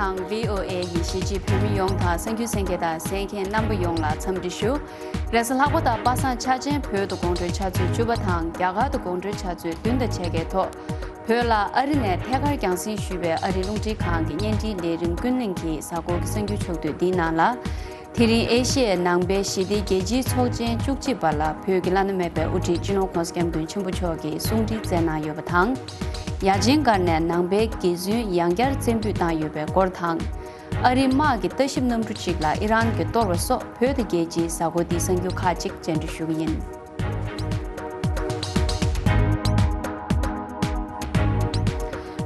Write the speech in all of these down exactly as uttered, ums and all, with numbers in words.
དང་། བྷི་ཨོ་ཨེ་ཡི་གཞིས་བྱེས་བོད་མི་ཡོངས་དང་། གསར་འགྱུར་གསན་མཁན་དང་གསན་མཁན་རྣམ་པ་ཡོངས་ལ་འཚམས་འདྲི་ཞུ། རེས་གཟའ་ལྷག་པ་དང་པ་སངས་འཆར་ཅན་བོད་དུ་དགོང་དྲོའི་ཆུ་ཚོད་བཅུ་པ་དང་རྒྱ་གར་དུ་དགོང་དྲོའི་ཆུ་ཚོད་བདུན་དང་ཕྱེད་ཀའི་ཐོག་བོད་ལ་ཨ་རི་ནས་ཐད་ཀར་རྒྱང་སྲིང་ཞུས་པའི་ཨ་རིའི་རླུང་འཕྲིན་ཁང་གི་བརྙན་འཕྲིན་ལས་རིམ་ཀུན་གླེང་གི་གཟའ་འཁོར་གྱི་གསར་འགྱུར་ཕྱོགས་བསྡུས་འདིའི་ནང་ལ། དེ་རིང་ཨེ་ཤི་ཡའི་ནང་པའི་ཞི་བདེའི་རྒྱལ་སྤྱིའི་ཚོགས་ཆེན་བཅུ་གཅིག་པ་ལ་བོད་ཀྱི་བླ་ན་མེད་པའི་དབུ་ཁྲིད་སྤྱི་ནོར་༧གོང་ས་༧སྐྱབས་མགོན་ཆེན་པོ་མཆོག་གིས་གསུང་འཕྲིན་བསྩལ་གནང་ཡོད་པ་དང་། ཡ་ཆེན་སྒར་ནས་ནང་པའི་དགེ་བཙུན་ཡང་བསྐྱར་བཙན་འབུད་བཏང་ཡོད་པའི་སྐོར་དང་། ཨ་རིའི་དམག་གི་ལྟ་ཞིབ་གནམ་གྲུ་གཅིག་ལ་ཨི་རན་གྱིས་གཏོར་བ་སོགས་བོད་དང་རྒྱལ་སྤྱིའི་གཟའ་འཁོར་འདིའི་གསར་འགྱུར་ཁག་ཅིག་བཅར་འདྲི་ཞུ་གི་ཡིན།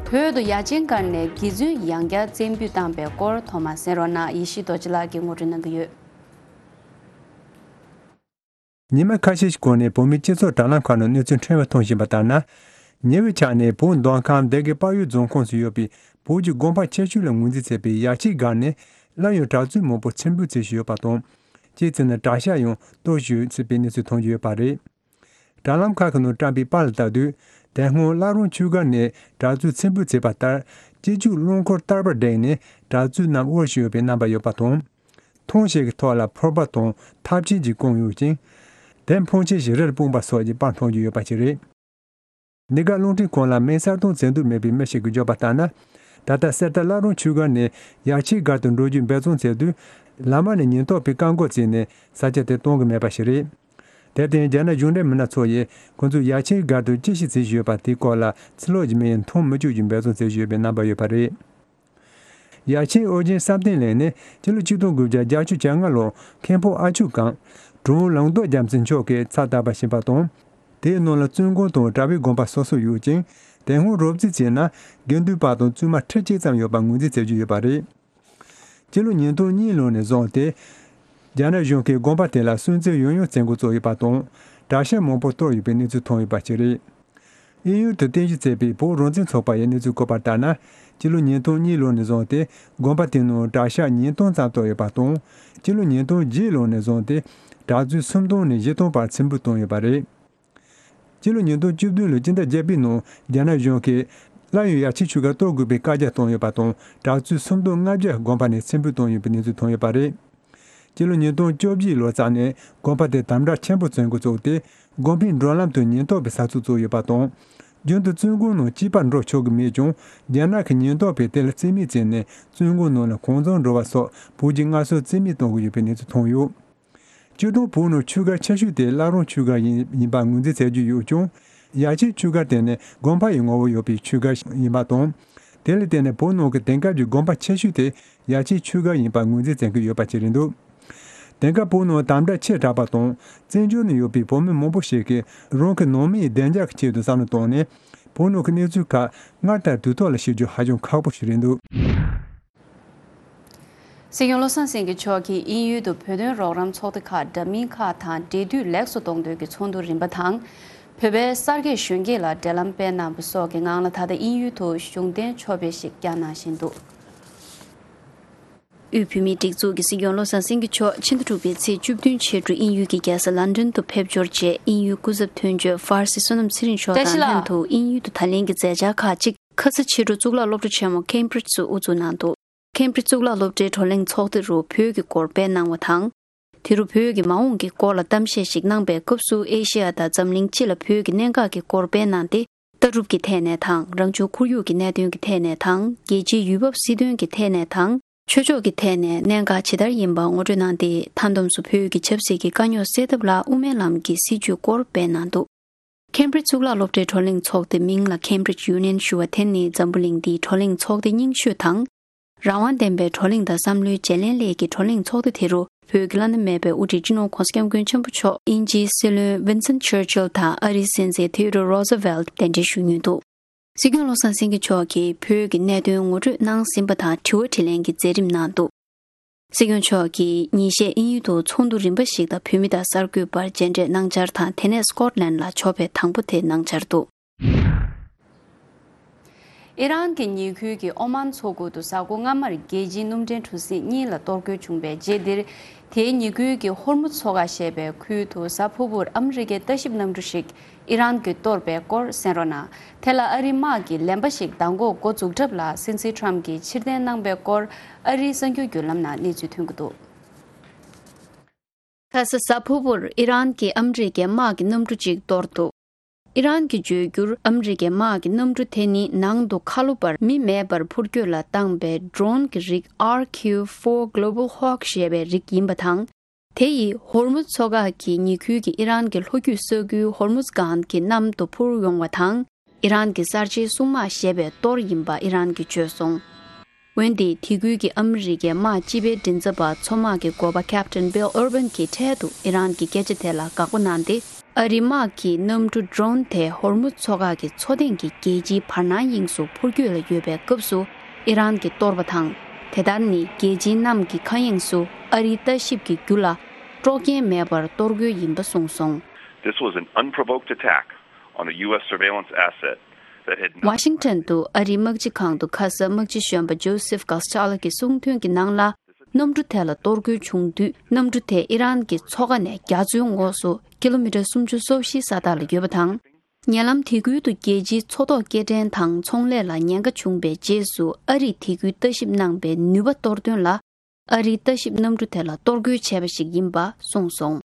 བོད་དུ་ཡ་ཆེན་སྒར་ནས་དགེ་བཙུན་ཡང་བསྐྱར་བཙན་འབུད་བཏང་པའི་སྐོར་ཐོག་མར་གསན་རོགས་གནང་། ཡེ་ཤེས་རྡོ་རྗེ་ལགས་ཀྱིས་ངོ་སྤྲོད་གནང་གི་ཡོད། ཉི་མ་ཁ་ཤས་ཤིག་གོང་ནས་བོད་མིའི་སྤྱི་ཚོགས་དྲ་ལམ་ཁག་ནང་གནས་ཚུལ་ཕྲན་བུ་མཐོང་བཞིན་པ་ལྟར་ན། ཉེ་བའི་ཆར་ནས་བོད་མདོ་ཁམས་སྡེ་དགེ་དཔལ་ཡུལ་རྫོང་ཁོངས་སུ་ཡོད་པའི་བོད་ཀྱི་དགོན་པ་ཆེ་ཤོས་ལ་ངོས་འཛིན་བྱེད་པའི་ཡ་ཆེན་སྒར་ནས་སླར་ཡང་གྲྭ་བཙུན་མང་པོ་ཚེ་འཕོས་མཛད་བཞིན་ཡོད་པ་དང་། སྤྱི་ཚོགས་ནང་གྲྭ་ཤག་ཡང་གཏོར་བཞིན་ཡོད་པའི་གནས་ཚུལ་མཐོང་རྒྱུ་ཡོད་པ་རེད། དྲ་ལམ་ཁག་གི་ནང་བཀྲམ་པའི་པར་ལ་ལྟ་དུས། དེ་སྔོན་བླ་རུང་ཆོས་སྒར་ནས་གྲྭ་བཙུན་ཚེ་འཕོས་མཛད་པ་ལྟར། སྤྱི་སྤྱོད་རླངས་འཁོར་བསྟར་པར་བསྒྲེངས་ནས་གྲྭ་བཙུན་རྣམས་དབོར་བཞིན་ཡོད་པའི་རྣམ་པ་ཡོད་པ་དང་། ཐང་ཞིག་གི་ཐོག་ལ་ཕོར་པ་དང་ཐབ་ཆས་ཀྱིས་བསྐོངས་ཡོད་ཅིང་། དེ་འཕོངས་ཆས་ཤིག་རིར་སྤུངས་པ་སོགས་ཀྱི་པར་མཐོང་རྒྱུ་ཡོད་པ་ཞིག་རེད། འདི་ག་རླུང་འཕྲིན་ཁང་ལ་མིང་གསལ་སྟོན་མཛད་འདོད་མེད་པའི་མི་ཞིག་གིས་བརྗོད་པ་ལྟར་ན། ད་ལྟ་གསེར་རྟ་བླ་རུང་ཆོས་སྒར་ནས་ཡ་ཆེན་སྒར་དུ་འགྲོ་རྒྱུའི་འབད་བརྩོན་བྱེད་དུས། ལམ་བར་ནས་ཉེན་རྟོག་པས་བཀག་འགོག་བྱས་ནས་ས་ཆ་དེར་གཏོང་གི་མེད་པ་ཞིག་རེད། དེར་བརྟེན་རྒྱ་ནག་གཞུང་འབྲེལ་མི་སྣ་ཚོ་ཡིས་ཁོ་ཚོས་ཡ་ཆེན་སྒར་དུ་ཅི་ཞིག་བྱེད་བཞིན་ཡོད་པ་དེའི་སྐོར་ལ་ཕྱི་ལོགས་ཀྱི་མི་ཡིས་མཐོང་མི་བཅུག་རྒྱུའི་འབད་བརྩོན་བྱེད་བཞིན་ཡོད་པའི་རྣམ་པ་ཡོད་པ་རེད། ཡ་ཆེན་ཨོ་རྒྱན་བསམ་གཏན་གླིང་ནི་སྤྱི་ལོ་ཆིག་སྟོང་དགུ་བརྒྱ་བརྒྱད་ཅུ་གྱ་ལྔ་ལོར་མཁན་པོ་ཨ་ཆོས་སྒང་གྲུབ་དབང་ལུང་རྟོགས་རྒྱལ་མཚན་མཆོག་གིས་ཕྱག་བཏབ་པ་ཞིག་ཡིན་པ་དང་། དེའི་ནང་ལ་བཙུན་དགོན་དང་གྲྭ་པའི་དགོན་པ་སོ་སོ་ཡོད་ཅིང་། དེ་སྔོན་རོབ་རྩིས་བྱས་ན་དགེ་འདུན་པ་དང་བཙུན་མ་ཁྲི་གཅིག་ཙམ་ཡོད་པ་ངོས་འཛིན་བྱེད་རྒྱུ་ཡོད་པ་རེད། སྤྱི་ལོ་ཉིས་སྟོང་གཉིས་ལོ་ནས་བཟུང་སྟེ། རྒྱ་ནག་གཞུང་གིས་དགོན་པ་དེ་ལ་སུན་གཙེར་ཡང་ཡང་བྱེད་འགོ་བཙུགས་ཡོད་པ་དང་། གྲྭ་ཤག་མང་པོ་གཏོར་ཡོད་པའི་གནས་ཚུལ་ཐོན་ཡོད་པ་ཞིག་རེད། དབྱིན་ཡུལ་དུ་རྟེན་གཞི་བྱས་པའི་བོད་རང་བཙན་ཚོགས་པ་ཡི་གནས་ཚུལ་བཀོད་པར་ལྟར་ན། སྤྱི་ལོ་ཉིས་སྟོང་གཉིས་ལོ་ནས་བཟུང་སྟེ་དགོན་པ་དེའི་ནང་གྲྭ་ཤག་ཉིས་སྟོང་ཙམ་གཏོར་ཡོད་པ་དང་། སྤྱི་ལོ་ཉིས་སྟོང་བརྒྱད་ལོ་ནས་བཟུང་སྟེ་གྲྭ་བཙུན་སུམ་སྟོང་ནས་བཞི་སྟོང་བར་ཚེ་འཕོས་བཏང་ཡོད་པ་རེད། སྤྱི་ལོ་ཉིས་སྟོང་བཅུ་བདུན་ལོའི་སྤྱི་ཟླ་བརྒྱད་པའི་ནང་རྒྱ་ནག་གཞུང་གིས་སླར་ཡང་ཡ་ཆེན་ཆོས་སྒར་གཏོར་དགོས་པའི་བཀའ་རྒྱ་བཏང་ཡོད་པ་དང་། གྲྭ་བཙུན་སུམ་སྟོང་ལྔ་བརྒྱ་དགོན་པ་ནས་ཚེ་འཕོས་བཏང་ཡོད་པའི་གནས་ཚུལ་ཐོན་ཡོད་པ་རེད། སྤྱི་ལོ་ཉིས་སྟོང་བཅོ་བརྒྱད་ལོ་ཙམ་ནས་དགོན་པ་དེ་དམ་དྲག་ཆེན་པོ་བྱེད་འགོ་བཙུགས་ཏེ། དགོན་པའི་འགྲོ་ལམ་དུ་ཉེན་རྟོག་པའི་ས་ཚིགས་བཙུགས་ཡོད་པ་དང་། རྒྱུན་དུ་བཙུན་དགོན་ནང་སྐྱིད་པར་འགྲོ་ཆོག་གི་མེད་ཀྱང་། རྒྱ་ནག་གི་ཉེན་རྟོག་པས་དེ་ལ་རྩིས་མེད་བྱས་ནས་བཙུན་དགོན་ནང་ལ་གང་བྱུང་འགྲོ་བ་སོགས་བོད་ཀྱི་སྔར་སྲོལ་རྩིས་མེད་གཏོང་གི་ཡོད་པའི་གནས་ཚུལ་ཐོན་ཡོད། སྤྱིར་བཏང་བོད་ནང་ཆོས་སྒར་ཆེ་ཤོས་དེ་བླ་རུང་ཆོས་སྒར་ཡིན་ཡིན་པར་ངོས་འཛིན་བྱེད་ཀྱི་ཡོད་ཀྱང་། ཡ་ཆེན་ཆོས་སྒར་དེ་ནི་དགོན་པ་ཡི་ངོ་བོ་ཡོད་པའི་ཆོས་སྒར་ཡིན་པ་དང་། དེ་ལ་བརྟེན་ནས་བོད་ནང་གི་དེང་སྐབས་ཀྱི་དགོན་པ་ཆེ་ཤོས་དེ་ཡ་ཆེན་ཆོས་སྒར་ཡིན་པར་ངོས་འཛིན་བྱེད་ཀྱི་ཡོད་པ་ཞིག་རེད་འདུག་དེང་སྐབས་བོད་ནང་དམ་དྲག་ཆེ་དྲགས་པ་དང་། བཙན་བྱོལ་ནང་ཡོད་པའི་བོད་མི་མང་པོ་ཞིག་གིས་རང་གི་ནང་མིའི་བདེ་འཇགས་ཀྱི་ཆེད་དུ་བསམ་བློ་བཏང་ནས། བོད་ནང་གི་གནས་ཚུལ་ཁག་སྔར་ལྟར་དུས་ཐོག་ལ་ཤེས་རྒྱུ་ཧ་ཅང་ཁག་པོ་ཞིག་རེད་འདུག་སྲིད་སྐྱོང་བློ་བཟང་སེང་གེ་མཆོག་གིས་དབྱིན་ཡུལ་དུ་བོད་དོན་རོགས་རམ་ཚོགས་སྡེ་ཁག་འདྲ་མིན་ཁག་དང་འབྲེལ་མཐུད་ལེགས་སུ་གཏོང་འདོད་ཀྱི་ཚོགས་འདུ་རིམ་པ་དང་། བོད་པའི་གསར་སྐྱེས་གཞོན་སྐྱེས་ལ་འབྲེལ་ལམ་སྤེལ་གནང་བ་སོགས་ཀྱི་ངང་ལ། ད་ལྟ་དབྱིན་ཡུལ་དུ་གཞུང་རྟེན་ཕྱོགས་ཕེབས་ཤིག་བསྐྱངས་གནང་བཞིན་འདུག་དབུས་བོད་མིའི་སྒྲིག་འཛུགས་ཀྱི་སྲིད་སྐྱོང་བློ་བཟང་སེང་གེ་མཆོག་ཕྱི་ཟླ་དྲུག་པའི་ཚེས་བཅུ་བདུན་ཕྱི་དྲོ་དབྱིན་ཡུལ་གྱི་རྒྱལ་ས་ལན་ཀྲན་དུ་ཕེབས་འབྱོར་རྗེས། དབྱིན་ཡུལ་སྐུ་ཚབ་དོན་གཅོད་ཧྥར་སི་བསོད་ནམས་ཚེ་རིང་མཆོག་དང་བཀྲ་ཤིས་ལྷན། ལྷན་དུ་དབྱིན་ཡུལ་དུ་ད་ལན་གྱི་མཛད་འཆར་ཁག་ཅིག་ཁ་ས་ཕྱི་དྲོ་གཙུག་ལག་སློབ་གྲྭ་ཆེན་མོ་ཁེམ་བྷྲིཇ་དུ་དབུ་འཛུགས་གནང་འདུག་ཁེམ་བྷྲིཇ་གཙུག་ལག་སློབ་གྲྭའི་བགྲོ་གླེང་ཚོགས་སྡེ་རུ་བོད་ཀྱི་སྐོར་སྤེལ་གནང་བ་དང་། དེ་རུ་བོད་ཀྱི་མ་འོངས་ཀྱི་སྐོར་ལ་གཏམ་བཤད་ཞིག་གནང་པའི་སྐབས་སུ། ཨེ་ཤེ་ཡ་དང་འཛམ་གླིང་སྤྱི་ལ་བོད་ཀྱི་གནད་འགག་གི་སྐོར་སྤེལ་གནང་སྟེ། ལྟ་གྲུབ་ཀྱི་ཐད་ནས་དང་། རང་བྱུང་ཁོར་ཡུག་གི་གནད་དོན་གྱི་ཐད་ནས་དང་། རྒྱལ་སྤྱིའི་ཡུལ་བབ་སྲིད་དོན་གྱི་ཐད་ནས་དང་། ཆོས་ཕྱོགས་ཀྱི་ཐད་ནས་གནད་འགག་ཇི་ལྟར་ཡིན་པ་ངོ་སྤྲོད་གནང་སྟེ། མཐའ་བསྡོམས་སུ་བོད་ཀྱི་ཆབ་སྲིད་ཀྱི་དཀའ་རྙོག་སེལ་ཐབས་ལ་དབུ་མའི་ལམ་གྱི་སྲིད་བྱུས་སྐོར་སྤེལ་གནང་འདུག་ཁེམ་བྷྲིཇ་གཙུག་ལག་སློབ་གྲྭའི་བགྲོ་གླེང་ཚོགས་སྡེ་མིང་ལ་Cambridge Union ཞུ་བ་དེ་ནི་འཛམ་བུ་གླིང་འདིའི་བགྲོ་གླེང་ཚོགས་སྡེ་རྙིང་ཤོས་དང་། རང་དབང་ལྡན་པའི་བགྲོ་གླེང་དང་བསམ་བློའི་བརྗེ་ལེན་སླད་ཀྱི་བགྲོ་གླེང་ཚོགས་སྡེ་དེ་རུ། བོད་ཀྱི་བླ་ན་མེད་པའི་དབུ་ཁྲིད་སྤྱི་ནོར་༧གོང་ས་༧སྐྱབས་མགོན་ཆེན་པོ་མཆོག་དབྱིན་ཇིའི་སྲིད་བློན་Winston Churchill དང་ཨ་རིའི་སྲིད་འཛིན་Theodore Roosevelt གདན་འདྲེན་ཞུ་མྱོང་འདུག་སྲིད་སྐྱོང་བློ་བཟང་སེང་གེ་མཆོག་གིས་བོད་ཀྱི་གནད་དོན་ངོ་སྤྲོད་གནང་ཟིན་པ་དང་། དྲི་བ་དྲིས་ལན་གྱི་མཛད་རིམ་གནང་འདུག་སྲིད་སྐྱོང་མཆོག་གིས་ཉིན་ཤས་དབྱིན་ཡུལ་དུ་ཚོགས་འདུ་རིམ་པ་ཞིག་དང་བོད་མི་དང་གསར་འགོད་པར་མཇལ་འཕྲད་གནང་འཆར་དང་། དེ་ནས་སྐོཊ་ལན་ལ་ཕྱོགས་ཕེབས་དང་པོ་དེ་གནང་འཆར་འདུག་ཨི་རན་གྱི་ཉེ་ཁུལ་གྱི་ཨོ་མཱན་མཚོ་ཁུལ་དུ་གཟའ་འཁོར་སྔ་མར་རྒྱལ་སྤྱིའི་སྣུམ་འདྲེན་གྲུ་གཟིངས་གཉིས་ལ་གཏོར་རྒོལ་བྱུང་བའི་རྗེས་འདིར། དེའི་ཉེ་ཁུལ་གྱི་ཧོར་མུ་མཚོ་ཁ་ཞེས་པའི་ཁུལ་དུ་གཟའ་ཕུར་བུར་ཨ་མི་རི་ཀའི་ལྟ་ཞིབ་གནམ་གྲུ་ཞིག་ཨི་རན་གྱིས་གཏོར་བའི་སྐོར་གསན་རོགས་གནང་། དེ་ལ་ཨ་རིའི་དམག་གིས་ལན་པ་ཞིག་མདང་དགོང་འགོ་འཛུགས་གྲབས་ལ་སྲིད་འཛིན་ཊམ་གྱིས་ཕྱིར་འཐེན་གནང་བའི་སྐོར། ཨ་རིའི་གསར་འགྱུར་བརྒྱུད་ལམ་ནང་གནས་ཚུལ་ཐོན་གྱི་འདུག་ཁ་ས་གཟའ་ཕུར་བུར་ཨི་རན་གྱིས་ཨ་མི་རི་ཀའི་དམག་གི་གནམ་གྲུ་གཅིག་གཏོར་འདུག་ཨི་རན་གྱིས་བརྗོད་རྒྱུར། ཨ་མི་རི་ཀའི་དམག་གི་གནམ་གྲུ་དེ་ནི་ནང་དུ་ཁ་ལོ་བར་མི་མེད་པར་འཕུར་སྐྱོད་ལ་བཏང་པའི་ཌོ་རོན་གྱི་རིགས་ཨར་ཁིའུ་ཕོར་གྷི་ལོ་བལ་ཧོག་ཞེས་པའི་རིགས་ཡིན་པ་དང་། དེ་ཡིས་ཧོར་མུ་མཚོ་ཁ་གི་ཉེ་ཁུལ་གྱི་ཨི་རན་གྱི་ལྷོ་རྒྱུད་ས་ཁུལ་ཧོར་མུ་ཛ་སྒང་གི་གནམ་དུ་འཕུར་ཡོང་བ་དང་། ཨི་རན་གྱི་གསར་བརྗེའི་སྲུང་དམག་ཞེས་པས་གཏོར་ཡིན་པ་ཨི་རན་གྱིས་བརྗོད་སོང་། འོན་ཏེ་དེ་ཁུལ་གྱི་ཨ་མི་རི་ཀའི་དམག་སྤྱི་པའི་མགྲིན་ཚབ་པ་མཚོ་དམག་གི་འགོ་པ་ཁེབ་ཊན་བྷིལ་ཨར་བན་གྱིས་འཕྲལ་དུ་ཨི་རན་གྱི་སྐད་ཆ་དེ་ལ་དགག་པ་གནང་སྟེ། ཨ་རིའི་དམག་གིས་གནམ་གྲུ་ཌོ་རོན་དེ་ཧོར་མུ་མཚོ་ཁ་གི་མཚོ་སྟེང་གི་རྒྱལ་སྤྱིའི་བར་སྣང་དབྱིངས་སུ་འཕུར་སྐྱོད་ལ་ཡོད་པའི་སྐབས་སུ་ཨི་རན་གྱིས་གཏོར་བ་དང་། དེ་ལྟར་ནི་རྒྱལ་སྤྱིའི་གནམ་གྱི་མཁའ་དབྱིངས་སུ་ཨ་རིའི་ལྟ་ཞིབ་ཀྱི་རྒྱུ་ལ་དཀྲོག་རྐྱེན་མེད་པར་གཏོར་རྒོལ་ཡིན་པ་གསུངས་སོང་། This was an unprovoked attack on a U S surveillance asset that had not ཝ་ཤིང་ཊོན་དུ་ཨ་རིའི་དམག་སྤྱི་ཁང་དུ་ཁ་ས་དམག་སྤྱི་གཞོན་པ་ཇོ་སེབ་ཀོ་སི་ཊ་ལོ་གི་གསུང་ཐོས་ཀྱི་ནང་ལ། གནམ་གྲུ་དེ་ལ་གཏོར་རྒོལ་བྱུང་དུས། གནམ་གྲུ་དེ་ཨི་རན་གྱི་མཚོ་ཁ་ནས་རྒྱ་མཚོའི་ངོགས་སུ་ཀི་ལོ་མི་ཊར་སུམ་ཅུ་སོ་བཞི་ས་ཐག་ལ་ཡོད་པ་དང་། ཉེ་ལམ་དེ་ཁུལ་དུ་རྒྱལ་སྤྱིའི་མཚོ་ཐོག་སྐྱེལ་འདྲེན་དང་ཚོང་ལས་ལ་ཉེན་ཁ་བྱུང་བའི་རྗེས་སུ་ཨ་རིས་དེ་ཁུལ་ལྟ་ཞིབ་གནང་པའི་ནུས་པ་གཏོར་དོན་ལ། ཨ་རིའི་ལྟ་ཞིབ་གནམ་གྲུ་དེ་ལ་གཏོར་རྒོལ་བྱས་པ་ཞིག་ཡིན་པ་གསུངས་སོང་།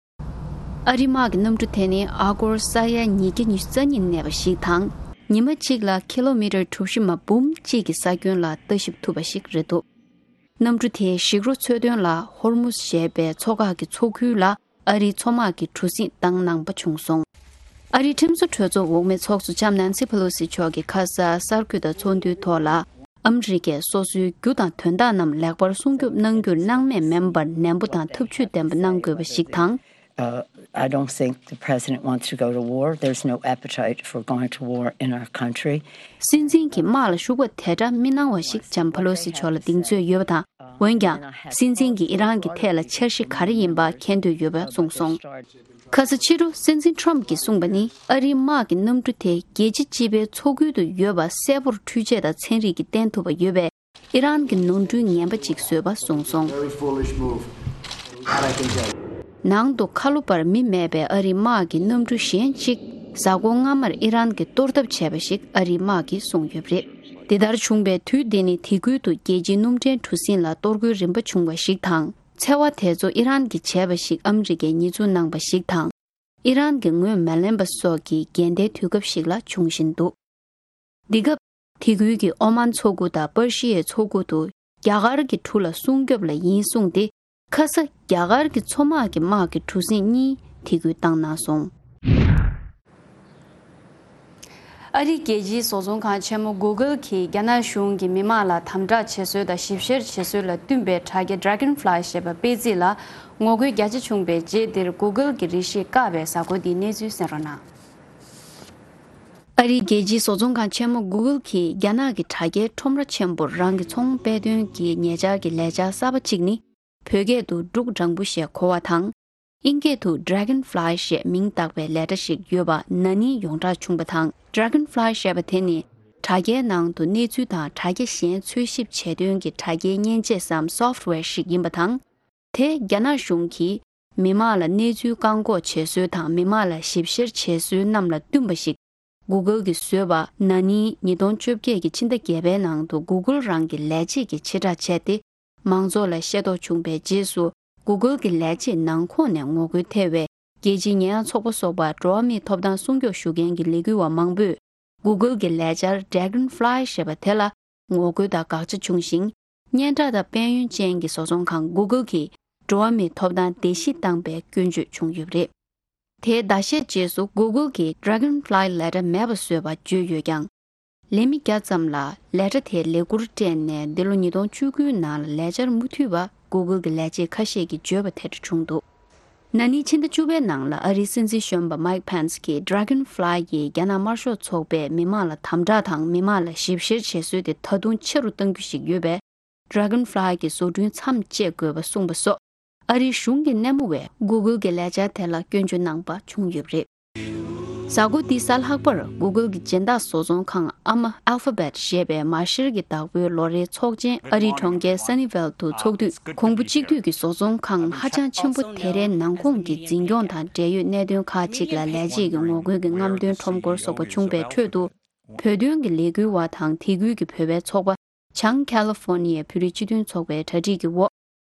ཨ་རིའི་དམག་གི་གནམ་གྲུ་དེ་ནི་ཨ་སྒོར་ས་ཡ་ཉིས་བརྒྱ་ཉི་ཤུ་རྩ་གཉིས་གནས་པ་ཞིག་དང་། ཉི་མ་གཅིག་ལ་ཀི་ལོ་མི་ཊར་གྲུ་བཞི་མ་འབུམ་གཅིག་གི་ས་ཁྱོན་ལ་ལྟ་ཞིབ་ཐུབ་པ་ཞིག་རེད་འདུག་གནམ་གྲུ་དེས་ཞིག་རོ་འཚོལ་དོན་ལ་ཧོར་མུ་ཟ་ཞེས་པའི་མཚོ་འགག་གི་མཚོ་ཁུལ་ལ་ཨ་རིའི་མཚོ་དམག་གིས་གྲུ་གཟིངས་བཏང་གནང་པ་བྱུང་སོང་། ཨ་རིའི་ཁྲིམས་བཟོ་གྲོས་ཚོགས་འོག་མའི་ཚོགས་གཙོ་ལྕམ་ནན་སི་ཕེ་ལོ་སི་མཆོག་གིས་ཁ་ས་གསར་འགོད་དང་ཚོགས་འདུའི་ཐོག་ལ། ཨ་མི་རི་ཀས་སོ་སོའི་རྒྱུ་དང་དོན་དག་རྣམས་ལེགས་པར་སྲུང་སྐྱོབ་གནང་རྒྱུར་སྣང་མེད་མིན་པར་ནན་པོ་དང་ཐབས་ཇུས་ལྡན་པ་གནང་དགོས་པ་ཞིག་དང་། Uh, I don't think the president wants to go to war. There's no appetite for going to war in our country. སྲིད་འཛིན་གྱིས་དམག་ལ་ཞུགས་པ་དེ་འདྲ་མི་གནང་བ་ཞིག་ལྕམ་ཕེ་ལོ་སི་མཆོག་ལ་གདེང་ཚོད་ཡོད་པ་དང་། འོན་ཀྱང་། སྲིད་འཛིན་གྱིས་ཨི་རན་གྱི་ཐད་ལ་འཆར་གཞི་ག་རེ་ཡིན་པ་མཁྱེན་འདོད་ཡོད་པ་གསུངས་སོང་། ཁ་ས་ཕྱི་དྲོ་སྲིད་འཛིན་ཊམ་གྱིས་གསུངས་པ་ནི། ཨ་རིའི་དམག་གི་གནམ་གྲུ་དེ་རྒྱལ་སྤྱི་སྤྱི་པའི་མཚོ་ཁུལ་དུ་ཡོད་པ་གསལ་པོར་འཕྲུལ་ཆས་དང་ཚན་རིག་གིས་བསྟན་ཐུབ་པ་ཡོད་པས། ཨི་རན་གྱི་ནོར་འཁྲུལ་ངན་པ་ཅིག་བཟོས་པ་གསུངས་སོང་། Very foolish move. That I can tell you. ནང་དུ་ཁ་ལོ་བར་མི་མེད་པའི་ཨ་རིའི་དམག་གི་གནམ་གྲུ་གཞན་གཅིག་གཟའ་འཁོར་སྔ་མར་ཨི་རན་གྱིས་གཏོར་ཐབས་བྱས་པ་ཞིག་ཨ་རིའི་དམག་གིས་གསུངས་ཡོད་པ་རེད། འདི་ལྟར་བྱུང་བའི་དུས་འདི་ནི་དེ་ཁུལ་དུ་རྒྱལ་སྤྱིའི་སྣུམ་འདྲེན་གྲུ་གཟིངས་ལ་གཏོར་རྒོལ་རིམ་པ་བྱུང་བ་ཞིག་དང་། འཚེ་བ་དེ་ཚོ་ཨི་རན་གྱིས་བྱས་པ་ཞིག་ཨ་མི་རི་ཀས་ཉེས་འཛུགས་གནང་བ་ཞིག་དང་། ཨི་རན་གྱིས་ངོས་མ་ལེན་པ་སོགས་ཀྱི་འགལ་ཟླའི་དུས་སྐབས་ཤིག་ལ་འབྱུང་བཞིན་འདུག་འདི་སྐབས། དེ་ཁུལ་གྱི་ཨོ་མཱན་མཚོ་ཁུལ་དང་པར་ཤི་ཡའི་མཚོ་ཁུལ་དུ་རྒྱ་གར་གྱི་གྲུ་ལ་སྲུང་སྐྱོབ་ལ་ཡིན་གསུངས་ཏེ། ཁ་ས་རྒྱ་གར་གྱི་མཚོ་དམག་གི་དམག་གི་གྲུ་གཟིངས་གཉིས་དེ་ཁུལ་བཏང་གནང་སོང་། ཨ་རིའི་རྒྱལ་སྤྱིའི་བཟོ་ཚོང་ཁང་ཆེན་མོ་གུ་གལ་གྱིས་རྒྱ་ནག་གཞུང་གིས་མི་དམངས་ལ་དམ་དྲག་བྱེད་སྲོལ་དང་ཞིབ་བཤེར་བྱེད་སྲོལ་ལ་བསྟུན་པའི་དྲ་རྒྱ་Dragonfly ཞེས་པ་སྤེལ་རྩིས་ལ་ངོ་རྒོལ་རྒྱ་ཆེ་བྱུང་བའི་རྗེས་འདིར་གུ་གལ་གྱི་རིགས་ཤིག་བཀག་པའི་གཟའ་འཁོར་འདིའི་གནས་ཚུལ་གསན་རོགས་གནང་། ཨ་རིའི་རྒྱལ་སྤྱིའི་བཟོ་ཚོང་ཁང་ཆེན་མོ་གུ་གལ་གྱིས་རྒྱ་ནག་གི་དྲ་རྒྱའི་ཁྲོམ་ར་ཆེན་པོར་རང་གི་ཚོང་སྤེལ་དོན་གྱི་ཉེ་ཆར་གྱི་ལས་འཆར་གསར་པ་གཅིག་ནི། བོད་སྐད་དུ་འབྲུག་སྦྲང་བུ་ཞེས་གོ་བ་དང་། ཨིན་སྐད་དུ་Dragonfly ཞེས་མིང་བཏགས་པའི་ལས་གྲྭ་ཞིག་ཡོད་པ་ན་ནིང་ཡོངས་གྲགས་བྱུང་བ་དང་། Dragonfly ཞེས་པ་དེ་ནི་དྲ་རྒྱའི་ནང་དུ་གནས་ཚུལ་དང་དྲ་རྒྱ་གཞན་འཚོལ་ཞིབ་བྱེད་དོན་གྱི་དྲ་རྒྱའི་མཉེན་ཆས་སམ་software ཞིག་ཡིན་པ་དང་། དེ་རྒྱ་ནག་གཞུང་གིས་མི་དམངས་ལ་གནས་ཚུལ་བཀག་འགོག་བྱེད་སྲོལ་དང་མི་དམངས་ལ་ཞིབ་བཤེར་བྱེད་སྲོལ་རྣམས་ལ་བསྟུན་པ་ཞིག་གུ་གལ་གྱིས་བཟོས་པ་ན་ནིང་ཉིས་སྟོང་བཅོ་བརྒྱད་ཀྱི་ཕྱི་ཟླ་བརྒྱད་པའི་ནང་དུ་གུ་གལ་རང་གི་ལས་བྱེད་ཀྱིས་ཕྱིར་བསྒྲགས་བྱས་ཏེ། མང་ཚོགས་ལ་ཤེས་རྟོགས་བྱུང་བའི་རྗེས་སུ་གུ་གལ་གྱི་ལས་བྱེད་ནང་ཁོངས་ནས་ངོ་རྒོལ་ཐེབས་པའི་རྒྱལ་སྤྱིའི་ཉེས་ཡངས་ཚོགས་པ་སོགས་པར་འགྲོ་བ་མིའི་ཐོབ་ཐང་སྲུང་སྐྱོབ་ཞུ་མཁན་གྱི་ལས་འགུལ་བ་མང་པོས་གུ་གལ་གྱི་ལས་འཆར་Dragonfly ཞེས་པ་དེ་ལ་ངོ་རྒོལ་དང་དགག་བྱ་བྱུང་ཞིང་། སྙན་གྲགས་དང་དཔལ་ཡོན་ཅན་གྱི་བཟོ་ཚོང་ཁང་གུ་གལ་གྱིས་འགྲོ་བ་མིའི་ཐོབ་ཐང་བརྡལ་བཤིག་བཏང་པའི་སྐྱོན་བརྗོད་བྱུང་ཡོད་པ་རེད། དེའི་ཟླ་ཤས་རྗེས་སུ་གུ་གལ་གྱིས་Dragonfly ལས་གྲྭ་མེད་པ་བཟོས་པ་བརྗོད་ཡོད་ཀྱང་། ལས་མི་བརྒྱ་ཙམ་ལ་ལས་གྲྭ་དེའི་ལས་འཁུར་སྤྲད་ནས་འདི་ལོ་ཉིས་སྟོང་བཅུ་དགུ་ནང་ལ་ལས་འཆར་མུ་མཐུད་པ་གུ་གལ་གྱི་ལས་བྱེད་ཁ་ཤས་ཀྱིས་བརྗོད་པ་དེ་འདྲ་བྱུང་འདུག་ན་ནིང་ཕྱི་ཟླ་བཅུ་པའི་ནང་ལ་ཨ་རིའི་སྲིད་འཛིན་གཞོན་པ་Mike Pence གྱིས་Dragonfly ཡིས་རྒྱ་ནག་དམར་ཤོག་ཚོགས་པས་མི་དམངས་ལ་དམ་དྲག་དང་མི་དམངས་ལ་ཞིབ་བཤེར་བྱེད་སྲོལ་དེ་ད་དུང་ཆེ་རུ་གཏང་རྒྱུ་ཞིག་ཡོད་པས། Dragonfly གི་བཟོ་སྐྲུན་མཚམས་བཅད་དགོས་པ་གསུངས་པ་སོགས་ཨ་རིའི་གཞུང་གི་སྣེ་མོ་བས་གུ་གལ་གྱི་ལས་འཆར་དེ་ལ་སྐྱོན་བརྗོད་གནང་པ་བྱུང་ཡོད་པ་རེད། གཟའ་འཁོར་འདིའི་གཟའ་ལྷག་པར་Google གྱི་སྦྱིན་བདག་བཟོ་ཚོང་ཁང་ཨ་མ་Alphabet ཞེས་པའི་མ་ཤེར་གྱི་བདག་པོའི་ལོ་རེའི་ཚོགས་ཆེན་ཨ་རིའི་གྲོང་ཁྱེར་Sunnyvale དུ་འཚོགས་དུས། གོང་བུ་གཅིག་བསྡུས་ཀྱི་བཟོ་ཚོང་ཁང་ཧ་ཅང་ཆེན་པོ་དེ་རའི་ནང་ཁོངས་ཀྱི་འཛིན་སྐྱོང་དང་འབྲེལ་ཡོད་གནད་དོན་ཁག་ཅིག་ལ་ལས་བྱེད་ཀྱི་ངོ་རྒོལ་གྱི་རྔམ་སྟོན་ཁྲོམ་སྐོར་སོགས་པ་བྱུང་བའི་ཁྲོད་དུ། བོད་དོན་གྱི་ལས་འགུལ་བ་དང་དེ་ཁུལ་གྱི་བོད་པའི་ཚོགས་པ་བྱང་ཁ་ལི་ཧྥོ་ནི་ཡའི་བོད་རིགས་སྤྱི་མཐུན་ཚོགས་པའི་གྲ་སྒྲིག་གི་འོག་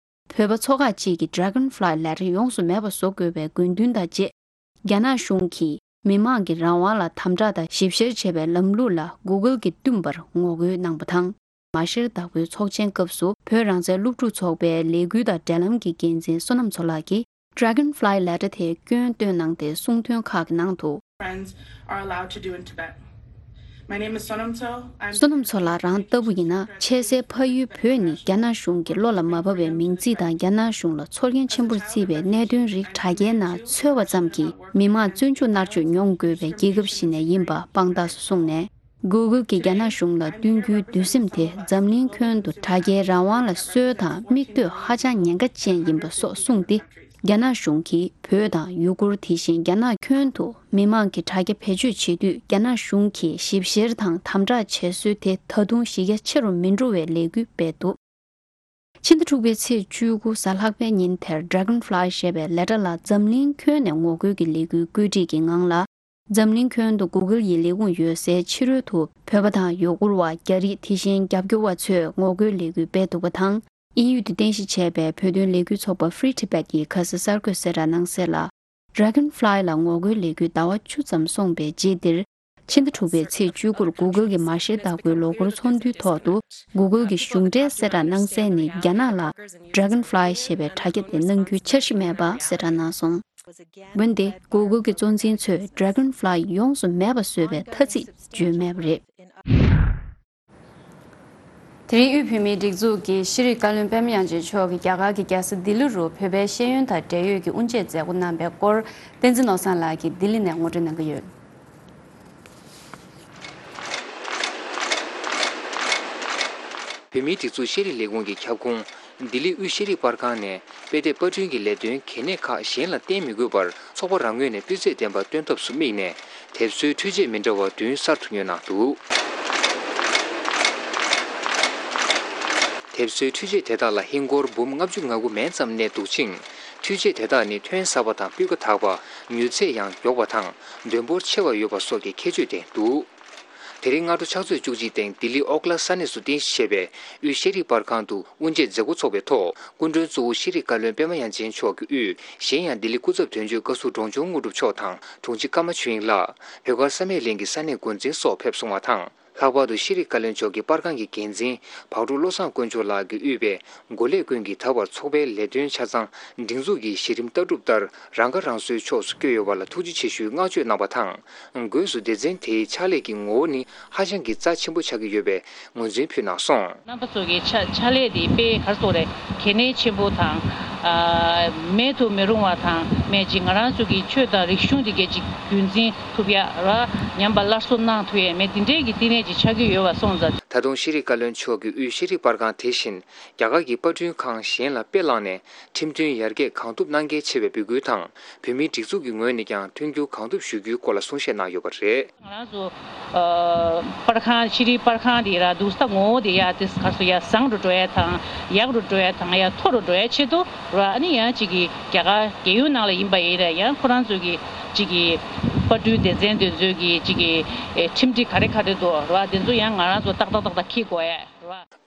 བོད་པ་ཚོ་ཁག་ཅིག་གིས་Dragonfly ལས་གྲྭ་ཡོངས་སུ་མེད་པ་བཟོ་དགོས་པའི་དགོས་འདུན་དང་བཅས། རྒྱ་ནག་གཞུང་གིས་མི་མང་གི་རང་དབང་ལ་དམ་དྲག་དང་ཞིབ་བཤེར་བྱེད་པའི་ལམ་ལུགས་ལ་Google གིས་བསྟུན་པར་ངོ་རྒོལ་གནང་པ་དང་། མ་ཤེར་བདག་པོའི་ཚོགས་ཆེན་སྐབས་སུ་བོད་རང་བཙན་སློབ་ཕྲུག་ཚོགས་པའི་ལས་འགུལ་དང་འབྲེལ་ལམ་གྱི་འགན་འཛིན་བསོད་ནམས་མཚོ་ལགས་ཀྱིས། Dragonfly ལས་གྲྭ་དེའི་སྐྱོན་བཏོན་གནང་སྟེ་གསུང་དོན་ཁག་གི་ནང་དུ། Friends are allowed to do in Tibet. My name is Sonam Tso. I'm བསོད་ནམས་མཚོ་ལགས་རང་ལྟ་བུ་ཡིན་ན། ཆེས་སའི་ཕ་ཡུལ་བོད་ནི་རྒྱ་ནག་གཞུང་གི་བློ་ལ་མ་བབས་པའི་མིང་ཚིག་དང་རྒྱ་ནག་གཞུང་ལ་ཚོར་སྐྱེན་ཆེན་པོར་བརྩིས་པའི་གནད་དོན་རིགས་དྲ་རྒྱའི་ནང་འཚོལ་བ་ཙམ་གྱིས་མི་མང་བཙོན་འཇུག་མནར་གཅོད་མྱོང་དགོས་པའི་རྒྱལ་ཁབ་ཞིག་ནས་ཡིན་པ་དཔང་རྟགས་སུ་བཟུང་ནས། Google གྱིས་རྒྱ་ནག་གཞུང་ལ་བསྟུན་རྒྱུའི་འདུན་སེམས་དེ་འཛམ་གླིང་ཁྱོན་དུ་དྲ་རྒྱའི་རང་དབང་ལ་སྲོལ་དང་མིག་ལྟོས་ཧ་ཅང་ཉེན་ཁ་ཅན་ཡིན་པ་སོགས་གསུངས་ཏེ། རྒྱ་ནག་གཞུང་གིས་བོད་དང་ཡུ་གུར། དེ་བཞིན་རྒྱ་ནག་ཁྱོན་དུ་མི་མང་གི་དྲ་རྒྱ་བེད་སྤྱོད་བྱེད་དུས། རྒྱ་ནག་གཞུང་གིས་ཞིབ་བཤེར་དང་དམ་དྲག་བྱེད་སྲོལ་དེ་ད་དུང་གཞི་རྒྱ་ཆེ་རུ་མི་འགྲོ་བའི་ལས་འགུལ་སྤེལ་འདུག་ཕྱི་ཟླ་དྲུག་པའི་ཚེས་བཅུ་དགུ་གཟའ་ལྷག་པའི་ཉིན་དེར་Dragonfly ཞེས་པའི་ལས་གྲྭ་ལ་འཛམ་གླིང་ཁྱོན་ནས་ངོ་རྒོལ་གྱི་ལས་འགུལ་བཀོད་སྒྲིག་གི་ངང་ལ། འཛམ་གླིང་ཁྱོན་དུ་Google ཡི་ལས་ཁུངས་ཡོད་སའི་ཕྱི་རོལ་དུ་བོད་པ་དང་ཡུ་གུར་བ། རྒྱ་རིགས། དེ་བཞིན་རྒྱབ་སྐྱོར་བ་ཚོས་ངོ་རྒོལ་ལས་འགུལ་སྤེལ་འདུག་པ་དང་། དབྱིན་ཡུལ་དུ་རྟེན་གཞི་བྱས་པའི་བོད་དོན་ལས་འགུལ་ཚོགས་པ་Free Tibet ཡིས་ཁ་སང་གསར་འགོད་གསལ་བསྒྲགས་གནང་གསལ་ལ། Dragonfly ལ་ངོ་རྒོལ་ལས་འགུལ་ཟླ་བ་བཅུ་ཙམ་སོང་པའི་རྗེས་འདིར། ཕྱི་ཟླ་དྲུག་པའི་ཚེས་བཅུ་དགུར་Google གྱི་མ་ཤེར་བདག་པོའི་ལོ་འཁོར་ཚོགས་འདུའི་ཐོག་ཏུ། Google གྱི་གཞུང་འབྲེལ་གསལ་བསྒྲགས་གནང་གསལ་ནི། རྒྱ་ནག་ལ་Dragonfly ཞེས་པའི་དྲ་རྒྱ་དེ་གནང་རྒྱུའི་འཆར་གཞི་མེད་པ་གསལ་བསྒྲགས་གནང་སོང་། འོན་ཏེ། Google གྱི་གཙོ་འཛིན་ཚོས་Dragonfly ཡོངས་སུ་མེད་པ་བཟོས་པའི་ཐ་ཚིག་བརྗོད་མེད་པ་རེད། དེ་རིང་དབུས་བོད་མིའི་སྒྲིག་འཛུགས་ཀྱི་ཤེས་རིག་བཀའ་བློན་པད་མ་དབྱངས་ཅན་མཆོག་གིས་རྒྱ་གར་གྱི་རྒྱལ་ས་ལྡི་ལི་རུ་བོད་པའི་ཤེས་ཡོན་དང་འབྲེལ་ཡོད་ཀྱི་དབུ་འབྱེད་མཛད་སྒོ་གནང་པའི་སྐོར། བསྟན་འཛིན་ནོར་བཟང་ལགས་ཀྱིས་ལྡི་ལི་ནས་ངོ་སྤྲོད་གནང་གི་ཡོད། བོད་མིའི་སྒྲིག་འཛུགས་ཤེས་རིག་ལས་ཁུངས་ཀྱི་ཁྱབ་ཁོངས་ལྡི་ལི་དབུས་ཤེས་རིག་པར་ཁང་ནས་དཔེ་དེབ་པར་སྐྲུན་གྱི་ལས་དོན་གལ་གནད་ཁག་གཞན་ལ་བརྟེན་མི་དགོས་པར་ཚོགས་པ་རང་ངོས་ནས་སྤུས་ཚད་ལྡན་པ་སྟོན་ཐབས་སུ་དམིགས་ནས་དེབ་བཟོའི་འཕྲུལ་ཆས་མི་འདྲ་བ་བདུན་གསར་དུ་ཉོས་གནང་འདུག་དེབ་བཟོའི་འཕྲུལ་ཆས་དེ་དག་ལ་ཧིན་སྒོར་འབུམ་ལྔ་བཅུ་ང་དགུ་མན་ཙམ་གནས་འདུག་ཅིང་། འཕྲུལ་ཆས་དེ་དག་ནི་ཐོན་གསར་པ་དང་སྤུས་ཀ་དག་པ། མྱུར་ཚད་ཡང་མགྱོགས་པ་དང་འདོན་འབོར་ཆེ་བ་ཡོད་པ་སོགས་ཀྱི་ཁྱད་ཆོས་ལྡན་འདུག་དེ་རིང་སྔ་དྲོ་ཕྱག་ཚོད་བཅུ་གཅིག་སྟེང་ལྡི་ལི་ཨོག་ལ་ས་གནས་སུ་རྟེན་གཞི་བྱས་པའི་དབུས་ཤེས་རིག་པར་ཁང་དུ་དབུ་འབྱེད་མཛད་སྒོ་འཚོགས་པའི་ཐོག་སྐུ་མགྲོན་གཙོ་བོ་ཤེས་རིག་བཀའ་བློན་པད་མ་དབྱངས་ཅན་མཆོག་གི་དབུས། གཞན་ཡང་ལྡི་ལི་སྐུ་ཚབ་དོན་གཅོད་བཀའ་ཟུར་འབྲོང་ཆུང་དངོས་གྲུབ་མཆོག་དང་དྲུང་ཆེ་ཀརྨ་ཆོས་དབྱིངས་ལགས། བོད་སྒར་བསམ་ཡས་གླིང་གི་ས་གནས་འགོ་འཛིན་སོགས་ཕེབས་སོང་བ་དང་། ལྷག་པར་དུ་ཤེས་རིག་བཀའ་བློན་མཆོག་གི་པར་ཁང་གི་འགན་འཛིན་བག་གྲོ་བློ་བཟང་དཀོན་མཆོག་ལགས་ཀྱིས་དབུས་པའི་འགོ་ལས་ཀུན་གྱིས་ད་བར་ཚོགས་པའི་ལས་དོན་ཆ་ཚང་སྒྲིག་འཛུགས་ཀྱི་གཞི་རིམ་ལྟ་གྲུབ་ལྟར་རང་ཁ་རང་གསོའི་ཕྱོགས་སུ་བསྐྱོད་ཡོད་པ་ལ་ཐུགས་རྗེ་ཆེ་ཞུའི་བསྔགས་བརྗོད་གནང་བ་དང་། སྒོས་སུ་སྡེ་ཚན་དེའི་ཕྱག་ལས་ཀྱི་ངོ་བོ་ནི་ཧ་ཅང་གི་རྩ་ཆེན་པོ་ཆགས་ཀྱི་ཡོད་པའི་ངོས་འཛིན་ཕུལ་གནང་སོང་། རྣམ་པ་ཚོ་གི་ཕྱག་ཕྱག་ལས་དེ་དཔེ་ག་རེ་ཟེར་དགོས་རེད། གལ་གནད་ཆེན་པོ་དང་། ཨ། མེད་དུ་མི་རུང་བ་དང་། མེད་ཅིག་ང་རང་ཚོ་གི་ཆོས་དང་རིག་གཞུང་དེ་གའི་ཅིག་རྒྱུན་འཛིན་ཐུབ་ཡ་ར། ཉམས་པ་སླར་གསོ་གནང་ཐུབ་ཡ་མེད་དེ་འདྲའི་གི་བསྟི་གནས་ཅིག་ཆགས་ཀྱི་ཡོད་པ་སོང་ཙང་། ད་དུང་ཤེས་རིག་བཀའ་བློན་མཆོག་གིས་དབུས་ཤེས་རིག་པར་ཁང་དེ་བཞིན་རྒྱ་གར་གྱི་པར་སྐྲུན་ཁང་གཞན་ལ་དཔེ་བླངས་ནས་ཁྲིམས་མཐུན་ཡར་རྒྱས་གང་ཐུབ་གནང་གལ་ཆེ་བའི་འབོད་སྐུལ་དང་། བོད་མིའི་སྒྲིག་འཛུགས་ཀྱི་ངོས་ནས་ཀྱང་མཐུན་འགྱུར་གང་ཐུབ་ཞུ་རྒྱུའི་སྐོར་ལ་གསུང་བཤད་གནང་ཡོད་པ་རེད། ང་རང་ཚོ་ཨ་པར་ཁང་། ཤེས་རིག་པར་ཁང་དེ་ར་འདུག་ས་ངོ་བོ་དེ་ཡ་དེ་ག་རེ་ཟེར། ཡ་བཟང་རུ་འགྲོ་ཡ་དང་། ཡག་རུ་འགྲོ་ཡ་དང་། ཡ་མཐོ་རུ་འགྲོ་ཡ་ཆེད་དུ་ར། ཨ་ནི་ཡང་ཅིག་གི་རྒྱ་གར་རྒྱལ་ཡོངས་ནང་ལ་ཡིན་པ་ཡིན་ར། ཡང་ཁོ་རང་ཚོ་གི་ཅིག་གི་པར་སྐྲུན་སྡེ་ཚན་དེ་ཚོའི་གི་ཅིག་གི་ཨེ་ཁྲིམས་སྒྲིག་ག་རེ་ག་རེ་འདུག་ར། དེ་ཚོ་ཡང་ང་རང་ཚོ་ཏག་ཏག་ཏག་ཏག་འཁྱེར་དགོས་ཡ་ར།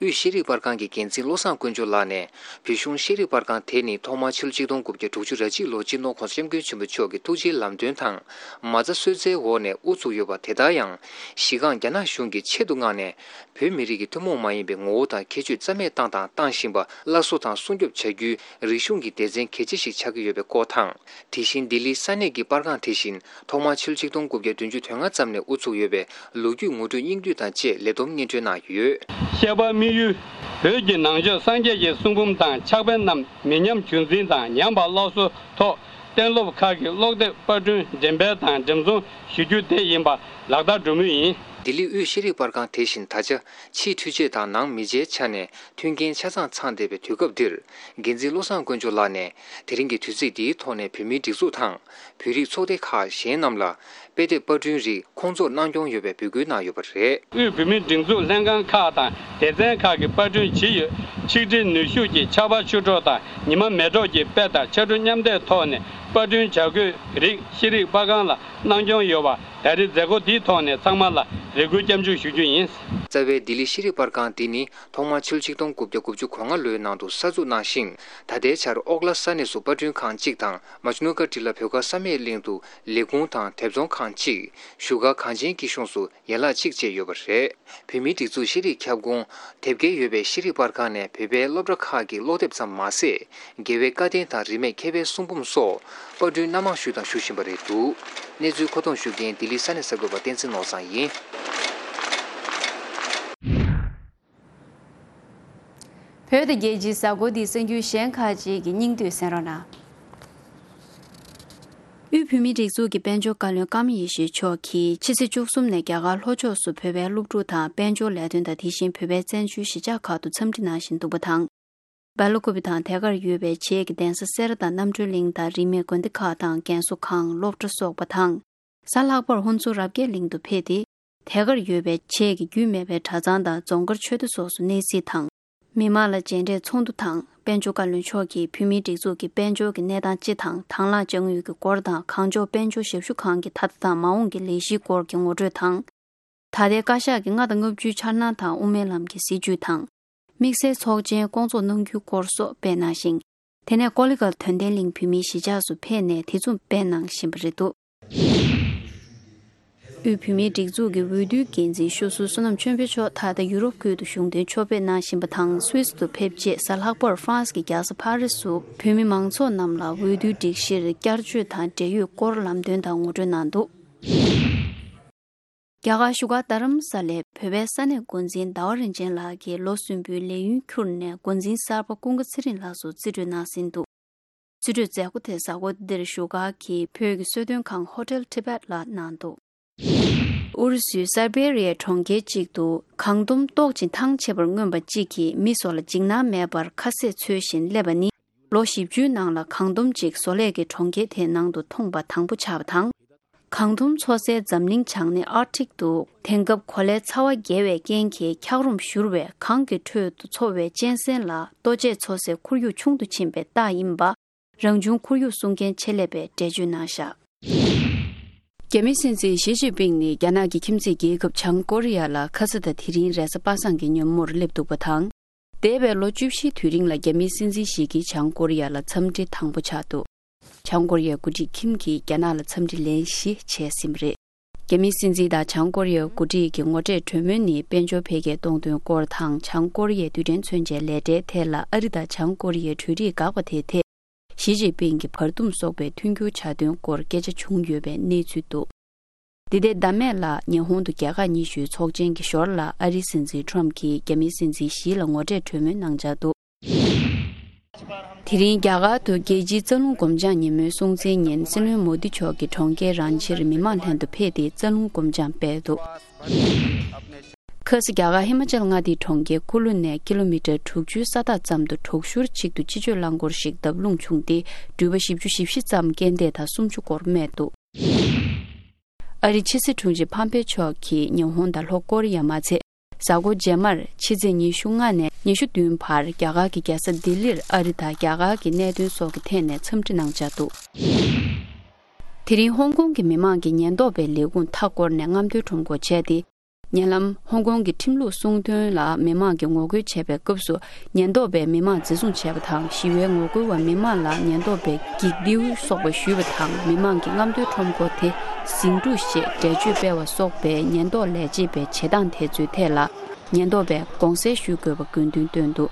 དབུས་ཤེས་རིག་པར་ཁང་གི་འགན་འཛིན་བློ་བཟང་དཀོན་མཆོག་ལགས་ནས། བོད་གཞུང་ཤེས་རིག་པར་ཁང་དེ་ནི་ཐོག་མར་ཕྱི་ལོ་ཆིག་སྟོང་དགུ་བརྒྱ་དྲུག་ཅུ་རེ་གཅིག་ལོར་སྤྱི་ནོར་༸གོང་ས་༸སྐྱབས་མགོན་ཆེན་པོ་མཆོག་གི་ཐུགས་རྗེའི་ལམ་སྟོན་དང་། མ་རྩ་གསོལ་སྩལ་འོག་ནས་དབུ་བཙུགས་ཡོད་པ། དེ་ལྟར་ཡང་། གཞི་རྐང་རྒྱ་ནག་གཞུང་གིས་ཆེད་དུ་མངགས་ནས། བོད་མི་རིགས་ཀྱི་ཐུན་མོང་མ་ཡིན་པའི་ངོ་བོ་དང་ཁྱད་ཆོས་རྩ་མེད་བཏང་དང་བཏང་བཞིན་པ་སླར་གསོ་དང་སྲུང་སྐྱོབ་བྱ་རྒྱུའི་རིག་གཞུང་གི་སྡེ་ཚན་གལ་ཆེ་ཞིག་ཆགས་ཀྱི་ཡོད་པའི་སྐོར་དང་། དེ་བཞིན་ལྡི་ལིའི་ས་གནས་ཀྱི་པར་ཁང་དེ་བཞིན་ཐོག་མར་ཕྱི་ལོ་ཆིག་སྟོང་དགུ་བརྒྱ་བདུན་ཅུ་དོན་ལྔ་ཙམ་ནས་དབུ་བཙུགས་ཡོད་པའི་ལོ་རྒྱུས་ངོ་སྤྲོད་སྙིང་བསྡུས་དང་བཅས་ལས་བསྡོམས་སྙན་སྒྲོན་གནང་ཡོད། བཤད་པ་དམིགས་ཡུལ། བོད་ཀྱི་ནང་ཆོས་སངས་རྒྱས་ཀྱི་གསུང་འབུམ་དང་ཕྱག་དཔེ་རྣམས་མི་ཉམས་རྒྱུན་འཛིན་དང་ཉམས་པ་སླར་གསོའི་ཐོག་གཏན་སློབ་ཁག་གི་ཀློག་དེབ་པར་སྐྲུན་འགྲེམས་སྤེལ་དང་འགྲེམས་ཚོང་ཞུ་རྒྱུ་དེ་ཡིན་པ་ལག་བསྟར་འགྲོ་མུས་ཡིན། ལྡི་ལི་དབུས་ཤེས་རིག་པར་ཁང་དེ་བཞིན་ད་ཆ་ཕྱིའི་འཕྲུལ་ཆས་དང་ནང་མི་ཚེའི་ཆ་ནས་མཐུན་རྐྱེན་ཆ་ཚང་ཚང་བསྡད་པའི་དུས་སྐབས་འདིར། འགན་འཛིན་བློ་བཟང་དཀོན་མཆོག་ལགས་ནས་དེ་རིང་གི་དུས་ཚིགས་འདིའི་ཐོག་ནས་བོད་མིའི་སྒྲིག་འཛུགས་དང་། བོད་རིགས་ཚོགས་སྡེ་ཁག་གཞན་རྣམས་ལ་དཔེ་དེབ་པར་སྐྲུན་རིགས་ཁོང་ཚོར་གནང་སྐྱོང་ཡོད་པའི་འབོད་སྐུལ་གནང་ཡོད་པ་རེད། དབུས་བོད་མིའི་སྒྲིག་འཛུགས་ལྷན་ཁང་ཁག་དང་སྡེ་ཚན་ཁག་གིས་པར་སྐྲུན་བྱེད་ཡུལ་ཆིག་སྒྲིལ་ནུས་ཤུགས་ཀྱི་ཆར་པ་ཆུ་གྲོགས་དང་ཉི་མ་མེ་གྲོགས་ཀྱི་དཔེ་དང་ཕྱར་གྲུ་མཉམ་འདེགས་ཐོག་ནས་པར་སྐྲུན་བྱ་དགོས་རིགས་ཤེས་རིག་པར་ཁང་ལ་གནང་སྐྱོང་ཡོད་པ། ད་རེས་མཛད་སྒོ་འདིའི་ཐོག་ནས་ཚང་མ་ལ་རེ་སྐུལ་སྐྱབས་འཇུག་ཞུ་རྒྱུ་ཡིན། རྩ་བའི་ལྡི་ལི་ཤེས་རིག་པར་ཁང་འདི་ནི་ཐོག་མར་ཕྱི་ལོ་ཆིག་སྟོང་དགུ་བརྒྱ་དགུ་བཅུ་གོ་ལྔ་ལོའི་ནང་དུ་གསར་འཛུགས་གནང་ཞིང་། ད་ལྟའི་ཆར་ཨོག་ལ་ས་གནས་སུ་པར་སྐྲུན་ཁང་གཅིག་དང་། མ་ཇུ་ནུ་ཀ་ཏི་ལ་བོད་དགའ་བསམ་ཡས་གླིང་དུ་ལས་ཁུངས་དང་དེབ་ཚོང་ཁང་གཅིག་བཞུགས་སྒར་གངས་ཅན་སྐྱིད་གཤོངས་སུ་ཡན་ལག་གཅིག་བཅས་ཡོད་པ་རེད། བོད་མིའི་སྒྲིག་འཛུགས་ཤེས་རིག་ཁྱབ་ཁོངས་དེབ་སྐྱེལ་ཡོད་པའི་ཤེས་རིག་པར་ཁང་ནས་བོད་པའི་སློབ་གྲྭ་ཁག་གི་ཀློག་དེབ་ཙམ་མ་ཟད། རྒྱལ་བའི་བཀའ་བསྟན་དང་རིས་མེད་མཁས་པའི་གསུང་འབུམ་སོགས་པར་སྐྲུན་སྣ་མང་ཞུས་དང་ཞུ་བཞིན་པ་རེད་འདུག་གནས་ཚུལ་མཁོ་གཏོང་ཞུ་མཁན་ལྡི་ལི་ས་གནས་གསར་འགོད་པ་བསྟན་འཛིན་ནོར་བཟང་ཡིན། བོད་དང་རྒྱལ་སྤྱིའི་གཟའ་འཁོར་འདིའི་གསར་འགྱུར་གཞན་ཁག་ཅིག་གི་སྙིང་བསྡུས་གསན་རོགས་གནང་། དབུས་བོད་མིའི་སྒྲིག་འཛུགས་ཀྱི་དཔལ་འབྱོར་བཀའ་བློན་ཀརྨ་ཡེ་ཤེས་མཆོག་གིས་ཕྱི་ཚེས་བཅུ་གསུམ་ནས་རྒྱ་གར་ལྷོ་ཕྱོགས་སུ་བོད་པའི་སློབ་ཕྲུག་དང་དཔལ་འབྱོར་ལས་དོན་དང་དེ་བཞིན་བོད་པའི་བཙན་བྱོལ་གཞིས་ཆགས་ཁག་ཏུ་འཚམས་འདྲི་གནང་བཞིན་འདུག་པ་དང་། སྦེལ་ཀོབ་དང་དེ་གར་ཡོད་པའི་བྱེས་ཀྱི་གདན་ས་སེ་ར་དང་རྣམ་གྲོལ་གླིང་དང་རིས་མེད་དགོན་སྡེ་ཁག་དང་རྒན་གསོ་ཁང་སློབ་གྲྭ་སོགས་པ་དང་། གཟའ་ལྷག་པར་ཧོན་སུར་རབ་རྒྱས་གླིང་དུ་ཕེབས་ཏེ། དེ་གར་ཡོད་པའི་བྱེས་ཀྱི་རྒྱུས་མེད་པའི་གྲྭ་ཚང་དང་རྫོང་དཀར་ཆོས་སྡེ་སོགས་སུ་གནས་གཟིགས་དང་། མི་མང་ལ་མཇལ་འཕྲད་ཚོགས་འདུ་དང་། དཔལ་འབྱོར་བཀའ་བློན་མཆོག་གིས་བོད་མིའི་སྒྲིག་འཛུགས་ཀྱི་དཔལ་འབྱོར་གྱི་གནས་སྟངས་སྤྱི་དང་དང་བླངས་དཔྱ་དངུལ་གྱི་སྐོར་དང་། གངས་ལྗོངས་དཔལ་འབྱོར་ཞབས་ཞུ་ཁང་གི་ད་ལྟ་དང་མ་འོངས་ཀྱི་ལས་གཞིའི་སྐོར་གྱི་ངོ་སྤྲོད་དང་། ད་ལྟའི་བཀའ་ཤག་གི་ལྔ་དང་ལྔ་བཅུའི་འཆར་སྣང་དང་དབུ་མའི་ལམ་གྱི་སྲིད་བྱུས་དང་། དམིགས་བསལ་ཚོགས་ཆེན་བསྐོང་ཚོགས་གནང་རྒྱུའི་སྐོར་སོགས་སྤེལ་གནང་ཞིང་། དེ་ནས་ཀོ་ལི་གྷལ་དོན་ལྡན་གླིང་བོད་མིའི་གཞིས་ཆགས་སུ་ཕེབས་ནས་དེ་མཚུངས་སྤེལ་གནང་བཞིན་པ་རེད་འདུག་དབུས་བོད་མིའི་སྒྲིག་འཛུགས་ཀྱི་འོས་བསྡུའི་འགན་འཛིན་ཤོག་སུ་བསོད་ནམས་ཆོས་འཕེལ་མཆོག་ད་ལྟ་ཡུ་རོབ་ཁུལ་དུ་གཞུང་དོན་ཕྱོགས་ཕེབས་གནང་བཞིན་པ་དང་། སུད་སི་དུ་ཕེབས་རྗེས་གཟའ་ལྷག་པར་ཧྥ་རན་སི་གི་རྒྱལ་ས་ཕ་རི་སུ་བོད་མི་མང་ཚོགས་རྣམས་ལ་འོས་བསྡུའི་སྒྲིག་གཞིར་བསྐྱར་བཅོས་དང་འབྲེལ་ཡོད་སྐོར་ལམ་སྟོན་དང་ངོ་སྤྲོད་གནང་འདུག་རྒྱ་གར་བཞུགས་སྒར་རྡ་རམ་ས་ལའི་བོད་པའི་ས་གནས་འགོ་འཛིན་ཟླ་བ་རིན་ཆེན་ལགས་ཀྱིས་ལོ་གསུམ་པོའི་ལས་ཡུན་འཁྱུར་ནས་འགོ་འཛིན་གསར་པ་ཀུན་དགའ་ཚེ་རིང་ལགས་སུ་རྩིས་སྤྲོད་གནང་ཟིན་འདུག་རྩིས་སྤྲོད་མཛད་སྒོ་དེ་གཟའ་འཁོར་འདིར་བཞུགས་སྒར་གྱི་བོད་ཀྱི་གསོལ་སྟོན་ཁང་ཧོ་ཊེལ་ཊི་བེཊ་ལ་གནང་འདུག་ཨུ་རུ་སུའི་སར་བེ་རི་ཡའི་གྲོང་ཁྱེར་གཅིག་ཏུ་གངས་དུམ་ཏོག་ཅིང་ཐང་ཆད་པར་མངོན་པ་གཅིག་གིས་མི་སོགས་ལ་འཇིགས་སྣང་མེད་པར་ཁ་ཟས་འཚོལ་བཞིན་སླེབས་པ་ནི། ལོ་བཞི་བཅུའི་ནང་ལ་གངས་དུམ་གཅིག་བཟོ་ལས་ཀྱི་གྲོང་ཁྱེར་དེའི་ནང་དུ་མཐོང་པ་དང་པོ་ཆགས་པ་དང་། གངས་དུམ་འཚོ་སའི་འཛམ་གླིང་བྱང་སྣེ་ཨར་ཀ་ཊིག་ཏུ་དེང་སྐབས་གོ་ལའི་ཚ་བ་རྒྱས་པའི་རྐྱེན་གྱིས་འཁྱགས་རོམ་བཞུར་བས་གངས་ཀྱི་ཁྲོད་དུ་འཚོ་བའི་གཅན་གཟན་ལ་ལྟོ་ཆས་འཚོ་སའི་ཁོར་ཡུག་ཆུང་དུ་ཕྱིན་པའི་རྟགས་ཡིན་པ། རང་བྱུང་ཁོར་ཡུག་སྲུང་མཁན་ཆེད་ལས་པས་འགྲེལ་བརྗོད་གནང་བཞག་རྒྱ་མིའི་སྲིད་འཛིན་ཞི་ཅིན་ཕིང་ནི་རྒྱ་ནག་གི་ཁྱིམ་མཚེས་རྒྱལ་ཁབ་བྱང་ཀོ་རི་ཡ་ལ་ཁ་ས་དང་དེ་རིང་རེས་གཟའ་པ་སངས་ཀྱི་ཉིན་མོར་སླེབས་འདུག་པ་དང་། འདས་པའི་ལོ་བཅུ་བཞིའི་དུས་རིང་ལ་རྒྱ་མིའི་སྲིད་འཛིན་ཞིག་གིས་བྱང་ཀོ་རི་ཡ་ལ་འཚམས་འདྲི་དང་པོ་ཆགས་འདུག་བྱང་ཀོ་རི་ཡའི་འགོ་ཁྲིད་ཁིམ་གྱིས་རྒྱ་ནག་ལ་འཚམས་འདྲི་ལན་བཞི་བྱས་ཟིན་པ་རེད། རྒྱ་མིའི་སྲིད་འཛིན་དང་བྱང་ཀོ་རི་ཡའི་འགོ་ཁྲིད་ཀྱི་ངོ་འཕྲད་གྲོས་མོལ་ནི་དཔལ་འབྱོར་འཕེལ་རྒྱས་གཏོང་དོན་སྐོར་དང་། བྱང་ཀོ་རི་ཡའི་རྡུལ་ཕྲན་མཚོན་ཆའི་ལས་གྲྭའི་ཐད་ལ་ཨ་རི་དང་བྱང་ཀོ་རི་ཡའི་གྲོས་རིགས་འགག་པ་དེའི་ཐད། ཞི་ཅིན་ཕིང་གིས་བར་འདུམ་སོགས་པའི་མཐུན་འགྱུར་བྱ་དོན་སྐོར་སྐད་ཆ་བྱུང་ཡོད་པའི་གནས་ཚུལ་འདུག་འདི་ཟླའི་ཟླ་སྨད་ལ་ཉི་ཧོང་དུ་རྒྱལ་ཁག་ཉི་ཤུའི་ཚོགས་ཆེན་གྱི་ཞོར་ལ་ཨ་རིའི་སྲིད་འཛིན་ཊམ་གྱིས་རྒྱ་མིའི་སྲིད་འཛིན་ཞི་ལ་ངོ་འཕྲད་གྲོས་མོལ་གནང་འཆར་འདུག་དེ་རིང་རྒྱ་གར་དུ་རྒྱལ་སྤྱིའི་རྩ་རླུང་སྒོམ་སྦྱང་ཉིན་མོའི་སྲུང་བརྩིའི་ཉིན་སྲིད་བློན་མོ་དི་མཆོག་གིས་གྲོང་ཁྱེར་རང་ཆིར་མི་མང་ལྷན་དུ་ཕེབས་ཏེ་རྩ་རླུང་སྒོམ་སྦྱང་སྤེལ་འདུག་ཁ་སང་རྒྱ་གར་ཧི་མ་ཅལ་མངའ་སྡེའི་གྲོང་ཁྱེར་ཀུ་ལུ་ནས་ཀི་ལོ་མི་ཊར་དྲུག་ཅུའི་ས་ཐག་ཙམ་དུ་དྲུག་ཞོར་གཅིག་ཏུ་སྤྱི་སྤྱོད་རླངས་འཁོར་ཞིག་བརྡབ་ལྷུང་བྱུང་སྟེ། འགྲུལ་པ་བཞི་བཅུ་ཞེ་བཞི་ཙམ་རྐྱེན་འདས་དང་སུམ་ཅུ་འགོར་རྨས་འདུག་ཨ་རིའི་ཕྱི་སྲིད་དྲུང་ཆེ་ཕམ་པེ་མཆོག་གིས་ཉི་ཧོང་དང་ལྷོ་ཀོ་རི་ཡ་མ་ཚད། གཟའ་འཁོར་རྗེས་མར་ཕྱི་ཚེས་ཉི་ཤུ་ལྔ་ནས་ཉི་ཤུ་བདུན་བར་རྒྱ་གར་གྱི་རྒྱལ་ས་ལྡི་ལིར་ཨ་རི་དང་རྒྱ་གར་གྱི་གནད་དོན་སོགས་ཀྱི་ཐད་ནས་འཚམས་འདྲི་གནང་འཆར་འདུག་དེ་རིང་ཧོང་ཀོང་གི་མི་མང་གིས་ཉེན་རྟོག་པའི་ལས་ཁུངས་མཐའ་བསྐོར་ནས་རྔམ་སྟོན་ཁྲོམ་སྐོར་བྱས་ཏེ། ཉེ་ལམ་ཧོང་ཀོང་གི་ཁྲིམས་ལུགས་སྲུང་དོན་ལ་མི་མང་གིས་ངོ་རྒོལ་བྱས་པའི་སྐབས་སུ། ཉེན་རྟོག་པས་མི་མང་འཛིན་བཟུང་བྱས་པ་དང་། ཞི་བའི་ངོ་རྒོལ་བ་མི་མང་ལ་ཉེན་རྟོག་པས་འགྱིག་རྡེའུ་སོགས་པ་གཞུས་པ་དང་། མི་མང་གིས་རྔམ་སྟོན་ཁྲོམ་སྐོར་དེ་ཟིང་འཁྲུག་ཞེས་འགྲེལ་བརྗོད་སྤེལ་བ་སོགས་པའི་ཉེན་རྟོག་ལས་བྱེད་པའི་བྱེད་སྟངས་དེ་ཚོའི་ཐད་ལ། ཉེན་རྟོག་པས་དགོངས་སེལ་ཞུ་དགོས་པ་དགོས་འདུན་བཏོན་འདུག་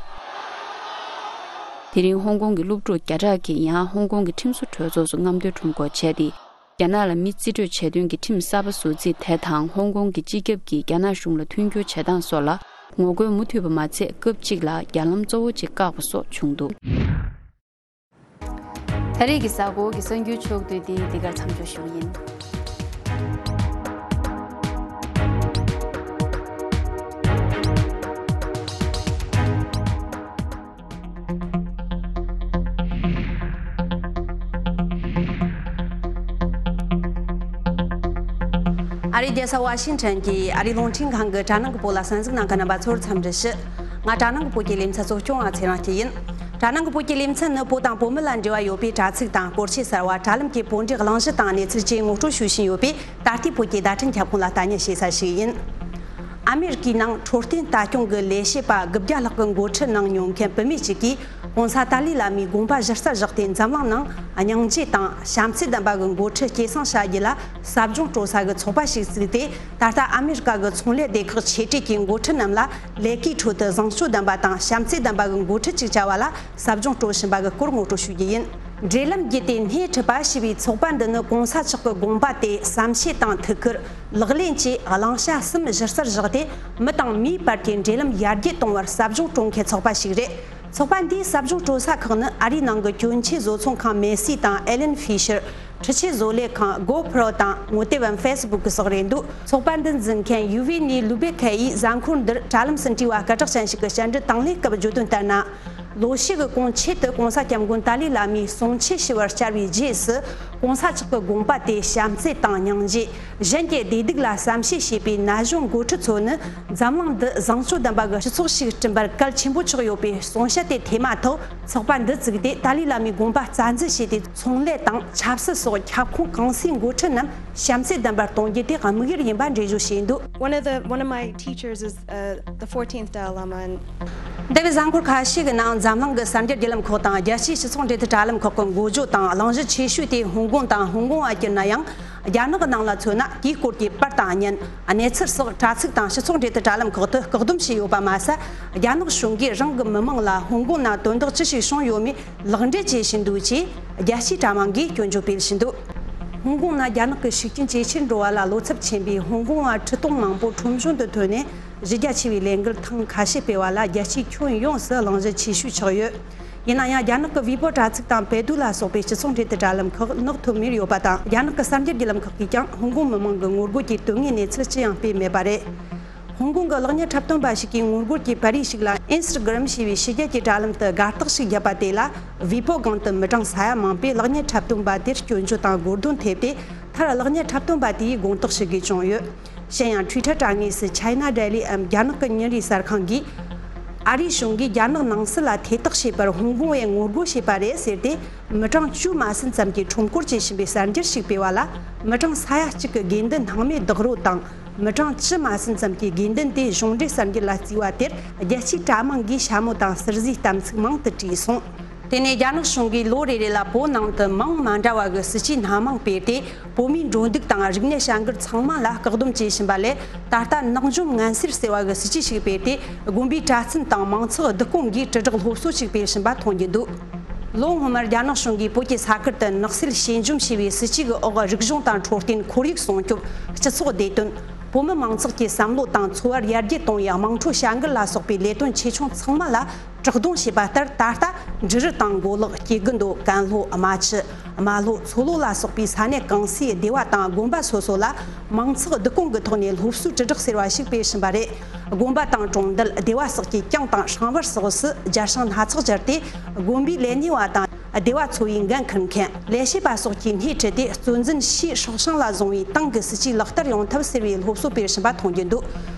དེ་རིང་ཧོང་ཀོང་གི་སློབ་ཕྲུག་བརྒྱ་ཕྲག་གིས་ཡང་ཧོང་ཀོང་གི་ཁྲིམས་བཟོ་གྲོས་ཚོགས་སུ་རྔམ་སྟོན་ཁྲོམ་སྐོར་བྱས་ཏེ། རྒྱ་ནག་ལ་མི་རྩིས་སྤྲོད་བྱེད་དོན་གྱི་ཁྲིམས་གསར་པ་བཟོ་རྩིས་དེ་དང་། ཧོང་ཀོང་གི་སྤྱི་ཁྱབ་ཀྱིས་རྒྱ་ནག་གཞུང་ལ་མཐུན་འགྱུར་བྱེད་སྟངས་སོགས་ལ་ངོ་རྒོལ་མུ་མཐུད་པ་མ་ཚད། སྐབས་གཅིག་ལ་རྒྱ་ལམ་གཙོ་བོ་གཅིག་བཀག་པ་སོགས་བྱུང་འདུག་ད་རེས་ཀྱི་གཟའ་འཁོར་གྱི་གསར་འགྱུར་ཕྱོགས་བསྡུས་འདི་འདི་གར་མཚམས་འཇོག་ཞུ་གི་ཡིན། རྒྱལ་ས་ཝ་ཤིང་ཊོན་གྱི་ཨ་རིའི་རླུང་འཕྲིན་ཁང་གི་དྲ་ནང་གི་པོ་ལ་གསན་གཟིགས་གནང་མཁན་རྣམ་པ་ཚོར་འཚམས་འདྲི་ཞུ། ང་དྲ་ནང་གི་པོ་གི་ལེ་ཚན་གཙོ་སྐྱོང་བ་ཚེ་རིང་སྐྱིད་ཡིན། དྲ་ནང་གི་པོ་གི་ལེ་ཚན་ནི་པོ་དང་པོ་མི་ལ་འབྲེལ་བ་ཡོད་པའི་དྲ་ཚིགས་དང་སྐོར་ཆས་གསར་བ། དྲ་ལམ་གྱི་པོ་འབྲེལ་གླེང་གཞི་དང་གནས་ཚུལ་བཅས་ངོ་སྤྲོད་ཞུ་བཞིན་ཡོད་པས། ད་ལྟའི་བོད་ཀྱི་བརྡ་འཕྲིན་ཁྱབ་ཁོངས་ལ་ལྟ་ཉན་བྱེད་ས་ཞིག་ཡིན། ཨ་མེ་རི་ཀའི་ནང་འཕྲོད་བསྟེན་ལྟ་སྐྱོང་གི་ལས་བྱེད་པ་དགུ་བརྒྱ་ལྷག་གི་འགོ་ཁྲིད་གནང་མྱོང་མཁན་བུད་མེད་ཅིག་གིས། ྋགོང་ས་ཏཱ་ལའི་བླ་མའི་དགོངས་པ་གཞི་རྩར་བཞག་སྟེ། འཛམ་གླིང་ནང་སྙིང་རྗེ་དང་བྱམས་བརྩེ་ལྡན་པ་གི་འགོ་ཁྲིད་སྐྱེད་སྲིང་བྱ་རྒྱུ་ལ་ཟབ་སྦྱོང་སྤྲོད་ས་གི་ཚོགས་པ་ཞིག་བཙུགས་ཏེ། ད་ལྟ་ཨ་མེ་རི་ཀ་གི་ཚོང་ལས་སྡེ་ཁག་ཆེ་གྲས་ཀྱི་འགོ་ཁྲིད་རྣམས་ལ། ལས་ཀའི་ཁྲོད་དུ་བཟང་སྤྱོད་ལྡན་པ་དང་བྱམས་བརྩེ་ལྡན་པ་གི་འགོ་ཁྲིད་ཅིག་བྱ་བ་ལ། ཟབ་སྦྱོང་སྤྲོད་བཞིན་པ་གི་སྐོར་ངོ་སྤྲོད་ཞུ་རྒྱུ་ཡིན། འབྲེལ་ལམ་བརྒྱུད་དེ་སྣེ་ཁྲིད་པ་ཞེས་པའི་ཚོགས་པ་འདི་ནི་གོང་ས་མཆོག་གི་དགོངས་པ་དེ་བསམ་ཤེས་དང་ཐུགས་ཁུར། ལག་ལེན་བཅས་བླང་བྱ་གསུམ་གཞི་རྩར་བཞག་སྟེ། མི་དང་མིའི་བར་གྱི་འབྲེལ་ལམ་ཡར་རྒྱས་གཏོང་བར་ཟབ་སྦྱོང་སྤྲོད་མཁན་ཚོགས་པ་ཞིག་རེད། ཚོགས་པ་འདིའི་ཟབ་སྦྱོང་སྤྲོད་ས་ཁག་ནི་ཨ་རིའི་ནང་གི་གྱོན་ཆས་བཟོ་ཚོང་ཁང་མེ་སི་དང་ཨེ་ལན་ཧྥི་ཤར། འཕྲུལ་ཆས་བཟོ་ལས་ཁང་གོ་པྲོ་དང་ངོ་དེབ་བམ་ཧྥེ་སི་བུག་གི་སོགས་རེད་འདུག་ཚོགས་པ་འདི་འཛིན་མཁན་ཡུ་ཝི་ནི་ལུ་བེ་ཁེ་ཡིས་གཟའ་འཁོར་འདིར་དྲ་ལམ་སུ་འབྲེལ་བ་སྐད་གྲགས་ཅན་ཞིག་གི་བཅར་འདྲི་དང་ལེན་སྐབས་བརྗོད་དོན་ལྟར་ན། ལོ་ཤས་ཀྱི་གོང་ཆེད་དུ་གོང་ས་སྐྱབས་མགོན་ཏཱ་ལའི་བླ་མའི་གསུང་ཆོས་ཞུ་བར་བཅར་བའི་རྗེས་སུ། གོང་ས་མཆོག་གི་དགོངས་པ་དེ་བྱམས་བརྩེ་དང་སྙིང་རྗེ། གཞན་གྱི་བདེ་སྡུག་ལ་བསམ་ཤེས་བྱེད་པའི་ན་གཞོན་འགོ་ཁྲིད་ཚོ་ནི། འཛམ་གླིང་འདི་བཟང་སྤྱོད་ལྡན་པ་གི་སྤྱི་ཚོགས་ཤིག་བསྐྲུན་པར་གལ་ཆེན་པོ་ཆགས་ཡོད་པའི་གསུང་བཤད་དེ་ཐོས་མ་ཐག་ཚོགས་པ་འདི་བཙུགས་ཏེ། ཏཱ་ལའི་བླ་མའི་དགོངས་པ་རྩ་འཛིན་བྱས་ཏེ། ཚོང་ལས་དང་ཆབ་སྲིད་སོགས་ཁྱབ་ཁོངས་གང་སའི་འགོ་ཁྲིད་རྣམས་བྱམས་བརྩེ་ལྡན་པར་གཏོང་རྒྱུ་དེ་དམིགས་ཡུལ་ཡིན་པ་འགྲེལ་བརྗོད་བྱས་འདུག One of the one of my teachers is uh, the fourteenth Dalai Lama. And འདས་པའི་གཟའ་འཁོར་ཁ་ཤས་ཀྱི་ནང་འཛམ་གླིང་གི་གསར་འགྱུར་བརྒྱུད་ལམ་ཁག་དང་རྒྱལ་སྤྱིའི་སྤྱི་ཚོགས་འབྲེལ་མཐུད་དྲ་ལམ་ཁག་གི་འགོ་བརྗོད་དང་གླེང་གཞི་ཆེ་ཤོས་དེ་ཧོང་ཀོང་དང་ཧོང་ཀོང་བ་གྱུར་ན་ཡང་། རྒྱ་ནག་གི་ནང་ལ་མཚོན་ན། དེའི་སྐོར་གྱི་པར་དང་བརྙན། གནས་ཚུལ་སོགས་དྲ་ཚིགས་དང་སྤྱི་ཚོགས་འབྲེལ་མཐུད་དྲ་ལམ་ཁག་ཏུ་བཀག་སྡོམ་བྱས་ཡོད་པ་མ་ཟད། རྒྱ་ནག་གཞུང་གིས་རང་གི་མི་མང་ལ་ཧོང་ཀོང་ནང་དོན་དག་ཅི་ཞིག་བྱུང་ཡོད་མེད། ལག་འབྲེལ་བྱེད་བཞིན་འདུག་ཅེས་རྒྱལ་སྤྱིའི་དྲ་དམངས་ཀྱིས་སྐྱོན་བརྗོད་སྤེལ་བཞིན་འདུག་ཧོང་ཀོང་ནང་རྒྱ་ནག་གི་ཤུགས་རྐྱེན་ཇེ་ཆེར་འགྲོ་བ་ལ་བློ་འཚབ་ཆེན་པོས་ཧོང་ཀོང་བ་ཁྲི་སྟོང་མང་པོ་ཁྲོམ་གཞུང་དུ་ཐོན་ནས། གཞི་རྒྱ་ཆེ་བའི་ལས་འགུལ་ཐེངས་ཁ་ཤས་སྤེལ་བ་ལ་རྒྱལ་སྤྱིའི་ཁྱོན་ཡོངས་སུ་གླེང་གཞི་ཆེ་ཤོས་ཆགས་ཡོད། ཡིན་ན་ཡང་། རྒྱ་ནག་གི་ཝི་པོ་དྲ་ཚིགས་དང་པེ་ཏུ་ལ་སོགས་པའི་སྤྱི་ཚོགས་འབྲེལ་མཐུད་དྲ་ལམ་ཁག་ནག་ཐོམ་མེར་ཡོད་པ་དང་། རྒྱ་ནག་གི་གསར་འགྱུར་བརྒྱུད་ལམ་ཁག་གིས་ཀྱང་ཧོང་ཀོང་མི་མང་གི་ངོ་རྒོལ་གྱི་དོན་དངོས་གནས་ཚུལ་ཅི་ཡང་སྤེལ་མེད་པ་རེད། ཧོང་ཀོང་གི་གློག་བརྙན་འཁྲབ་སྟོན་པ་ཞིག་གིས་ངོ་རྒོལ་གྱི་པར་རིས་ཤིག་ལ། ཨིན་སི་ཊ་གྷི་རམ་ཞེས་པའི་ཕྱི་རྒྱལ་གྱི་དྲ་ལམ་དུ་དགའ་རྟགས་ཤིག་བརྒྱབ་པ་དེ་ལ། ཝི་པོ་སྒང་དུ་མི་གྲངས་ས་ཡ་མང་པོས་གློག་བརྙན་འཁྲབ་སྟོན་པ་དེར་སྐྱོན་བརྗོད་དང་དགོས་འདུན་ཐེབས་ཏེ། མཐར་གློག་བརྙན་འཁྲབ་སྟོན་པ་དེས་དགོངས་དག་ཞུ་དགོས་བྱུང་ཡོད། གཞན་ཡང་། ཊུའི་ཊར་དྲ་ངོས་སུ་China Daily འམ། རྒྱ་ནག་གི་ཉིན་རེའི་གསར་ཁང་གིས། ཨ་རིའི་གཞུང་གིས་རྒྱ་ནག་ནང་སྲིད་ལ་ཐེ་གཏོགས་བྱས་པར་ཧོང་ཀོང་བས་ངོ་རྒོལ་བྱས་པ་རེད་ཟེར་ཏེ། མི་གྲངས་བཅུ་མ་ཟིན་ཙམ་གྱིས་ཁྲོམ་སྐོར་བྱེད་བཞིན་པའི་གསར་འགྱུར་ཞིག་སྤེལ་བ་ལ། མི་གྲངས་ས་ཡ་གཅིག་གི་དགོས་འདུན་སྣང་མེད་རྡེག་རོལ་དང་། མི་གྲངས་བཅུ་མ་ཟིན་ཙམ་གྱི་དགོས་འདུན་དེ་གཞུང་འབྲེལ་གསར་འགྱུར་ལ་བརྩིས་པ་དེར། རྒྱལ་སྤྱིའི་དྲ་དམངས་ཀྱིས་ཞྭ་མོ་དང་ཟུར་ཟའི་གཏམ་ཚིག་མང་དུ་བྲིས་སོང་། དེ་ནས་རྒྱ་ནག་གཞུང་གིས་ལོ་རེ་རེ་ལ་བོད་ནང་དུ་མིང་མ་འདྲ་བ་གི་སྲིད་ཇུས་སྣ་མང་སྤེལ་ཏེ། བོད་མིའི་འགྲོ་འདུག་དང་རིག་གནས་བྱ་འགུལ་ཚང་མ་ལ་བཀག་སྡོམ་བྱེད་བཞིན་པ་ལས། ད་ལྟ་ནག་འཇོམས་ངན་སེལ་ཟེར་བ་གི་སྲིད་ཇུས་ཤིག་སྤེལ་ཏེ། དགོན་པའི་གྲྭ་བཙུན་དང་མང་ཚོགས་བསྡུ་སྐོང་གིས་དྲིལ་བསྒྲགས་སློབ་གསོ་ཞིག་སྤེལ་བཞིན་པ་མཐོང་རྒྱུ་འདུག་ལོ་སྔོན་མར་རྒྱ་ནག་གཞུང་གིས་བོད་ཀྱི་ས་ཁུལ་དུ་ནག་སེལ་ཞི་འཇོམས་ཞེས་པའི་སྲིད་ཇུས་ཀྱི་འོག་རིག་གཞུང་དང་འཕྲོད་བསྟེན། ཁོར་ཡུག་སྲུང་སྐྱོབ། སྤྱི་ཚོགས་བདེ་དོན། བོད་མི་མང་ཚོགས་ཀྱི་བསམ་བློ་དང་འཚོ་བར་ཡར་རྒྱས་གཏོང་ཡག་དམངས་ཁྲོད་བྱ་འགུལ་ལ་སོགས་པའི་ལས་དོན་ཆེ་ཆུང་ཚང་མ་ལ་བཀག་སྡོམ་བྱས་པ་ལྟར། ད་ལྟ་འབྲི་རུ་དང་མགོ་ལོག་སྐྱེ་དགུ་མདོ། ཀན་ལྷོ། རྨ་ཆུ། རྨ་ལྷོ། མཚོ་ལྷོ་ལ་སོགས་པའི་ས་གནས་གང་སའི་སྡེ་བ་དང་དགོན་པ་སོ་སོ་ལ་མང་ཚོགས་བསྡུ་སྐོང་གི་ཐོག་ནས་སློབ་གསོའི་དྲིལ་བསྒྲགས་ཟེར་བ་ཞིག་སྤེལ་བཞིན་པ་རེད། དགོན་པ་དང་གྲོང་རྡལ། སྡེ་བ་སོགས་ཀྱི་གྱང་དང་ཧྲེང་བར་སོགས་སུ་རྒྱ་ཧྲེང་སྣ་ཚོགས་སྦྱར་ཏེ། དགོན་པའི་ལས་སྣེ་བ་དང་སྡེ་བ་ཚོ་བའི་འགན་འཁུར་མཁན། ལས་བྱེད་པ་སོགས་ཀྱིས་སྣེ་ཁྲིད་དེ། གཙོ་འཛིན་ཕྱིའི་སྲོག་ཤིང་ལ་བཟུང་བའི་ཏང་གི་སྲིད་ཇུས་ལག་བསྟར་ཡོང་ཐབས་ཟེར་བའི་སློབ་གསོ་སྤེལ་བཞིན་པ་མཐོང་རྒྱུ་འདུག་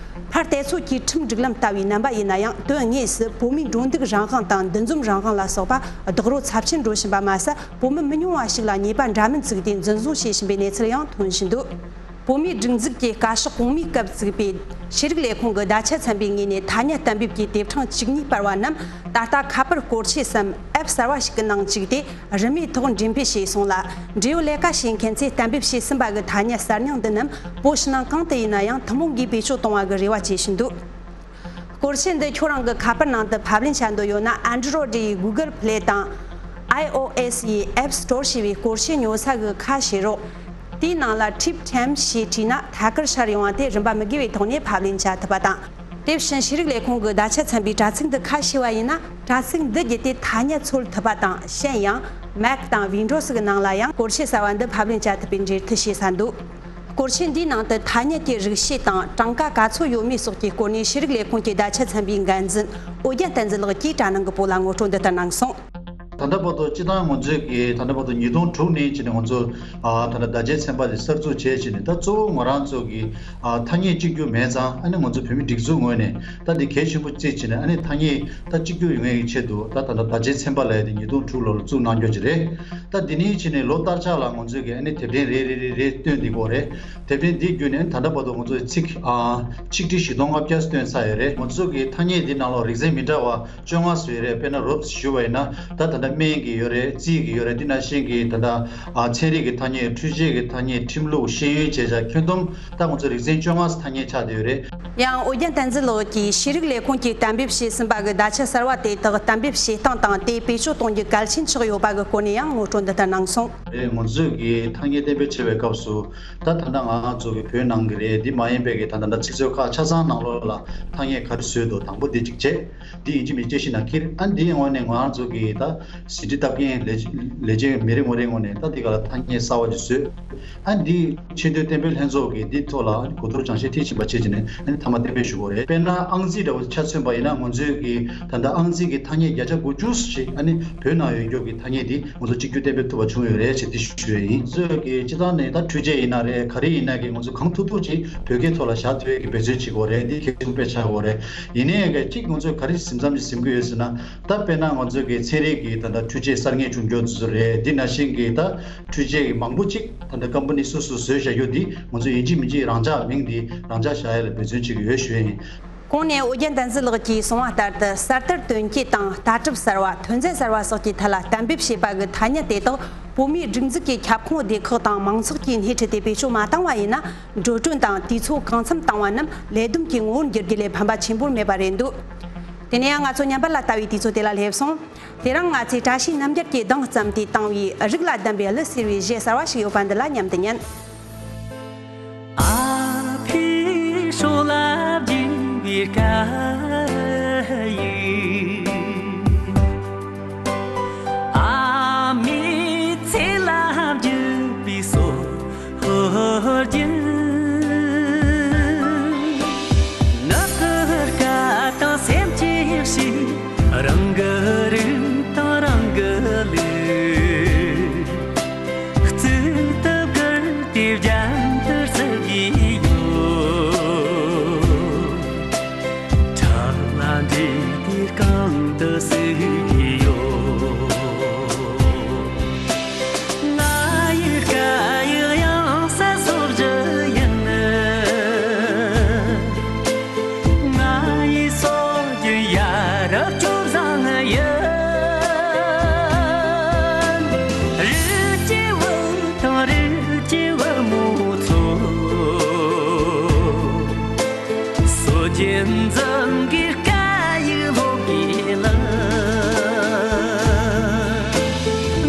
ཕར་དེ་ཚོ་གི་ཁྲིམས་སྒྲིག་ལམ་ལྟ་བུའི་རྣམ་པ་ཡིན་ན་ཡང་། དོན་དངོས་སུ་བོད་མིའི་འགྲོ་འདུག་རང་དབང་དང་འདུ་འཛོམས་རང་དབང་ལ་སོགས་པ་རྡོག་རོལ་ཚབས་ཆེན་འགྲོ་བཞིན་པ་མ་ཟད། བོད་མི་མི་ཉུང་བ་ཞིག་ལ་ཉེས་པ་འདྲ་མིན་བཙུགས་ཏེ་འཛིན་བཟུང་བྱེད་བཞིན་པའི་གནས་ཚུལ་ཡང་ཐོན་བཞིན་འདུག་བོད་མིའི་སྒྲིག་འཛུགས་ཀྱི་བཀའ་ཤག་གོང་མའི་སྐབས་བཙུགས་པའི་ཤེས་རིག་ལས་ཁུངས་ཀྱི་བརྡ་ཆད་ཚན་པའི་ངོས་ནས་ཐ་སྙད་གཏན་འབེབས་ཀྱི་དེབ་ཕྲེང་བཅུ་གཉིས་སྤེལ་བ་རྣམས། ད་ལྟ་ཁ་པར་སྐོར་ཆས་སམ་ཨེབ་གསར་བ་ཞིག་གི་ནང་བཅུག་སྟེ། རིན་མེད་ཐོག་འགྲེམས་སྤེལ་བྱས་སོང་ལ། འབྲེལ་ཡོད་ལས་ཀ་བྱེད་མཁན་ཚོས་གཏན་འབེབས་བྱས་ཟིན་པ་གི་ཐ་སྙད་གསར་རྙིང་འདི་རྣམས་བོད་ཕྱི་ནང་གང་དུ་ཡིན་ན་ཡང་ཐུན་མོང་སྒོས་བེད་སྤྱོད་གཏོང་བ་གི་རེ་བ་བྱེད་བཞིན་འདུག་སྐོར་ཆས་འདི་ཁྱོད་རང་གི་ཁ་པར་ནང་དུ་ཕབ་ལེན་བྱ་འདོད་ཡོད་ན། Android ཡི་Google Play དང་iOS ཡི་App Store ཞེས་པའི་སྐོར་ཆས་ཉོ་ས་གི་ཁ་ཕྱེ་རོགས། དེའི་ནང་ལ་Trip Time ཞེས་བྲིས་ན་ཐད་ཀར་ཤར་ཡོང་བ་དེ་རིན་པ་མི་དགོས་པའི་ཐོག་ནས་ཕབ་ལེན་བྱ་ཐུབ་པ་དང་། དེ་བཞིན་ཤེས་རིག་ལས་ཁུངས་ཀྱི་བརྡ་ཆད་ཚན་པའི་དྲ་ཚིགས་འདི་ཁ་ཕྱེ་བ་ཡིན་ན། དྲ་ཚིགས་འདི་བརྒྱུད་དེ་ཐ་སྙད་འཚོལ་ཐུབ་པ་དང་། གཞན་ཡང་Mac དང་Windows གི་ནང་ལ་ཡང་སྐོར་ཆས་གསར་བ་འདི་ཕབ་ལེན་བྱ་ཐུབ་པའི་འབྲེལ་མཐུད་བྱེད་ས་འདུག་སྐོར་ཆས་འདིའི་ནང་དུ་ཐ་སྙད་ཀྱི་རིགས་ཤེས་དང་གྲངས་ཀ་ག་ཚོད་ཡོད་མེད་སོགས་ཀྱི་སྐོར་ནས་ཤེས་རིག་ལས་ཁུངས་ཀྱི་བརྡ་ཆད་ཚན་པའི་འགན་འཛིན་ཨོ་རྒྱན་བསྟན་འཛིན་ལགས་ཀྱིས་དྲ་ནང་གི་པོ་ལ་ངོ་སྤྲོད་འདི་ལྟར་གནང་སོང་། ད་ལྟ་བར་དུ་སྤྱི་བཏང་ང་ཚོས་ཀྱི་ད་ལྟ་བར་དུ་ཉིས་སྟོང་དྲུག་ནས་བྱས་ནས་ང་ཚོ་ཨ་ད་ལྟ་བརྡ་ཆད་ཚན་པ་དེ་གསར་འཛུགས་བྱས་བྱས་ནས། ད་གཙོ་བོ་ང་རང་ཚོ་གི་ཨ་ཐ་སྙད་གཅིག་གྱུར་མེད་ཙང་། ཨ་ནི་ང་ཚོ་བོད་མི་སྒྲིག་འཛུགས་ངོས་ནས་ད་འདི་གལ་ཆེན་པོ་བརྩིས་བྱས་ནས། ཨ་ནི་ཐ་སྙད་ད་གཅིག་གྱུར་ཡོང་ཡས་ཀྱི་ཆེད་དུ་ད་ད་ལྟ་བརྡ་ཆད་ཚན་པ་ལབ་ཡས་དེ་ཉིས་སྟོང་དྲུག་ལོ་ལ་བཙུགས་གནང་རྒྱུ་ཅིག་རེད། ད་འདི་ནས་བྱས་ནས་ལོ་ལྟར་ཆགས་ལ་ང་ཚོས་ཀྱི་ཨ་ནི་དེབ་ཕྲེང་རེ་རེ་རེ་རེ་བཏོན་བསྡད་ཀྱི་ཡོད་རེད། དེབ་ཕྲེང་འདི་བརྒྱུད་ནས་ད་ལྟ་བར་དུ་ང་ཚོས་ཚིག་ཨ་ཆིག་ཁྲི་བཞི་སྟོང་ལྔ་བརྒྱ་བཏོན་ཚར་ཡོད་རེད། ང་ཚོ་གི་ཐ་སྙད་འདི་ནང་ལོགས་རིག་ཚན་མི་འདྲ་བ་བཅོ་ལྔ་བཟོས་རེད། དཔེར་ན་རོབ་ཞུས་པ་ཡིན་ན། ད་ད་ལྟ་སྨན་གྱི་ཡོད་རེད། རྩིས་ཀྱི་ཡོད་རེད། འདི་ནང་བཞིན་གྱི་ད་ལྟ་ཨ་ཚན་རིག་གི་ཐ་སྙད། འཕྲུལ་ཆས་ཀྱི་ཐ་སྙད། ཁྲིམས་ལུགས། ཤེས་ཡོན། བྱེད་བྱ། ཁྱོན་བསྡོམས་ད་ང་ཚོ་རིག་ཚན་བཅོ་ལྔ་ཐ་སྙད་ཆགས་བསྡད་ཡོད་རེད། ཡང་ཨོ་རྒྱན་བསྟན་འཛིན་ལགས་ཀྱིས་ཤེས་རིག་ལས་ཁུངས་ཀྱིས་གཏན་འབེབས་བྱས་ཟིན་པ་གི་བརྡ་ཆད་གསར་བ་དེ་དག་གཏན་འབེབས་བྱེད་སྟངས་དང་། དེ་བེད་སྤྱོད་གཏོང་རྒྱུ་གལ་ཆེན་ཆགས་ཡོད་པ་གི་སྐོར་ནས་ཡང་ངོ་སྤྲོད་འདི་ལྟར་གནང་སོང་། རེད། ང་ཚོས་ཀྱི་ཐ་སྙད་གཏན་འབེབས་བྱེད་པའི་སྐབས་སུ། ད་ད་ལྟ་ང་ཚོ་གི་བོད་ནང་གི་རེད། འདི་མ་ཡིན་པའི་གི་ད་ད་ལྟ་ཚིག་མཛོད་ཁག་ཆ་ཚང་ནང་ལོགས་ལ་ཐ་སྙད་ག་རེ་བཟོས་འདུག་དང་པོ་འདི་གཅིག་བྱས། འདི་ཡིན་གཅིག་མིན་གཅིག་དཔྱད་ཞིབ་ནང་འཁྱེར། ཨ་འདིའི་ངོས་ནས་ང་རང་ཚོ་གི་ད་ཟིན་བྲིས་བཏབ་མཁན་ལས་ལས་བྱེད་མི་རེ་ངོ་རེའི་ངོས་ནས་ད་འདི་ག་ལ་ཐ་སྙད་གསར་བ་ཅིག་བཟོས། ཨ་འདི་ཆེས་མཐོའི་གཏན་འབེབས་ལྷན་ཚོགས་ཀྱིས་འདི་ཐོག་ལ་གོ་བསྡུར་སྦྱང་བཤད་མཐིལ་ཕྱིན་པ་བྱེད་ཀྱི་ནས། ཨ་ནི་མཐའ་མ་གཏན་འབེབས་ཞུ་དགོས་རེད། དཔེར་ན་ཨང་རྩིས་འདྲ་བོ་ཆ་མཚོན་པ་ཡིན་ན། ང་ཚོའི་གི་ད་ལྟ་ཨང་རྩིས་ཀྱི་ཐ་སྙད་བརྒྱ་ཆ་དགུ་བཅུ་ཞིག་ཨ་ནི་བོད་ནང་ཡོད་རྒྱུ་གི་ཐ་སྙད་འདི་ང་ཚོ་གཅིག་གྱུར་གཏན་འབེབས་ཐུབ་པ་བྱུང་ཡོད་རེད་ཅེས་འདི་ཞུ་ཡ་ཡིན། ང་ཚོས་ཀྱི་སྤྱི་བཏང་ནས་ད་འཕྲུལ་ཆས་ཡིན་ན་རེད། ག་རེ་ཡིན་ན་གི་ང་ཚོ་གང་ཐུབ་ཐུབ་ཅིག་བོད་སྐད་ཐོག་ལ་བཞག་ཐུབ་ཡས་ཀྱི་འབད་བརྩོན་བྱེད་དགོས་རེད། འདི་གལ་ཆེན་པོ་དཔེ་ཆགས་དགོས་རེད། ཡིན་ནའི་གི་གཅིག་ང་ཚོས་ག་རེ་ཟིན་མཚམས་ཅིག་ཟིན་གྱི་ཡོད་ཟེར་ན། ད་དཔེར་ན་ང་ཚོའི་གི་ཚན་རིག་གི་ད་ལྟ་འཕྲུལ་ཆས་གསར་རྙེད་བྱུང་རྒྱུ་དེ་ཚོ་རེད། འདི་ནང་བཞིན་གི་ད་འཕྲུལ་ཆས་ཀྱི་མང་པོ་ཅིག་ད་ལྟ་ཀམ་པ་ནི་སོ་སོ་བཟོས་བཞག་རྒྱུ་འདི་ང་ཚོ་ཡིན་གཅིག་མིན་གཅིག་རང་འཇགས་མིང་འདི་རང་འཇགས་བཞག་ཡ་ལ་འབད་བརྩོན་བྱེད་ཀྱི་ཡོད་ཞུ་ཡ་ཡིན། གོང་ནས་ཨོ་རྒྱན་བསྟན་འཛིན་ལགས་ཀྱིས་གསུངས་པ་ལྟར་དུ། གསར་དར་དོན་སྐྱེད་དང་། ལྟ་གྲུབ་གསར་བ། ཐོན་རྫས་གསར་བ་སོགས་ཀྱི་ཐད་ལ་གཏན་འབེབས་བྱས་པ་གི་ཐ་སྙད་དེ་དག་བོད་མིའི་སྒྲིག་འཛུགས་ཀྱི་ཁྱབ་ཁོངས་སྡེ་ཁག་དང་མང་ཚོགས་ཀྱིས་སྣེ་ཁྲིད་དེ་བེད་སྤྱོད་མ་བཏང་བ་ཡིན་ན། འགྲོ་གྲོན་དང་དུས་ཚོད་གང་འཚམ་བཏང་བ་རྣམས་ལས་བསྡོམས་ཀྱི་ངོ་བོར་འགྱུར་རྒྱུ་ལས་ཕན་པ་ཆེན་པོར་མེད་པ་རེད་འདུག་དེ་ནས་ཡང་ང་ཚོ་ཉམས་པ་ལ་ལྟ་བའི་དུས་ཚོད་དེ་ལ་སླེབས་སོང་། དེ་རིང་ང་ཚོས་བཀྲ་ཤིས་རྣམ་རྒྱལ་གྱིས་གདངས་བརྩམས་ཏེ་བཏང་བའི་རིགས་ལ་ལྡན་པའི་གླུ་ཟེར་བའི་གཞས་གསར་བ་ཞིག་ཡོད་པ་འདི་ལ་མཉམ་དུ་ཉན། ཨ་ཕའི་སྲོག་ལ་བརྒྱུས་པའི་སྐད་ཡིག་ཨ་མའི་ཚེ་ལ་བརྒྱུས་པའི་སྲོག་ཧོར་རྒྱུན། ནུབ་ཀྱི་སྐད་དང་སེམས་ཀྱི་གཤིས། རང་གི་རིགས་དང་རང་གི་ལུགས། གཙུག་ཏུ་བཀུར་ཏེ་རྒྱན་དུ་གསོལ་གྱི་ཡོད། ཁྲག་ལ་འདྲེས་ཏེ་རྐང་དུ་བསྲེགས་ཀྱི་ཡོད། ང་ཡི་སྐད་ཡིག་ཡང་སྲིད་སྲོལ་རྒྱུན་ཡིན། ང་ཡི་སྲོལ་རྒྱུན་ཡ་རབས་སྤྱོད་བཟང་ཡིན། རིགས་ཀྱི་བུ་དང་རིགས་ཀྱི་བུ་མོ་ཚོ། སྲོལ་རྒྱུན་འཛིན་གྱི་སྐད་ཡིག་སློབ་དགོས་ལ།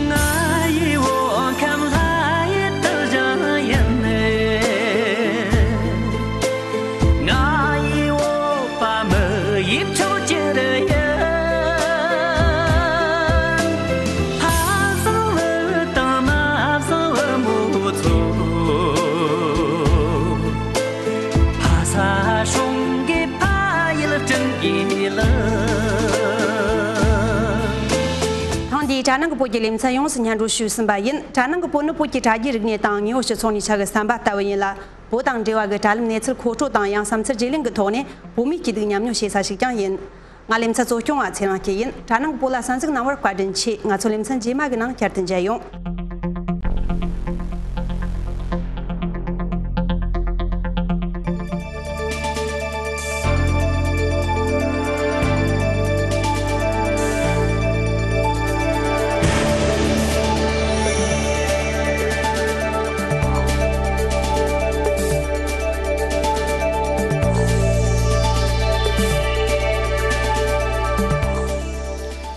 ང་ཡི་བོད་ཁམས་ལྷ་ཡི་དུར་ཞིང་ཡིན། ང་ཡི་བོད་པ་མི་ཡི་ཆོས་རྒྱལ་ཡིན། ཕ་བཟང་བུ་དང་མ་བཟང་བུ་མོ་ཚོ། ཕ་ས་སྲུང་གི་ཕ་ཡུལ་སྐྲུན་གྱི་ལ། ཐེངས་འདིའི་དྲ་ནང་གི་བོད་ཀྱི་ལེ་ཚན་ཡོངས་སུ་སྙན་སྒྲོན་ཞུས་ཟིན་པ་ཡིན། དྲ་ནང་གི་བོད་ནི་བོད་ཀྱི་དྲ་རྒྱའི་རིག་གནས་དང་དངོས་ཡོད་སྤྱི་ཚོགས་གནས་ཆ་གི་བསམ་པ་ལྟ་བུ་ཡིན་ལ། བོད་དང་འབྲེལ་བ་གི་དྲ་ལམ་གནས་ཚུལ་མཁོ་སྤྲོད་དང་ཡང་བསམ་ཚུལ་བརྗེ་ལེན་གྱི་ཐོག་ནས་བོད་མིའི་སྐྱིད་སྡུག་མཉམ་མྱོང་བྱེད་ས་ཞིག་ཀྱང་ཡིན། ང་ལེ་ཚན་གཙོ་སྐྱོང་བ་ཚེ་རིང་སྐྱིད་ཡིན། དྲ་ནང་གི་བོད་ལ་གསན་གཟིགས་གནང་བར་བཀའ་དྲིན་ཆེ། ང་ཚོ་ལེ་ཚན་རྗེས་མ་གི་ནང་བསྐྱར་དུ་མཇལ་ཡོང་།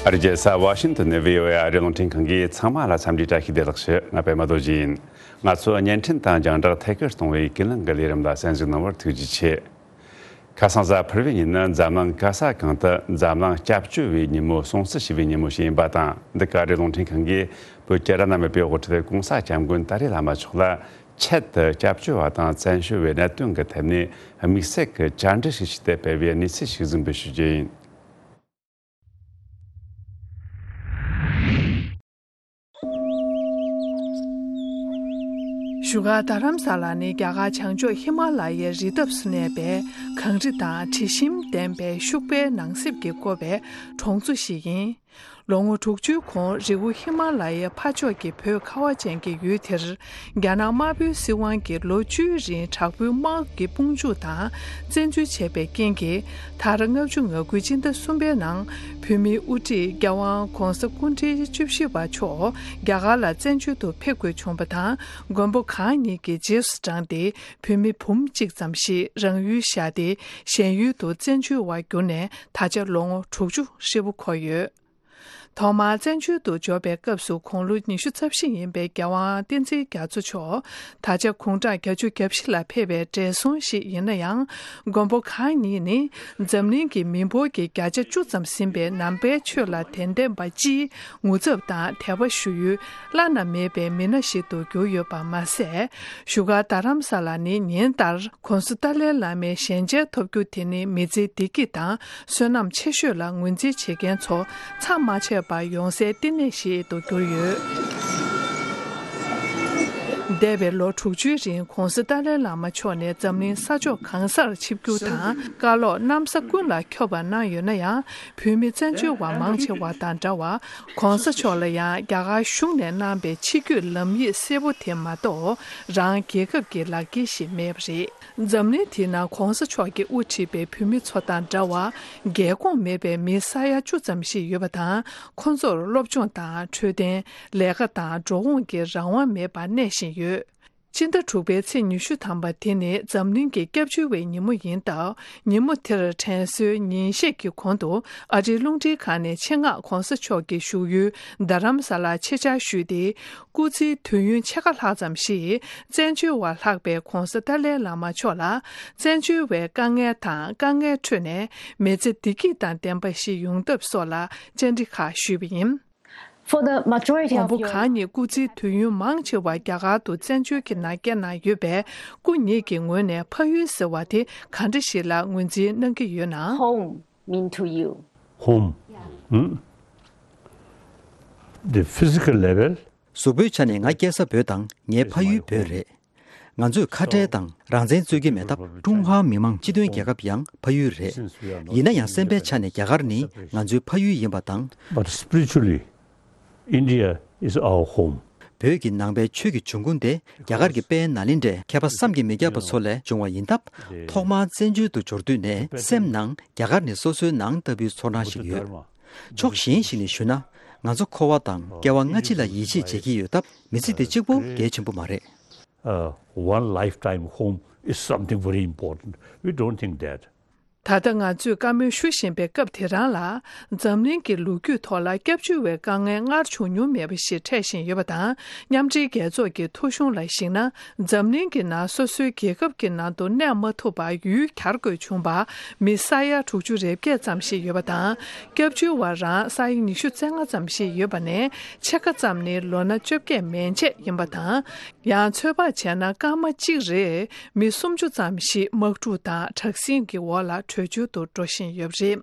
ཨ་རིའི་རྒྱལ་ས་ཝ་ཤིང་ཏོན་ནས་བྷི་ཨོ་ཨེ་ཨ་རིའི་རླུང་འཕྲིན་ཁང་གིས་ཚང་མ་ལ་འཚམས་འདྲིའི་བཀྲ་ཤིས་བདེ་ལེགས་ཞུ། ང་པད་མ་རྡོ་རྗེ་ཡིན། ང་ཚོ་བརྙན་འཕྲིན་དང་རྒྱང་བསྒྲགས་ཐད་ཀར་གཏོང་བའི་ཀུན་གླེང་གི་ལས་རིམ་ལ་གསན་གཟིགས་གནང་བར་ཐུགས་རྗེ་ཆེ། ཁ་སང་གཟའ་ཕུར་བུའི་ཉིན་ནི་འཛམ་གླིང་ག་ས་གང་དུ་འཛམ་གླིང་སྐྱབས་བཅོལ་བའི་ཉིན་མོ་སྲུང་བརྩི་ཞུ་བའི་ཉིན་མོ་ཞིག་ཡིན་པ་དང་། འདི་ག་ཨ་རིའི་རླུང་འཕྲིན་ཁང་གིས་བོད་ཀྱི་ར་ན་མེད་པའི་དབུ་ཁྲིད་༸གོང་ས་༸སྐྱབས་མགོན་ཏཱ་ལའི་བླ་མ་མཆོག་ལ་ཆེད་དུ་སྐྱབས་བཅོལ་བ་དང་བཙན་བྱོལ་བའི་གནད་དོན་གྱི་ཐད་ནས་དམིགས་བསལ་གྱི་བཅར་འདྲི་ཞིག་བྱས་ཏེ་སྤེལ་བའི་གནས་ཚུལ་ཞིག་གཟིགས་འབུལ་ཞུ་རྒྱུ་ཡིན། བཞུགས་སྒར་རྡ་རམ་ས་ལ་ནི་རྒྱ་གར་བྱང་ཕྱོགས་ཧི་མ་ལ་ཡའི་རི་འདབས་སུ་གནས་པའི་གངས་རི་དང་དྲི་ཞིམ་ལྡན་པའི་ཤུག་པའི་ནགས་གསེབ་ཀྱིས་བསྐོར་བའི་གྲོང་ཚོ་ཞིག་ཡིན། ལོ་ངོ་དྲུག་ཅུའི་གོང་རི་བོ་ཧི་མ་ལ་ཡའི་ཕར་ཕྱོགས་ཀྱི་བོད་ཁ་བ་ཅན་གྱི་ཡུལ་དེར། རྒྱ་ནག་དམར་པོའི་སྲིད་དབང་གིས་ལོ་བཅུའི་རིང་དྲག་པོའི་དམག་གི་དཔུང་འཇུག་དང་བཙན་འཛུལ་བྱས་པའི་རྐྱེན་གྱིས། ད་རེས་ལྔ་བཅུ་ང་དགུའི་སྤྱི་ཟླ་གསུམ་པའི་ནང་བོད་མིའི་དབུ་ཁྲིད་རྒྱལ་དབང་གོང་ས་སྐུ་ཕྲེང་བཅུ་བཞི་པ་མཆོག་རྒྱ་གར་ལ་བཙན་བྱོལ་དུ་ཕེབས་དགོས་བྱུང་བ་དང་། མགོན་པོ་གང་ཉིད་ཀྱི་རྗེས་སུ་འབྲངས་ཏེ། བོད་མི་འབུམ་གཅིག་ཙམ་ཞིག་རང་ཡུལ་བཞག་སྟེ། གཞན་ཡུལ་དུ་བཙན་བྱོལ་བར་གྱུར་ནས་ད་ཆ་ལོ་ངོ་དྲུག་ཅུ་ཧྲིལ་པོ་འཁོར་ཡོད། ཐོག་མར་བཙན་བྱོལ་དུ་འབྱོར་བའི་སྐབས་སུ་དགུང་ལོ་ཉི་ཤུ་རྩ་བཞི་ཡིན་པའི་རྒྱལ་དབང་བསྟན་འཛིན་རྒྱ་མཚོ་མཆོག་ད་ཆ་དགུང་གྲངས་བརྒྱད་ཅུ་གྱ་བཞི་ལ་ཕེབས་པའི་བགྲེས་སོང་ཞིག་ཡིན་ན་ཡང་། མགོན་པོ་གང་ཉིད་ནི་འཛམ་གླིང་གི་མི་འབོར་གྱི་བརྒྱ་ཆ་བཅུ་ཙམ་ཟིན་པའི་ནང་པའི་ཆོས་ལ་དད་ལྡན་པ་སྤྱིའི་ངོ་ཚབ་དང་དད་པ་ཞུ་ཡུལ་བླ་ན་མེད་པའི་མི་སྣ་ཞིག་ཏུ་གྱུར་ཡོད་པ་མ་ཟད། བཞུགས་སྒར་རྡ་རམ་ས་ལ་ནི་ཉིན་ལྟར་༸གོང་ས་ཏཱ་ལའི་བླ་མའི་ཞལ་མཇལ་ཐོབ་རྒྱུ་དེ་ནི་མི་ཚེའི་བདེ་སྐྱིད་དང་བསོད་ནམས་ཆེ་ཤོས་ལ་ངོས་འཛིན་བྱེད་མཁན་ཚོ་མཚམས་མ་ཆད་པར་ཡོང་སའི་བསྟི་གནས་ཤིག་ཏུ་གྱུར་ཡོད། འདས་པའི་ལོ་དྲུག་ཅུའི་རིང་༸གོང་ས་ཏཱ་ལའི་བླ་མ་མཆོག་ནས་འཛམ་གླིང་ས་ཕྱོགས་གང་སར་ཆིབས་བསྒྱུར་དང་བཀའ་སློབ་གནམ་ས་ཀུན་ལ་ཁྱབ་པ་གནང་ཡོད་ན་ཡང་། བོད་མི་བཙན་བྱོལ་བ་མང་ཆེ་བ་དང་འདྲ་བར་༸གོང་ས་མཆོག་ལ་ཡང་རྒྱ་གར་གཞུང་ནས་གནང་པའི་ཆིབས་བསྒྱུར་ལམ་ཡིག་གསལ་པོ་དེ་མ་གཏོགས་རང་རྒྱལ་ཁབ་ཀྱི་ལག་འཁྱེར་ཞིག་མེད་པ་རེད། འཛམ་གླིང་འདིའི་ནང་༸གོང་ས་མཆོག་གིས་དབུ་ཁྲིད་པའི་བོད་མི་ཚོ་དང་འདྲ་བར་རྒྱལ་ཁོངས་མེད་པའི་མི་ས་ཡ་བཅུ་ཙམ་ཞིག་ཡོད་པ་དང་། ཁོ་ཚོར་སློབ་སྦྱོང་དང་འཕྲོད་བསྟེན། ལས་ཀ་དང་འགྲོ་འོང་གི་རང་དབང་མེད་པར་གནས་བཞིན་ཡོད། སྤྱི་ཟླ་དྲུག་པའི་ཚེས་ཉི་ཤུ་ཐམ་པ་དེ་ནི་འཛམ་གླིང་གི་སྐྱབས་བཅོལ་བའི་ཉིན་མོ་ཡིན་སྟབས། ཉིན་མོ་དེར་དྲན་གསོའི་ཉིན་ཤས་ཀྱི་གོང་དུ་ཨ་རིའི་རླུང་འཕྲིན་ཁང་ནས་ཆེད་མངགས་༸གོང་ས་མཆོག་གི་བཞུགས་ཡུལ་རྡ་རམ་ས་ལར་ཆེད་བཅར་ཞུས་ཏེ། སྐུ་ཚེའི་དུས་ཡུན་ཕྱེད་ཀ་ལྷག་ཙམ་ཞིག་བཙན་བྱོལ་བ་ལྷག་པའི་༸གོང་ས་ཏཱ་ལའི་བླ་མ་མཆོག་ལ་བཙན་བྱོལ་བའི་དཀའ་ངལ་དང་དཀའ་ངལ་ཁྲོད་ནས་མི་ཚེ་བདེ་སྐྱིད་དང་ལྡན་པ་ཞིག་ཡོང་ཐབས་སོགས་ལ་བཅར་འདྲི་ཁག་ཞུས་པ་ཡིན། For the majority of མགོན་པོ་your གང་ཉིད་སྐུ་ཚེའི་དུས་ཡུན་མང་ཆེ་བ་རྒྱ་གར་དུ་བཙན་བྱོལ་གྱི་ནང་བསྐྱལ་གནང་ཡོད་པས། སྐུ་ཉིད་ཀྱི་ངོས་ནས་ཕ་ཡུལ་ཟེར་བ་དེ་ག་འདྲ་ཞིག་ལ་ངོས་འཛིན་གནང་གི་ཡོད་ན། Home mean to you? Home. Hmm? The physical level. གཟུགས་པོའི་ཆ་ནས་ང་སྐྱེས་ས་བོད་དང་ངའི་ཕ་ཡུལ་བོད་རེད། ང་ཚོས་ཁ་བྲལ་དང་རང་བཙན་རྩོད་ཀྱི་མེད་སྟབས། ཀྲུང་ཧྭ་མི་དམངས་སྤྱི་མཐུན་རྒྱལ་ཁབ་ཡང་ཕ་ཡུལ་རེད། ཡིན་ན་ཡང་སེམས་པའི་ཆ་ནས་རྒྱ་གར་ནི་ང་ཚོའི་ཕ་ཡུལ་ཡིན་པ་དང་། But spiritually, India is our home. བོད་ཀྱི་ནང་པའི་ཆོས་ཀྱི་འབྱུང་ཁུངས་དེ་རྒྱ་གར་གྱི་དཔལ་ནཱ་ལེནྡྲའི་མཁས་པ་བསམ་གྱིས་མི་ཁྱབ་པ་ཚོ་ལས་བྱུང་བ་ཡིན་སྟབས། ཐོག་མར་བཙན་བྱོལ་དུ་འབྱོར་དུས་ནས་སེམས་ནང་རྒྱ་གར་ནི་སོ་སོའི་ནང་ལྟ་བུའི་ཚོར་སྣང་ཞིག་ཡོད། ཕྱོགས་གཞན་ཞིག་ནས་ཞུས་ན། ང་ཚོ་འཁོར་བ་དང་སྐྱེ་བ་སྔ་ཕྱི་ལ་ཡིད་ཆེས་བྱེད་ཀྱི་ཡོད་སྟབས། མི་ཚེ་འདི་གཅིག་པོ་གལ་ཆེན་པོ་མ་རེད། Uh, one lifetime home is something very important. We don't think that. ད་ལྟ་ང་ཚོས་བཀའ་མོལ་ཞུ་བཞིན་པའི་སྐབས་དེ་རང་ལ། འཛམ་གླིང་གི་ལོ་རྒྱུས་ཐོག་ལ་སྐྱབས་བཅོལ་བའི་དཀའ་ངལ་སྔར་བྱུང་མྱོང་མེད་པ་ཞིག་འཕྲད་བཞིན་ཡོད་པ་དང་། མཉམ་འབྲེལ་རྒྱལ་ཚོགས་ཀྱི་ཐོ་གཞུང་ལ་གཞིགས་ན། འཛམ་གླིང་གི་ནང་སོ་སོའི་རྒྱལ་ཁབ་ཀྱི་ནང་དུ་གནས་མ་ཐུབ་པར་ཡུལ་གྱར་དགོས་བྱུང་བ་མི་ས་ཡ་དྲུག་ཅུ་རེ་བརྒྱད་ཙམ་ཞིག་ཡོད་པ་དང་། སྐྱབས་བཅོལ་བ་རང་ས་ཡ་ཉི་ཤུ་རྩ་ལྔ་ཙམ་ཞིག་ཡོད་པ་ནས། ཕྱེད་ཀ་ཙམ་ནི་ལོ་ན་བཅོ་བརྒྱད་མན་ཆད་ཡིན་པ་དང་། ཡང་ཚོད་དཔག་བྱས་ན། སྐར་མ་གཅིག་རེར་མི་སུམ་ཅུ་ཙམ་ཞིག་དམག་འཁྲུག་དང་དྲག་ཟིང་གི་འོག་ལ་བྲོས་བྱོལ་དུ་འགྲོ་བཞིན་ཡོད་པ་རེད།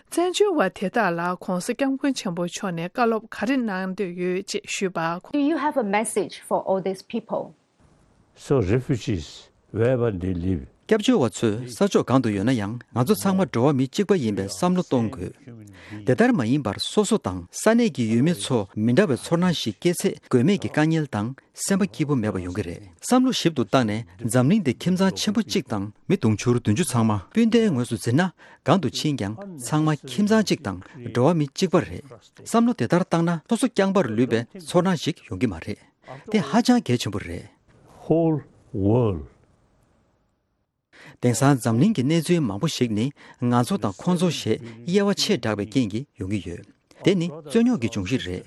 བཙན་བྱོལ་བ་དེ་དག་ལ་༸གོང་ས་༸སྐྱབས་མགོན་ཆེན་པོ་མཆོག་ནས་བཀའ་སློབ་ག་རེ་གནང་འདོད་ཡོད་ཅེས་ཞུས་པར། Do you have a message for all these people? So refugees, wherever they live, སྐྱབས་བཅོལ་བ་ཚོས་ས་ཕྱོགས་གང་དུ་ཡོད་ན་ཡང་། ང་ཚོ་ཚང་མ་འགྲོ་བ་མི་གཅིག་པ་ཡིན་པའི་བསམ་བློ་གཏོང་དགོས། དེ་ལྟར་མ་ཡིན་པར་སོ་སོ་དང་ས་གནས་ཀྱི་ཡུལ་མི་ཚོ་མི་འདྲ་བའི་ཚོར་སྣང་ཞིག་སྐྱེས་ཚེ། དགོས་མེད་ཀྱི་དཀའ་ངལ་དང་སེམས་པ་སྐྱིད་པོ་མེད་པ་ཡོང་གི་རེད། བསམ་བློ་ཞིབ་ཏུ་བཏང་ནས། འཛམ་གླིང་འདི་ཁྱིམ་ཚང་ཆེན་པོ་གཅིག་དང་མི་དུང་ཕྱུར་བདུན་ཅུ་ཚང་མ་སྤུན་ཟླའི་ངོས་སུ་འཛིན་ན། གང་དུ་ཕྱིན་ཀྱང་ཚང་མ་ཁྱིམ་ཚང་གཅིག་དང་འགྲོ་བ་མི་གཅིག་པ་རེད། བསམ་བློ་དེ་ལྟར་བཏང་ན། སོ་སོ་རྐྱང་པར་ལུས་པའི་ཚོར་སྣང་ཞིག་ཡོང་གི་མ་རེད། དེ་ཧ་ཅང་གལ་ཆེན་པོ་རེད། Whole world. དེང་སང་འཛམ་གླིང་གི་གནས་ཚུལ་མང་པོ་ཞིག་ནི་ང་ཚོ་དང་ཁོང་ཚོ་ཞེས་དབྱེ་བ་ཆེས་དྲགས་པའི་རྐྱེན་གྱིས་ཡོང་གི་ཡོད། དེ་ནི་རྩོད་རྙོག་གི་འབྱུང་གཞི་རེད།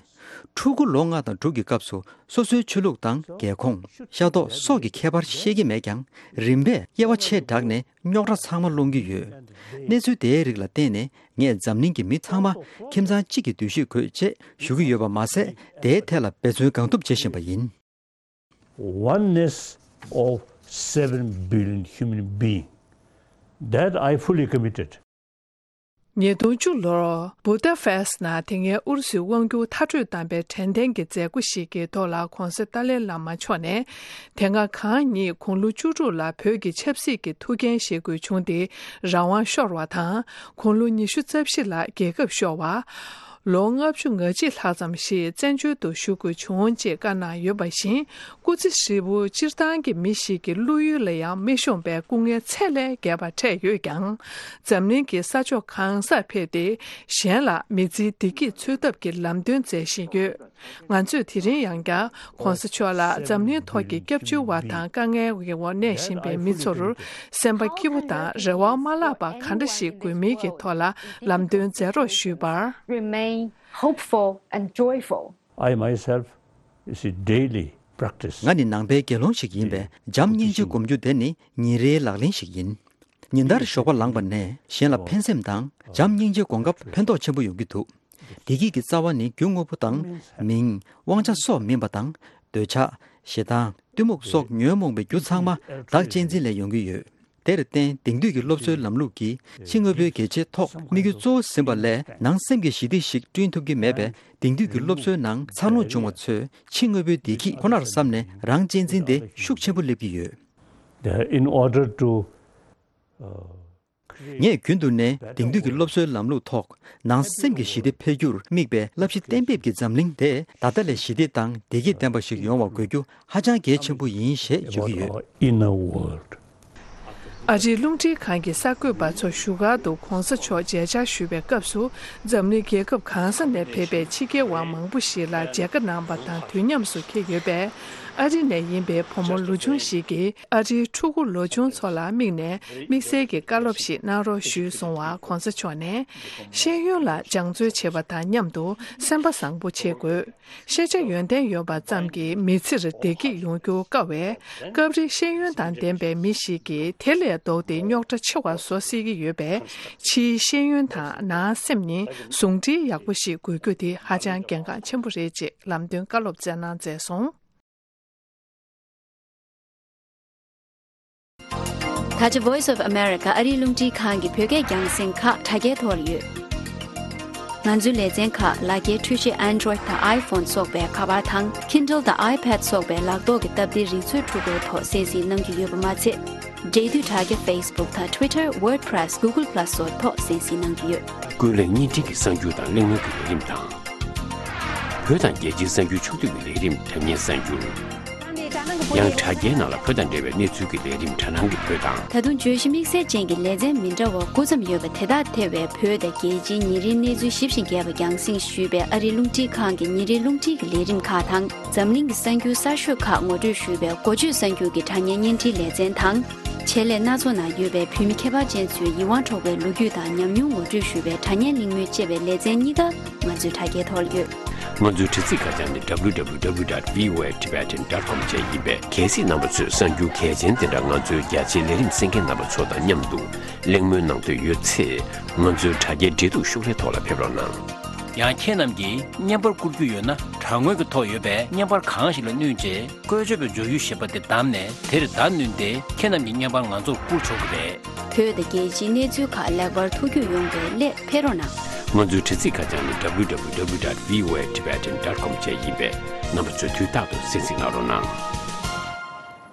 ཕྲུ་གུ་ལོ་ལྔ་དང་དྲུག་གི་སྐབས་སུ་སོ་སོའི་ཆོས་ལུགས་དང་རྒྱལ་ཁོངས། ཤ་མདོག་སོགས་ཀྱི་ཁྱད་པར་ཤེས་ཀྱི་མེད་ཀྱང་། རིམ་པས་དབྱེ་བ་ཆེས་དྲགས་ནས་རྙོག་དྲ་ཚང་མ་སློང་གི་ཡོད། གནས་ཚུལ་དེའི་རིགས་ལ་བརྟེན་ནས་ངས་འཛམ་གླིང་གི་མི་ཚང་མ་ཁྱིམ་ཚང་གཅིག་གི་འདུ་ཤེས་དགོས་ཅེས་ཞུ་གི་ཡོད་པ་མ་ཟད། དེའི་ཐད་ལ་འབད་བརྩོན་གང་ཐུབ་བྱེད་བཞིན་པ་ཡིན། Oneness of seven billion human being. That I fully committed. ཉིས་སྟོང་བཅུ་ལོར་བུ་ད་ཕེ་སི་ནང་དེ་སྔའི་ཨུ་རུ་སུའི་དབང་སྒྱུར་མཐར་སྐྲོད་བཏང་པའི་དྲན་རྟེན་གྱི་མཛད་སྒོ་ཞིག་གི་ཐོག་ལ་༧གོང་ས་ཏཱ་ལའི་བླ་མ་མཆོག་ནས། དེ་སྔ་གང་ཉིད་དགུང་ལོ་བཅུ་དྲུག་ལ་བོད་ཀྱི་ཆབ་སྲིད་ཀྱི་ཐུགས་འགན་བཞེས་དགོས་བྱུང་སྟེ་རང་དབང་ཤོར་བ་དང་། དགུང་ལོ་ཉི་ཤུ་རྩ་བཞི་ལ་རྒྱལ་ཁབ་ཤོར་བ། ལོ་ལྔ་བཅུ་ང་གཅིག་ལྷག་ཙམ་ཞིག་བཙན་བྱོལ་དུ་བཞུགས་དགོས་བྱུང་ཅེས་བཀའ་གནང་ཡོད་པ་བཞིན། སྐུ་ཚེ་ཧྲིལ་པོ་སྤྱིར་བཏང་གི་མི་ཞིག་གི་བློ་ཡུལ་ལ་ཡང་མི་ཤོང་པའི་སྐུ་ངལ་ཚད་ལས་བརྒལ་བ་འཕྲད་ཡོད་ཀྱང་། འཛམ་གླིང་གི་ས་ཕྱོགས་གང་སར་ཕེབས་ཏེ། གཞན་ལ་མི་ཚེའི་བདེ་སྐྱིད་འཚོལ་ཐབས་ཀྱི་ལམ་སྟོན་མཛད་བཞིན་ཡོད། ང་ཚོས་དེ་རིང་ཡང་བསྐྱར་༧གོང་ས་མཆོག་ལ་འཛམ་གླིང་ཐོག་གི་སྐྱབས་བཅོལ་བ་དང་དཀའ་ངལ་གྱི་འོག་གནས་བཞིན་པའི་མི་ཚོར་སེམས་པ་སྐྱིད་པོ་དང་རེ་བ་མ་བརླག་པ་ག་འདྲ་ཞིག་དགོས་མིན་གྱི་ཐོག་ལ་ལམ་སྟོན་མཛད་རོགས་ཞུས་པར། Remain hopeful and joyful. I myself is a daily practice. ང་ནི་ནང་པའི་དགེ་སློང་ཞིག་ཡིན་པས་བྱམས་སྙིང་རྗེ་སྒོམ་རྒྱུ་དེ་ནི་ཉིན་རེའི་ལག་ལེན་ཞིག་ཡིན། ཉིན་ལྟར་ཞོགས་པ་ལངས་པ་ནས་གཞན་ལ་ཕན་སེམས་དང་བྱམས་སྙིང་རྗེ་སྒོམ་སྐབས་ཕན་ཐོགས་ཆེན་པོ་ཡོང་གི་འདུག་བདེ་སྐྱིད་ཀྱི་རྩ་བ་ནི་རྒྱུ་དངོས་པོ་དང་མིང་། དབང་ཆ་སོགས་མིན་པ་དང་། འདོད་ཆགས། ཞེ་སྡང་། གཏི་མུག་སོགས་ཉོན་མོངས་པའི་རྒྱུ་ཚང་མ་བདག་གཅེས་འཛིན་ལས་ཡོང་གི་ཡོད། དེར་བརྟེན་དེང་དུས་ཀྱི་སློབ་གསོའི་ལམ་ལུགས་ཀྱིས་ཕྱི་དངོས་པོའི་གལ་ཆེའི་ཐོག་དམིགས་ཡུལ་གཙོ་བོ་ཟིན་པ་ལས་ནང་སེམས་ཀྱི་ཞི་བདེ་ཞིག་བསྐྲུན་ཐུབ་ཀྱི་མེད་པས། དེང་དུས་ཀྱི་སློབ་གསོའི་ནང་འཚར་ལོངས་བྱུང་བ་ཚོས་ཕྱི་དངོས་པོའི་བདེ་སྐྱིད་ཁོ་ནར་བསམ་ནས་རང་གཅེས་འཛིན་དེ་ཤུགས་ཆེན་པོ་སླེབས་ཀྱི་ཡོད། In order to, uh, ངས་རྒྱུན་དུ་ནས་དེང་དུས་ཀྱི་སློབ་གསོའི་ལམ་ལུགས་ཐོག་ནང་སེམས་ཀྱི་ཞི་བདེ་འཕེལ་རྒྱུར་དམིགས་པའི་བསླབ་གཞི་གཏན་འབེབས་ཀྱི་འཛམ་གླིང་དེ་ད་ལྟ་ལས་ཞི་བདེ་དང་བདེ་སྐྱིད་ལྡན་པ་ཞིག་ཡོང་བ་དགོས་རྒྱུ་ཧ་ཅང་གལ་ཆེན་པོ་ཡིན་ཞེས་བརྗོད་ཀྱི་ཡོད། About our inner world. ཨ་རིའི་རླུང་འཕྲིན་ཁང་གི་གསར་འགོད་པ་ཚོ་བཞུགས་སྒར་དུ་༧གོང་ས་མཆོག་མཇལ་བཅར་ཞུས་པའི་སྐབས་སུ། འཛམ་གླིང་རྒྱལ་ཁབ་གང་ས་ནས་ཕེབས་པའི་ཕྱི་རྒྱལ་བ་མང་པོ་ཞིག་ལ་མཇལ་ཁ་གནང་པ་དང་དུས་མཉམ་དུ་འཁེལ་ཡོད་པས། ཨ་རི་ནས་ཡིན་པའི་བུ་མོ་ལོ་ཆུང་ཞིག་གིས་ཨ་རིའི་ཕྲུ་གུ་ལོ་ཆུང་ཚོ་ལ་དམིགས་ནས་དམིགས་བསལ་གྱི་བཀའ་སློབ་ཞིག་གནང་རོགས་ཞུས་སོང་བར། ༧གོང་ས་མཆོག་ནས། ཤེས་ཡོན་ལ་སྦྱང་བརྩོན་བྱེད་པ་དང་མཉམ་དུ་སེམས་པ་བཟང་པོ་བྱེད་དགོས། ཤེས་བྱ་ཡོན་ཏན་ཡོད་པ་ཙམ་གྱིས་མི་ཚེར་བདེ་སྐྱིད་ཡོང་རྒྱུ་དཀའ་བས། སྐབས་རེ་ཤེས་ཡོན་དང་ལྡན་པའི་མི་ཞིག་གིས་དེ་ལས་ལྡོག་སྟེ་རྙོག་དྲ་ཆེ་བ་བཟོ་སྲིད་ཀྱི་ཡོད་པས། ཕྱིའི་ཤེས་ཡོན་དང་ནང་སེམས་གཉིས་ཟུང་འབྲེལ་ཡག་པོ་ཞིག་དགོས་རྒྱུ་དེ་ཧ་ཅང་གལ་འགངས་ཆེན་པོ་རེད་ཅེས་ལམ་སྟོན་བཀའ་སློབ་སྩལ་གནང་མཛད་སོང་། ད་ཆ་Voice of America ཨ་རིའི་རླུང་འཕྲིན་ཁང་གི་བོད་སྐད་རྒྱང་སྲིང་ཁག་དྲ་རྒྱའི་ཐོག་ལ་ཡོད། ང་ཚོའི་ལེ་ཚན་ཁག་ལག་འཁྱེར་འཕྲུལ་ཆས་Android དང་iPhone སོགས་པའི་ཁ་པར་དང་Kindle དང་iPad སོགས་པའི་ལག་ཐོག་གི་སྟབས་བདེའི་རིག་མཛོད་འཕྲུལ་འཁོར་ཐོག་གསན་གཟིགས་གནང་རྒྱུ་ཡོད་པ་མ་ཚད། འབྲེལ་མཐུད་དྲ་རྒྱ་Facebook དང་Twitter, WordPress, Google Plus སོགས་ཐོག་གསན་གཟིགས་གནང་རྒྱུ་ཡོད། ཀུན་གླེང་བརྙན་འཕྲིན་གྱི་གསར་འགྱུར་དང་གླེང་མོལ་གྱི་ལས་རིམ་དང་། བོད་དང་རྒྱལ་སྤྱིའི་གསར་འགྱུར་ཕྱོགས་བསྡུས་ཀྱི་ལས་རིམ་དྲ་བརྙན་གསར་འགྱུར། ཡང་དྲ་རྒྱའི་ནང་ལ་བོད་དང་འབྲེལ་བའི་གནས་ཚུལ་གྱི་ལས་རིམ་དྲ་སྣང་གི་བོད་དང་། ད་དུང་བརྗོད་གཞི་དམིགས་བསལ་ཅན་གྱི་ལེ་ཚན་མི་འདྲ་བ་དགུ་ཙམ་ཡོད་པ་དེ་དག་ཐེ་བའི་བོད་དང་རྒྱལ་སྤྱིའི་ཉིན་རེའི་གནས་ཚུལ་ཞིབ་ཅིང་རྒྱས་པ་རྒྱང་སྲིང་ཞུས་པའི་ཨ་རིའི་རླུང་འཕྲིན་ཁང་གི་ཉིན་རེའི་རླུང་འཕྲིན་གྱི་ལས་རིམ་ཁག་དང་། འཛམ་གླིང་གི་གསར་འགྱུར་གསར་ཤོས་ཁག་ངོ་སྤྲོད་ཞུས་པའི་འགོ་བརྗོད་གསར་འགྱུར་གྱི་དྲ་བརྙན་བརྙན་འཕྲིན་ལེ་ཚན་དང་། ཆེད་ལས་སྣ་ཚོགས་ནང་ཡོད་པའི་བོད་མི་ཁྱད་པར་ཅན་ཚོའི་ཡིད་དབང་འཕྲོག་པའི་ལོ་རྒྱུས་དང་ཉམས་མྱོང་ངོ་སྤྲོད་ཞུས་པའི་དྲ་བརྙན་གླེང་མོལ་ཅེས་པའི་ལེ་ཚན་གཉིས་ཀ་ང་ཚོའི་དྲ་རྒྱའི་ཐོག་ལ་ཡོད། ང་ཚོའི་དྲ་ཚིགས་ཁ་བྱང་ནི་www dot voatibetan dot com བཅས་ཡིན་པས། གལ་སྲིད་རྣམ་པ་ཚོས་གསར་འགྱུར་གལ་ཆེན་དེ་འདྲ་ང་ཚོའི་རྒྱ་ཆེའི་ལས་རིམ་གསན་མཁན་རྣམ་པ་ཚོ་དང་མཉམ་དུ་གླེང་མོལ་གནང་འདོད་ཡོད་ཚེ། ང་ཚོའི་དྲ་རྒྱའི་འབྲེལ་གཏུག་ཤོག་ལྷེ་ཐོག་ལ་ཕེབས་རོགས་གནང་། ཡང་ཁྱེད་རྣམས་ཀྱིས་བརྙན་པར་བསྐུར་རྒྱུ་ཡོད་ན། དྲ་ངོས་ཀྱི་ཐོག་ཡོད་པའི་བརྙན་པར་གང་ཞིག་ལ་བསྣུན་རྗེས། བཀོལ་སྤྱོད་པའི་སྦྱོར་ཡུལ་ཞེས་པ་དེ་བདམས་ནས། དེར་བརྡ་བསྣུན་ཏེ། ཁྱེད་རྣམས་ཀྱི་བརྙན་པར་ང་ཚོར་བསྐུར་ཆོག་གི་རེད། བོད་དང་རྒྱལ་སྤྱིའི་གནས་ཚུལ་ཁག་ལེགས་པར་ཐུགས་རྒྱུས་ཡོང་བའི་སླད་ཕེབས་རོགས་གནང་། ང་ཚོའི་དྲ་ཚིགས་ཁ་བྱང་ནི་www dot voatibetan dot com བཅས་ཡིན་པས། རྣམ་པ་ཚོས་དུས་རྟག་ཏུ་གསན་གཟིགས་གནང་རོགས་གནང་།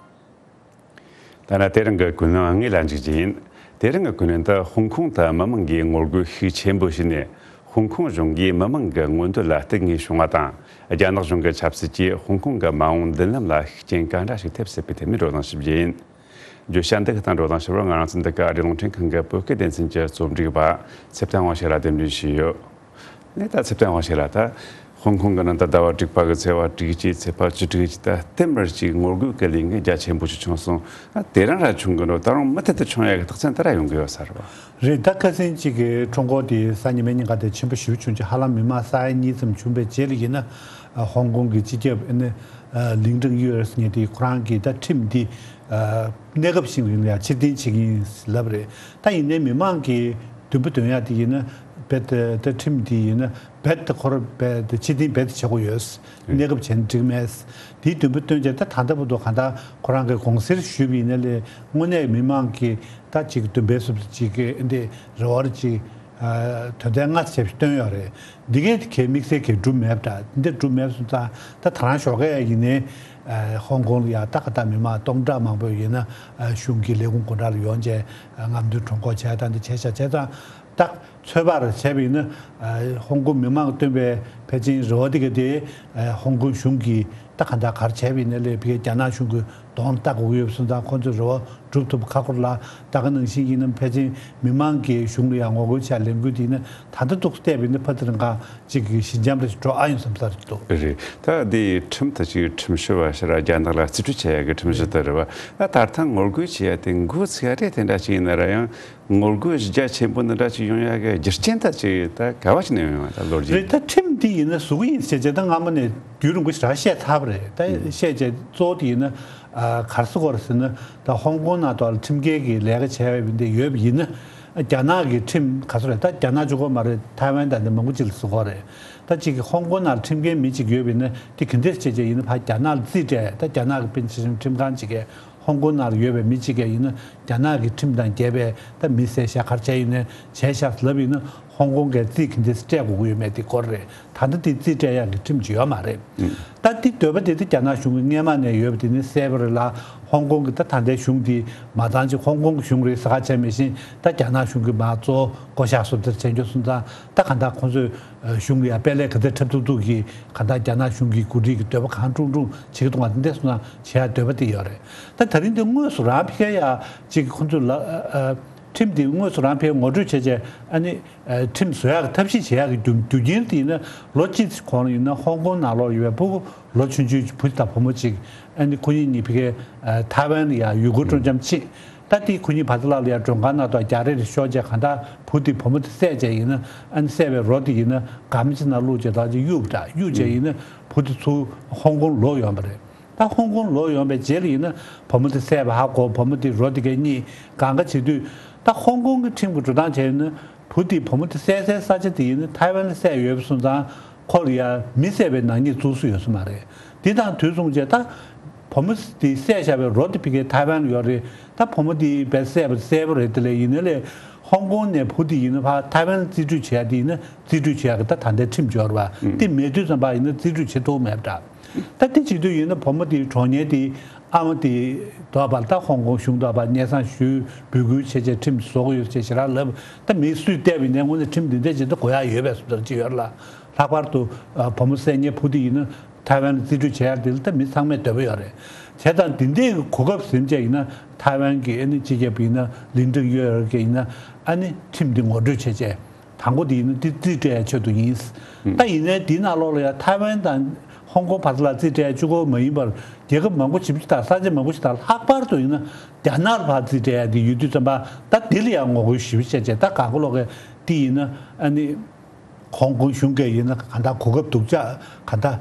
ད་ནི་དེ་རིང་གི་ཀུན་གླེང་དངོས་ལ་འཇུག་རྒྱུ་ཡིན། དེ་རིང་གི་ཀུན་གླེང་དུ་ཧོང་ཀོང་དུ་མི་མང་གིས་ངོ་རྒོལ་ཤུགས་ཆེན་པོ་བྱས་ནས། ཧོང་ཀོང་གཞུང་གིས་མི་མང་གི་མངོན་འདོད་ལ་བརྟེན་ངེས་བྱུང་བ་དང་། རྒྱ་ནག་གཞུང་གི་ཆབ་སྲིད་ཀྱིས་ཧོང་ཀོང་གི་མ་འོངས་མདུན་ལམ་ལ་ཤུགས་རྐྱེན་ག་འདྲ་ཞིག་ཐེབས་སྲིད་པའི་ཐད་ནས་བགྲོ་གླེང་ཞུ་རྒྱུ་ཡིན། བརྗོད་བྱ་འདི་གི་སྟེང་བགྲོ་གླེང་ཞུ་བར་ང་རང་ཚོ་འདི་ག་ཨ་རིའི་རླུང་འཕྲིན་ཁང་གི་བོད་སྐད་སྡེ་ཚན་གྱི་རྩོམ་སྒྲིག་པ་ཚེ་བརྟན་དབང་ཕྱུག་ལགས་གདན་འདྲེན་ཞུས་ཡོད། ནས་ད་ཚེ་བརྟན་དབང་ཕྱུག་ལགས། ད་ཧོང་ཀོང་གི་ནང་དུ་ཟླ་བ་དྲུག་པ་གི་ཚེས་པ་དྲུག་གཅིག་ཚེས་པ་བཅུ་དྲུག་གཅིག་ད་ལྟད་མོ་ཅིག་ངོ་རྒོལ་གྱི་ལས་འགུལ་རྒྱ་ཆེན་པོ་ཞིག་བྱུང་སོང་། ཨ་དེ་རིང་ར་བྱུང་གི་འགྲོ། ད་རུང་མུ་མཐུད་དུ་བྱུང་ཡག་གི་རྟགས་མཚན་དེ་ར་ཡོང་གི་ཡོད་ས་རེད་པ། རེད། ད་ཁ་སང་གཅིག་གི་ཁྲོམ་སྐོར་དེ་གཟའ་ཉི་མའི་ཉིན་ཀ་དེ་ཆེན་པོ་ཞེ་པོ་བྱུང་རྗེས་ཧ་ལམ་མི་མང་ས་ཡ་གཉིས་ཙམ་བྱུང་བའི་རྗེས་ལ་ཡིན་ན། ཧོང་ཀོང་གི་སྤྱི་ཁྱབ་ཨ་ནི་ལིང་ཀྲང་ཡུའེ་ཟེར་མཁན་དེ་ཁོ་རང་གིས་ད་ཁྲིམས་འདི་གནས་སྐབས་བཞིན་ཡིན་ཡ་ཕྱིར་འཐེན་བྱེད་ཀྱི་ཡིན་ལབ་རེད། ད་ཡིན་ནའི་མི་མང་གིས་འདུན་པ་འདོན་ཡ་དེ་ཡིན་ན་རྦད་དེ་ད་ཁྲིམས་འདི་ཡིན་ན་རྦད་དེ་ཁོ་རང་རྦད་དེ་ཕྱིར་འཐེན་རྦད་དེ་བྱེད་དགོས་ཡོད། གནས་སྐབས་བྱས་ན་འགྲིག་མེད། དེའི་འདུན་པ་བཏོན་རྗེས་ད་ད་ལྟ་བར་དུ་གང་ལྟར་ཁོ་རང་གི་དགོངས་སེལ་ཞུས་པ་ཡིན་ན་ལས་དངོས་གནས་མི་མང་གིས་ད་ཅིག་འདུན་པའི་སུབ་ཅིག་གི་འདི་རེ་བར་ཅིག་ དོན་ཚན་ལྔ་ཙམ་ཞིག་བཏོན་ཡོད་རེད། འདི་གའི་གལ་དམིགས་བསལ་གྱི་གྲུབ་མེད་པ་འདྲ། འདི་གྲུབ་མེད་སོང་ཙང་ད་ད་རང་ཞོགས་ཀས་ཡིན་ནའི་ཧོང་ཀོང་ལ་ཡ་ད་ག་ད་མི་མང་སྟོང་ཕྲག་མང་པོ་ཡིན་ན་གཞུང་གི་ལས་ཁུངས་སྒོ་འགྲམ་ལ་ཡོང་བྱས་རྔམ་སྟོན་གྲོས་འགོ་བྱས་ད་འདི་བྱས་ཤག་བྱས་ཙང་། ད་ཚོད་དཔག་རེ་བྱས་པ་ཡིན་ན། ཧོང་ཀོང་མི་མང་གིས་བཏོན་པའི་ཕལ་ཆེར་རེ་བ་དེ་ག་དེ་ཧོང་ཀོང་གཞུང་གིས་ད་ག་འདྲ་ག་རེ་བྱས་པ་ཡིན་ན་ལས་ཕ་གིའི་རྒྱ་ནག་གཞུང་གི་གདོང་ལྟ་དགོས་ཀྱི་ཡོད་པ་སོང་ཙང་ཁོང་ཚོས་རེ་བ་སྒྲུབ་ཐུབ་ཁག་པོ་རེད་ལ། ད་ག་ནང་བཞིན་ཡིན་ན་ཕལ་ཆེར་མི་མང་གིས་གཞུང་ལ་ཡང་ངོ་རྒོལ་བྱས་ལས་འགུལ་དེ་ཡིན་ན་ད་ལྟ་འདུག་བལྟས་པ་ཡིན་ན་ཕ་དེ་རིང་ག་ཅིག་གི་ཞི་འཇམ་རེ་ཞིག་འགྲོ་ཨ་ཡོང་བསམ་ས་རེད་འདུག་རེད། ད་འདི་ཁྲིམས་ད་ཅིག་ཁྲིམས་ཞིབ་པ་ཞིག་ར་རྒྱ་ནག་ལ་རྩིས་སྤྲོད་བྱེད་ཡག་གི་ཁྲིམས་ཞིབ་ད་རེད་བ། ད་ད་ལྟ་ངོ་རྒོལ་བྱེད་ཡག་དེ་འགོ་ཚུགས་ཡག་རེད། དེ་འདྲ་ཅིག་ཡིན་ན་ར་ཡང་ངོ་རྒོལ་རྒྱ་ཆེན་པོ་འདི་འདྲ་ཅིག་ཡོང་ཡག་གི་རྒྱུ་རྐྱེན་ད་ཅིག་ད་ག་བ་ཅིག་ནས་ཡོང་ཡོད་ད་ལོ་རྒྱུས། རེད། ད་ཁྲིམས་འདི་ཡིན་ན་ཟུག་གི་ཡིན་ཟེར་བྱས་ད་སྔ་མོ་ནས་རྒྱུན་རིང་པོ་ཞིག་ར་བཤད་ཚར་བ་རེད། ད་བཤད་བྱས་གཙོ་བོ་དེ་ཡིན་ན་ག་རེ་ཟེར་དགོས་རེད་ཟེར་ན། ད་ཧོང་ཀོང་ནང་དུ་ཁྲིམས་འགལ་གྱི་ལས་ཀ་བྱས་པ་འདི་ཡོད་པ་ཡིན་ན་རྒྱ་ནག་གི་ཁྲིམས་ག་ཚོད་རེད། ད་རྒྱ་ནག་གཅིག་པོ་མ་རེད། ཐའེ་ཝན་དང་འདི་མང་པོ་ཅིག་ལ་ཟེར་དགོས་རེད། ད་གཅིག་གི་ཧོང་ཀོང་ནང་ཁྲིམས་འགལ་མི་གཅིག་ཡོད་པ་ཡིན་ན་དེ་ག་འདྲས་བྱས་བྱས་ཡིན་ན་ཕར་རྒྱ་ནག་ལ་རྩིས་སྤྲད། ད་རྒྱ་ནག་གི་དཔོན་ཆེ་ཆུང་ཁྲིམས་ཁང་གཅིག་གིས་ཧོང་ཀོང་ནང་ལ་ཡོད་པའི་མི་གཅིག་གིས་ཡིན་ན་རྒྱ་ནག་གི་ཁྲིམས་དང་འགལ་བའི་ད་མི་བསད་བཞག་ག་རེ་བྱས་ཡིན་ན་བྱས་བཞག་ལབ་ཡིན་ན་ཧོང་ཀོང་གིས་རྩིས་ག་འདྲས་སྤྲད་དགོས་ཀྱི་ཡོད་མེད་དེ་སྐོར་རེད། ད་ལྟ་དེ་རྩིས་སྤྲད་ཡག་གི་ཁྲིམས་ཅིག་ཡོད་མ་རེད། ད་དེ་འདོད་པ་དེ་དེ་རྒྱ་ནག་གཞུང་གིས་སྔས་མ་ནས་ཡོད་པ་དེ་ནི་གསལ་པོ་རེད་ལ། ཧོང་ཀོང་གི་ད་ད་ལྟའི་གཞུང་དེ་མ་ཚང་ཅིག་ཧོང་ཀོང་གི་གཞུང་རེད་ཟེར་ཁ་བྱས་མི་ཤེས། ད་རྒྱ་ནག་གཞུང་གིས་མ་གཙོ་བོ་བསྐོ་བཞག་བཟོ་འདྲ་བྱས་འགྱོ་སོང་ཙང་ད་ག་འདྲ་ཁོང་ཚོས་གཞུང་ལ་ཡང་དཔལ་ལས་ག་འདྲ་འཁྲབ་ཐུབ་ཐུབ་ཀྱིས་ག་འདྲ་རྒྱ་ནག་གཞུང་གི་འགོ་ཁྲིད་ཀྱི་འདོད་པ་གང་དྲུང་དྲུང་བྱེད་ཀྱི་འདུག་ག་འདི་འདྲ་སོང་ན་བྱེད་ཡག་འདོད་པ་དེ་ཡོད་རེད། ད་ད་རིང་འདི་དངོས་སུ་རང་ཕ་གིར་ཡ་ཅིག་ཁོང་ཚོས་ལ་ཁྲིམས་འདི་དངོས་སུ་རང་ཕ་གིར་ངོ་སྤྲོད་བྱས་བྱས་ཨ་ནི། ཁྲིམས་བཟོ་ཡག་གི་ཐབས་ཤེས་བྱེད་ཡག་གི་རྒྱུ་རྒྱུ་རྐྱེན་དེ་ཡིན་ན་ལོ་གཅིག་གོང་ལ་ཡིན་ན་ཧོང་ཀོང་ནང་ལོགས་ཡོད་པའི་ཕྲུ་གུ་ལོ་ཆུང་ཆུང་བུ་དང་བུ་མོ་གཅིག་ཨ་ནི་ཁོ་གཉིས་གཉིས་ཕ་གིའི་ཐའེ་ཝན་ལ་ཡ་ཡུལ་སྐོར་སྤྲོ་འཆམ་ཕྱིན། ད་དེ་ཁོ་གཉིས་བར་ཐག་ལ་ཡ་མགྲོན་ཁང་ནང་དུ་རྒྱག་རེས་རེ་ཤོར་རྗེས་གང་ལྟར་བུ་དེ་བུ་མོ་དེ་བསད་རྗེས་ཡིན་ན་ཨ་ནི་བསད་པའི་རོ་དེ་ཡིན་ན་སྒམ་ཅིག་ནང་བླུགས་རྗེས་ད་ཅིག་གཡུགས་པ་འདྲ་གཡུགས་རྗེས་ཡིན་ན་བུ་དེ་ཚུར་ཧོང་ཀོང་ལོག་ཡོང་བ་རེད། ད་ཧོང་ཀོང་ལོག་ཡོང་པའི་རྗེས་ལ་ཡིན་ན་བུ་མོ་དེ་བསད་པ་ཧ་གོ། བུ་མོ་དེ་རོ་དེ་གས་རྙེད། གང་ག་བྱེད་དུས་ད་ཧོང་ཀོང་གི་ཁྲིམས་ཀྱི་འགྲོ་སྟངས་བྱས་ཡིན་ན་བུ་དེ་བུ་མོ་དེ་བསད་སའི་ས་ཆ་དེ་ཡིན་ན་ཐའེ་ཝན་ལ་བསད་ཡོད་པ་སོང་ཙང་ཁོ་ལ་ཡ་མི་བསད་པའི་ནག་ཉེས་བཙུགས་སྲོལ་ཡོད་ས་མ་རེད། དེ་དང་དུས་མཚུངས་བྱས་ད་བུ་མོ་དེ་བསད་བཞག་པའི་རོ་དེ་ཕ་གིའི་ཐའེ་ཝན་ལ་ཡོད་རེད། ད་བུ་མོ་དེ་བས་བསད་པ་གསལ་པོ་རེད། དེ་ལས་ཡིན་ན་ལས་ཧོང་ཀོང་ནས་བུ་དེ་ཡིན་ན་ཕར་ཐའེ་ཝན་ལ་རྩིས་སྤྲོད་བྱེད་ཡ་དེ་ཡིན་ན་རྩིས་སྤྲོད་བྱེད་ཡ་གི་ད་ད་ལྟའི་ཁྲིམས་འབྱོར་བ་དེ་མེད་དུས་ཙམ་པ་ཡིན་ན་རྩིས་སྤྲོད་བྱེད་ཐུབ་མེད་པ་འདྲ། ད་དེ་བྱེད་དུས་ཡིན་ན་བུ་མོ་དེའི་གྲོགས་མོ་དེ་ཨ་མ་དེ་དོགས་པ་ད་ཧོང་ཀོང་གཞུང་དོགས་པ་སྙན་སེང་ཞུས་འབོད་སྐུལ་བྱས་བྱས་ཁྲིམས་བཟོ་དགོས་ཡོད་ཅེས་ཞེ་དྲག་ལབ། ད་མི་སུས་བལྟས་པ་ཡིན་ནའི་དངོས་གནས་ཁྲིམས་འདི་འདྲ་ཅིག་ད་དགོས་ཡ་ཡོད་པའི་བཟོ་འདྲ་ཅིག་ཡོད་རེད་ལ། ལྷག་པར་དུ་བུ་མོ་བསད་མཁན་བུ་དེ་ཡིན་ན་ཐའེ་ཝན་ལ་རྩིས་སྤྲོད་བྱེད་ཡ་དེ་ལ་ད་མི་ཚང་མས་འདོད་པ་ཡོད་རེད། བྱས་ཙང་འདི་འདྲའི་གོ་སྐབས་ཟིན་བྱས་ཡིན་ན་ཐའེ་ཝན་གྱི་ཨ་ནི་སྤྱི་ཁྱབ་ཡིན་ན་ལིན་ཀྲིང་ཡོད་རེད་ཀྱི་ཡིན་ན་ཨ་ནི་ཁྲིམས་འདི་ངོ་སྤྲོད་བྱས་བྱས། དང་པོ་དེ་ཡིན་ན་འདི་རྩིས་སྤྲད་ཡའི་ཆེད་དུ་ཡིན། ད་ཡིན་ནའི་འདིའི་ནང་ལོགས་ལ་ཡང་ཐའེ་ཝན་དང་ཧོང་ཀོང་བར་ལ་རྩིས་སྤྲད་ཡ་གཅིག་པོ་མ་ཡིན་པར་རྒྱལ་ཁབ་མང་པོ་ཞིག་དང་ས་ཆ་མང་པོ་ཞིག་དང་ལྷག་པར་དུ་ཡིན་ན་རྒྱ་ནག་ལ་ཕར་རྩིས་སྤྲད་ཡ་དེ་ཡོད་དུས་ཙམ་པ་ད་འདི་ལ་ཡང་ངོ་རྒོལ་ཞེ་པོ་བྱས་བྱས་ད་གང་ག་ལོག་གི་འདི་ཡིན་ན་ཨ་ནི་ཧོང་ཀོང་གཞུང་གིས་ཡིན་ན་གང་ལྟར་གོ་སྐབས་སྡུག་ཅག་གང་ལྟར་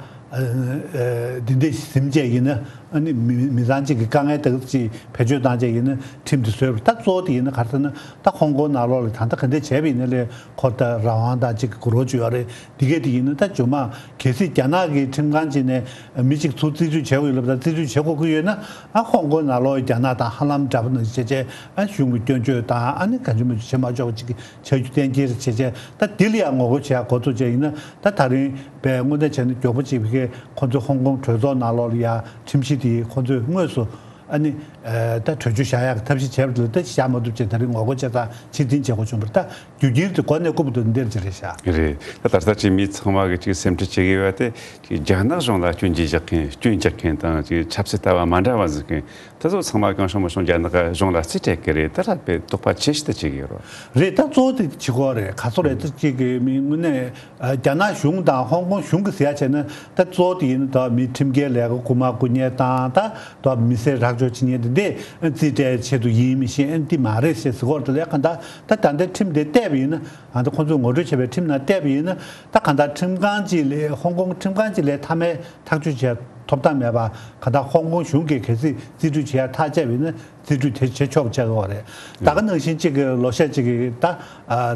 འདི་འདྲ་ཟིན་བྱས་ཡིན་ན། ཨ་ནི་མི་མི་ཚང་གཅིག་གི་དཀའ་ངལ་དག་ཅིག་བེད་སྤྱོད་བཏང་བྱས་ཡིན་ན་ཁྲིམས་དེ་བཟོས་པ་རེད། ད་གཙོ་བོ་དེ་ཡིན་ན་ག་རེ་ཟེར་ན་ད་ཧོང་ཀོང་ནང་ལོགས་ལ་ད་ལྟ་ག་འདྲ་བྱས་པ་ཡིན་ན་ལས་ཁོ་ད་རང་དབང་དང་གཅིག་གི་གོ་རོ་ཅིག་ཡོད་རེད། འདི་གས་དེ་ཡིན་ན་ད་ཇོ་མ་གལ་སྲིད་རྒྱ་ནག་གི་ཁྲིམས་ཁང་ཅིག་ནས་མི་གཅིག་ཚུར་རྩིས་སྤྲོད་བྱེད་དགོས་ཡོད་ལབ་ད་རྩིས་སྤྲོད་བྱེད་དགོས་ཀྱི་ཡོད་ན་ཨ་ཧོང་ཀོང་ནང་ལོགས་རྒྱ་ནག་དང་ཧ་ལམ་འདྲ་པོ་ནང་བྱས་བྱས་ཨ་གཞུང་གི་སྐྱོན་བརྗོད་དང་ཨ་ནི་གང་བྱུང་མང་བྱུང་བྱེད་མ་ཆོག་པ་ཅིག་གི་བྱ་རྒྱུ་གཏན་འཁེལ་བྱས་བྱས་ད་འདི་ལ་ཡང་ངོ་རྒོལ་བྱེད་ཡ་འགོ་ཚུགས་བྱས་ཡིན་ན་ད་ད་རིང་པའི་དངོས་གནས་བྱས་ན་མགྱོགས་པོ་ཅིག་བི་ཁའི་ཁོ་ཚོའི་ཧོང་ཀོང་གྲོས་ཚོགས་ནང་ལོགས་ལ་ཡ་ཁྲིམས་གཞི་དེ་ཁོ་ཚོས་དངོས་སུ་ཨ་ནི་ད་གྲོས་ཆོད་བཞག་ཡག་གི་ཐབས་ཤེས་བྱས་པ་དེ་ལ་ད་བཞག་མ་ཐུབ་བྱས་ད་རིང་ངོ་རྒོལ་བྱས་ཙང་ཕྱིར་འཐེན་བྱེད་དགོས་བྱུང་བ་རེད། ད་རྒྱུ་རྐྱེན་དེ་གོ་གནས་བཀུར་འདི་འདིར་ཅི་རེད་ཤག་རེད། ད་ད་ལྟ་ཅིག་མི་ཚང་མ་གི་ཅིག་སེམས་ཁྲལ་བྱེད་ཀྱི་ཡོད་པ་དེ་ཅིག་རྒྱ་ནག་གཞུང་ལ་སྐྱོན་བརྗོད་རྒྱག་མཁན་སྐྱོན་རྒྱག་མཁན་དང་ཅིག་ཆབ་སྲིད་ལྟ་བ་མ་འདྲ་བ་འཛིན་མཁན། དེ་ཚོ་ཚང་མ་གང་བྱུང་མང་བྱུང་རྒྱ་ནག་གཞུང་ལ་རྩིས་སྤྲད་ཀྱི་རེད། ད་ལྷག་པའི་དོགས་པ་ཆེ་ཤོས་དེ་བྱེད་ཀྱི་ཡོད་རེད། རེད། ད་གཙོ་བོ་དེ་བྱེད་དགོས་རེད། ག་ཚོད་རེད་ད་ཅིག་གི་མི་དངོས་གནས་རྒྱ་ནག་གཞུང་དང་ཧོང་ཀོང་གཞུང་གི་ཟེར་ཡ་བྱས་ན་ད་གཙོ་བོ་དེ་ཡིན་ན་ད་མི་ཁྲིམས་འགལ་ལས་ཀ་རྐུ་མ་རྐུ་མཁན་དང་ད་ད་མི་སེར་རགས་བཅོམ་བྱེད་མཁན་དེ་འདྲས་རྩིས་སྤྲད་ཆེད་དུ་ཡིན་མི་ཤེས་ཨ་འདི་མ་རེད་ཟེར་ཟེར་གོ་རེད། ད་ལས་ག་ད་ད་ད་ལྟའི་ཁྲིམས་དེ་བལྟས་པ་ཡིན་ན་ཨ་ད་ཁོང་ཚོས་ངོ་སྤྲོད་བྱས་པའི་ཁྲིམས་ནང་བལྟས་པ་ཡིན་ན་ད་ག་ད་ཁྲིམས་ཁང་གཅིག་ལས་ཧོང་ཀོང་ཁྲིམས་ཁང་གཅིག་ལས་མཐའ་མའི་ཐག་གཅོད་བྱས་ཐོབ་ཐང་མེད་པ་ག་ད་ཧོང་ཀོང་གཞུང་གིས་གལ་སྲིད་རྩིས་སྤྲོད་བྱེད་ཡ་ཐག་བཅད་པ་ཡིན་ན་རྩིས་སྤྲོད་དེ་བྱེད་ཆོག་པ་ཆགས་ཀྱི་ཡོད་རེད། ད་ག་ནང་བཞིན་གཅིག་གི་ལོ་ཤས་གཅིག་གི་ད་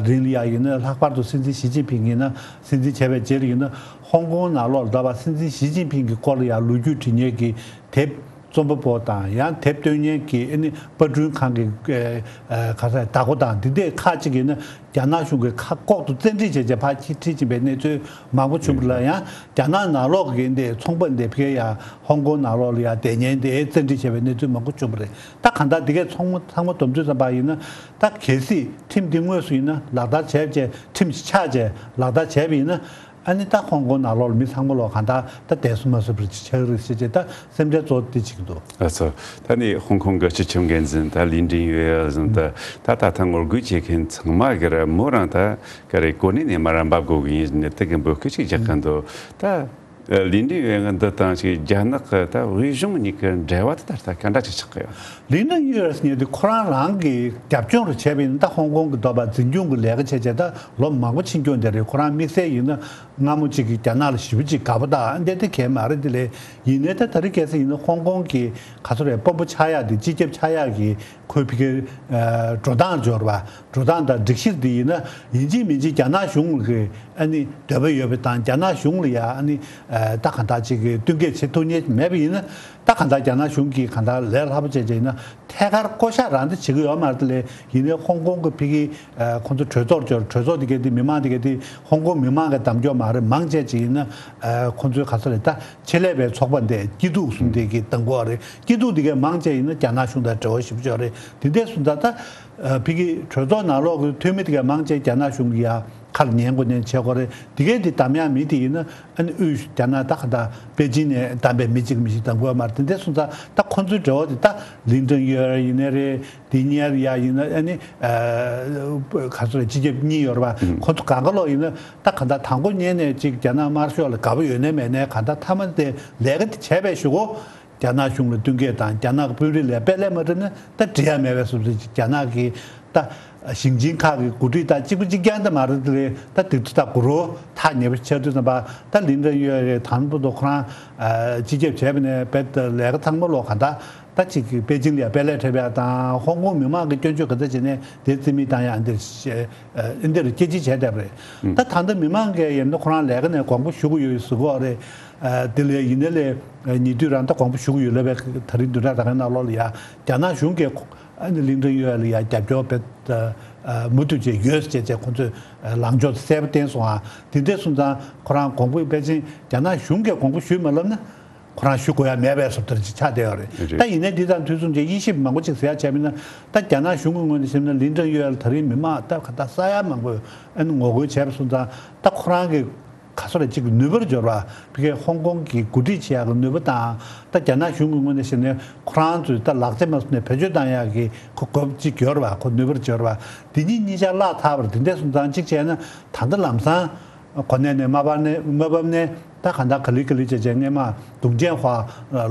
རིང་ལ་ཡ་ཡིན་ན་ལྷག་པར་དུ་སྲིད་འཛིན་ཞི་ཅིན་ཕིང་ཡིན་ན་སྲིད་འཛིན་བྱས་པའི་རྗེས་ལ་ཡིན་ན་ཧོང་ཀོང་ནང་ལོགས་ལ་ད་བར་སྲིད་འཛིན་ཞི་ཅིན་ཕིང་གི་སྐོར་ལ་ཡ་ལོ་རྒྱུས་འབྲི་མཁན་གྱི་དེབ་ རྩོམ་པ་པོ་དང་ཡང་དེབ་སྟོན་མཁན་གྱི་ཨ་ནི་པར་སྐྲུན་ཁང་གི་ཨ་ཨ་ག་ས་བདག་པོ་དང་འདི་འདྲའི་ཁག་ཅིག་ཡིན་ན་རྒྱ་ནག་གཞུང་གི་ཁ་ལྐོག་ཏུ་བཙན་ཁྲིད་བྱས་བྱས་ཕར་ཁྱེར་ཁྲིད་ཕྱིན་པའི་གནས་ཚུལ་མང་པོ་བྱུང་བ་ལ། ཡང་རྒྱ་ནག་ནང་ལོགས་ཀྱི་འདི་ཚོང་པ་འདི་ཕ་གིར་ཡང་ཧོང་ཀོང་ནང་ལོགས་ལ་ཡང་བསྡད་མཁན་འདི་བཙན་ཁྲིད་བྱས་པའི་གནས་ཚུལ་མང་པོ་བྱུང་བ་རེད། ད་གང་ལྟར་འདི་གའི་ཚང་མ་ཚང་མ་བསྡོམས་ཚོད་ཙམ་པ་ཡིན་ན། ད་གལ་སྲིད་ཁྲིམས་འདི་དངོས་སུ་ཡིན་ན་ལག་བསྟར་བྱས་བྱས་ཁྲིམས་ཤིག་ཆགས་བྱས་ལག་བསྟར་བྱས་པ་ཡིན་ན། ཨ་ནི་ད་ཧོང་ཀོང་ནང་ལོགས་ལ་མི་ཚང་མ་ལོག་གང་ལྟར་ད་བསྡད་སུ་མ་སུ་བར་ཆགས་ཀྱི་རེད་ཟེར་བྱས་ད་སེམས་ཁྲལ་གཙོ་བོ་དེ་བྱེད་ཀྱི་འདུག་ལགས་སོ། ད་ནི་ཧོང་ཀོང་གི་སྤྱི་ཁྱབ་འགན་འཛིན་ད་ལི་ཀྲིན་ཡུའེ་ཟེར་ད་ད་ད་ད་ངོ་རྒོལ་བྱེད་མཁན་ཚང་མ་གི་ར་མོ་རང་ད་ག་རེ་གོ་གནས་ནས་མར་འབབ་དགོས་ཀྱི་ཡིན་ནི་དེ་གི་འབོད་སྐུལ་ཅིག་རྒྱག་གི་འདུག་ད་ལི་ཀྲིན་ཡུའེ་འདི་དང་ཅིག་རྒྱ་ནག་གི་ད་དབུས་གཞུང་གཉིས་ཀྱི་འབྲེལ་བ་དེ་ད་ལྟ་ག་འདྲ་ཅིག་ཆགས་ཀྱི་ཡོད། ལི་ཀྲིན་ཡུའེ་ཟེར་མཁན་དེ་ཁོ་རང་རང་གི་རྒྱབ་ལྗོངས་རུ་བྱས་པ་ཡིན་ན། ད་ཧོང་ཀོང་གི་འདོད་པ་འཛིན་སྐྱོང་གི་ལས་ཀ་བྱས་བྱས་ད་ལོ་མང་པོ་ཕྱིན་རྒྱུ་འདི་རེད། ཁོ་རང་དམིགས་བསལ་ཡིན་ན་སྔ་མོ་ཅིག་གི་རྒྱ་ནག་ལ་ཞེ་པོ་ཅིག་དགའ་པོ་དང་འདི་དེ་གས་མ་རེད། དེ་ལས་ཡིན་ནའི་ད་ད་རེས་གལ་སྲིད་ཡིན་ན་ཧོང་ཀོང་གི་ག་ཚོད་རེད་དཔོན་པོ་ཆགས་ཡག་དེ་སྤྱི་ཁྱབ་ཆགས་ཡག་གི་ཁོའི་ཕ་གིའི་ཨ་འགྲོ་སྟངས་འབྱོར་བ་འགྲོ་སྟངས་དང་སྒྲིག་གཞི་དེ་ཡིན་ན་ཡིན་གཅིག་མིན་གཅིག་རྒྱ་ནག་གཞུང་གི་ཨ་ནི་འདོད་པ་ཡོད་པ་དང་རྒྱ་ནག་གཞུང་ལ་ཡ་ཨ་ནི་ཨ་ད་གང་ལྟར་ཅིག་གི་བསྟུན་མཁས་བྱེད་ཐུབ་མཁན་མེད་པ་ཡིན་ན། ད་གང་ལྟར་རྒྱ་ནག་གཞུང་གིས་གང་ལྟར་ལས་སླ་པོ་བྱས་བྱས་ཡིན་ན་ཐད་ཀར་བསྐོ་བཞག་རང་དེ་བྱེད་ཀྱི་ཡོད་མ་རེད། དེ་ལས་ཡིན་ནའི་ཧོང་ཀོང་གི་ཕ་གི་ཨ་ཁོང་ཚོ་གྲོས་ཚོགས་འབྱོར། གྲོས་ཚོགས་དེ་གའི་དེ་མི་མང་དེ་གའི་དེ་ཧོང་ཀོང་མི་མང་གི་གདམ་སྐྱོར་མ་རེད། མང་ཆེ་ཅིག་ཡིན་ན་ཨ་ཁོང་ཚོའི་ག་ས་རེད་ད་ཆེད་ལས་པའི་ཚོགས་པ་འདི་སྐྱིད་སྡུག་གསུམ་དེ་གི་གདམ་དགོས་རེད། སྐྱིད་སྡུག་དེ་གའི་མང་ཆེ་ཡིན་ན་རྒྱ་ནག་གཞུང་དང་འབྲེལ་བ་ཞིབ་ཆོག་རེད། དེ་འདྲ་སོང་ཙང་ད་ཨ་ཕ་གི་གྲོས་ཚོགས་ནང་ལོགས་ཀྱི་འཐུས་མི་དེ་གའི་མང་ཆེ་རྒྱ་ནག་གཞུང་གི་ཡ་ཁ་ལ་ཉན་དགོས་ཉན་བྱེད་དགོས་རེད། དེ་གའི་དེ་གདམ་ཡག་མི་དེ་ཡིན་ན་ཨ་ནི་དབུས་རྒྱ་ནག་ད་ག་ད་པེ་ཅིན་ནས་གདམ་པའི་མི་གཅིག་མི་གཅིག་གདམ་དགོས་མ་རེད། དེ་འདྲ་སོང་ཙང་ད་ཁོང་ཚོའི་འབྲེལ་བ་དེ་ད་ལིན་ཀྲིན་ཡུའེ་ཡིན་ནའི་རེད། དེ་གཉེར་ཡ་ཡིན་ན་ཨ་ནི་ཨ་ག་ཚོད་སྤྱི་ཁྱབ་གཉིས་ཡོད་རེད་པ། ཁོ་ཚོ་གང་ག་ལོག་ཡིན་ན་ད་ག་ད་དང་པོ་ཉིད་ནས་ཅིག་རྒྱ་ནག་དམར་ཤོག་ལ་དགའ་པོ་ཡོད་ནའི་མེད་ནའི་ག་ད་མཐའ་མ་དེ་ལས་ཀ་དེ་བྱས་པའི་གཞུག་གུ་རྒྱ་ནག་གཞུང་ལ་བསྟུན་མཁས་དང་རྒྱ་ནག་གི་དཔོན་རིགས་ལ་དཔེ་ལས་མ་བསྒྲུབས་ན་ད་འགྲིག་ཡ་མེད་པའི་བཟོ་འདྲ་ཅིག་རྒྱ་ནག་གི་ད་ཞིང་ཆེན་ཁག་གི་འགོ་ཁྲིད་དང་གཅིག་པ་གཅིག་རྐྱང་དེ་མ་རེད། དེ་ལས་ད་དེ་ཚོ་ད་གུ་རུ་ཐག་ཉེ་པོ་ཆགས་དུས་ཙམ་པ་ད་ལིན་ཀྲིན་ཡུའེ་དང་པོ་དུ་ཁོ་རང་སྤྱི་ཁྱབ་བྱས་པ་ནས་དཔེ་ལས་ཀ་ཚང་མ་ལོག་ག་ད། ད་ཅིག་གི་པེ་ཅིང་ལ་ཡ་དཔེ་ལས་འཁྲབ་ཡ་དང་ཧོང་ཀོང་མི་མང་གི་སྐྱོན་བརྗོད་ག་ཚོད་བྱས་ནས་དེ་རྩིས་མེད་བཏང་ཡ་འདིར་ཨ་འདིར་སྐྱེ་འཆི་བྱས་བསྡད་པ་རེད། ད་ད་ལྟ་མི་མང་གིས་ཡིན་ན་ཁོ་རང་ལས་ཀ་ནས་དགོངས་པ་ཞུ་གི་ཡོད་ཟེར་གི་ཡོད་རེད། ཨ་དེ་ལས་ཡིན་ནའི་ལས་ཉེ་དུས་རང་ད་དགོངས་པ་ཞུ་གི་ཡོད་ལབ་པའི་ད་རིང་བདུན་ཕྲག་ད་གའི་ནང་ལོགས་ལ་ཡ་རྒྱ་ནག་གཞུང་གིས་ཨ་ནི་ལིན་ཀྲིན་ཡུའེ་ལ་ཡ་རྒྱབ་སྐྱོར་དཔེ་མུ་མཐུད་བྱས་ཡོད་ཅེས་བྱས་ཁོང་ཚོས་ལངས་ཕྱོགས་གསལ་པོ་བསྟན་སོང་ཨ། དེ་འདྲ་སོང་ཙང་ཁོ་རང་དགོངས་པ་པེ་ཅིང་རྒྱ་ནག་གཞུང་གིས་དགོངས་པ་ཞུས་མ་ལབ་ན། ཁོ་རང་ཞུ་དགོས་ཡ་མེད་པའི་བཟོ་ལྟར་ཅིག་ཆགས་བསྡད་ཡོད་རེད། རེད། ད་ཡིན་ནའི་འདི་དང་དུས་མཚུངས་ཀྱི་དབྱེ་ཞིབ་མང་པོ་ཅིག་ཟེར་ཡ་བྱས་པ་ཡིན་ན། ད་རྒྱ་ནག་གཞུང་གི་ངོས་ནས་བཤད་ན་ལིན་ཀྲིན་ཡུའེ་ལ་ད་རིང་མི་མང་ད་ག་ད་ས་ཡ་མང་པོས་ཨ་ནི་ངོ་རྒོལ་བྱས་པ་སོང་ཙང་ད་ཁོ་རང་གི་ག་ཚོད་རེ་ཅིག་ནུས་པར་འབྱོར་བ་ཕ་གིའི་ཧོང་ཀོང་གི་འགོ་ཁྲིད་བྱེད་ཡག་གི་ནུས་པ་དང་ད་རྒྱ་ནག་གཞུང་གི་ངོས་ནས་བཤད་ན་ཁོ་རང་ཚོས་ད་ལག་ཆ་མ་བཟོ་ནས་བེད་སྤྱོད་བཏང་ཡག་གི་ཁོ་གོ་སྐབས་ཅིག་འབྱོར་བ་ཁོ་ནུས་པར་འབྱོར་བ་དེ་གཉིས་གཉིས་ཆ་བརླག་ཚར་བར་དེ་འདྲ་སོང་ཙང་གཅིག་བྱས་ན་ད་ལྟ་ལམ་སང་། གོ་གནས་ནས་མ་བབས་ནས་མ་བབས་ནས་ད་ག་འདྲ་ག་ལེ་ག་ལེ་བྱས་བྱས་སྔས་མ་དུང་ཅན་ཧྭ་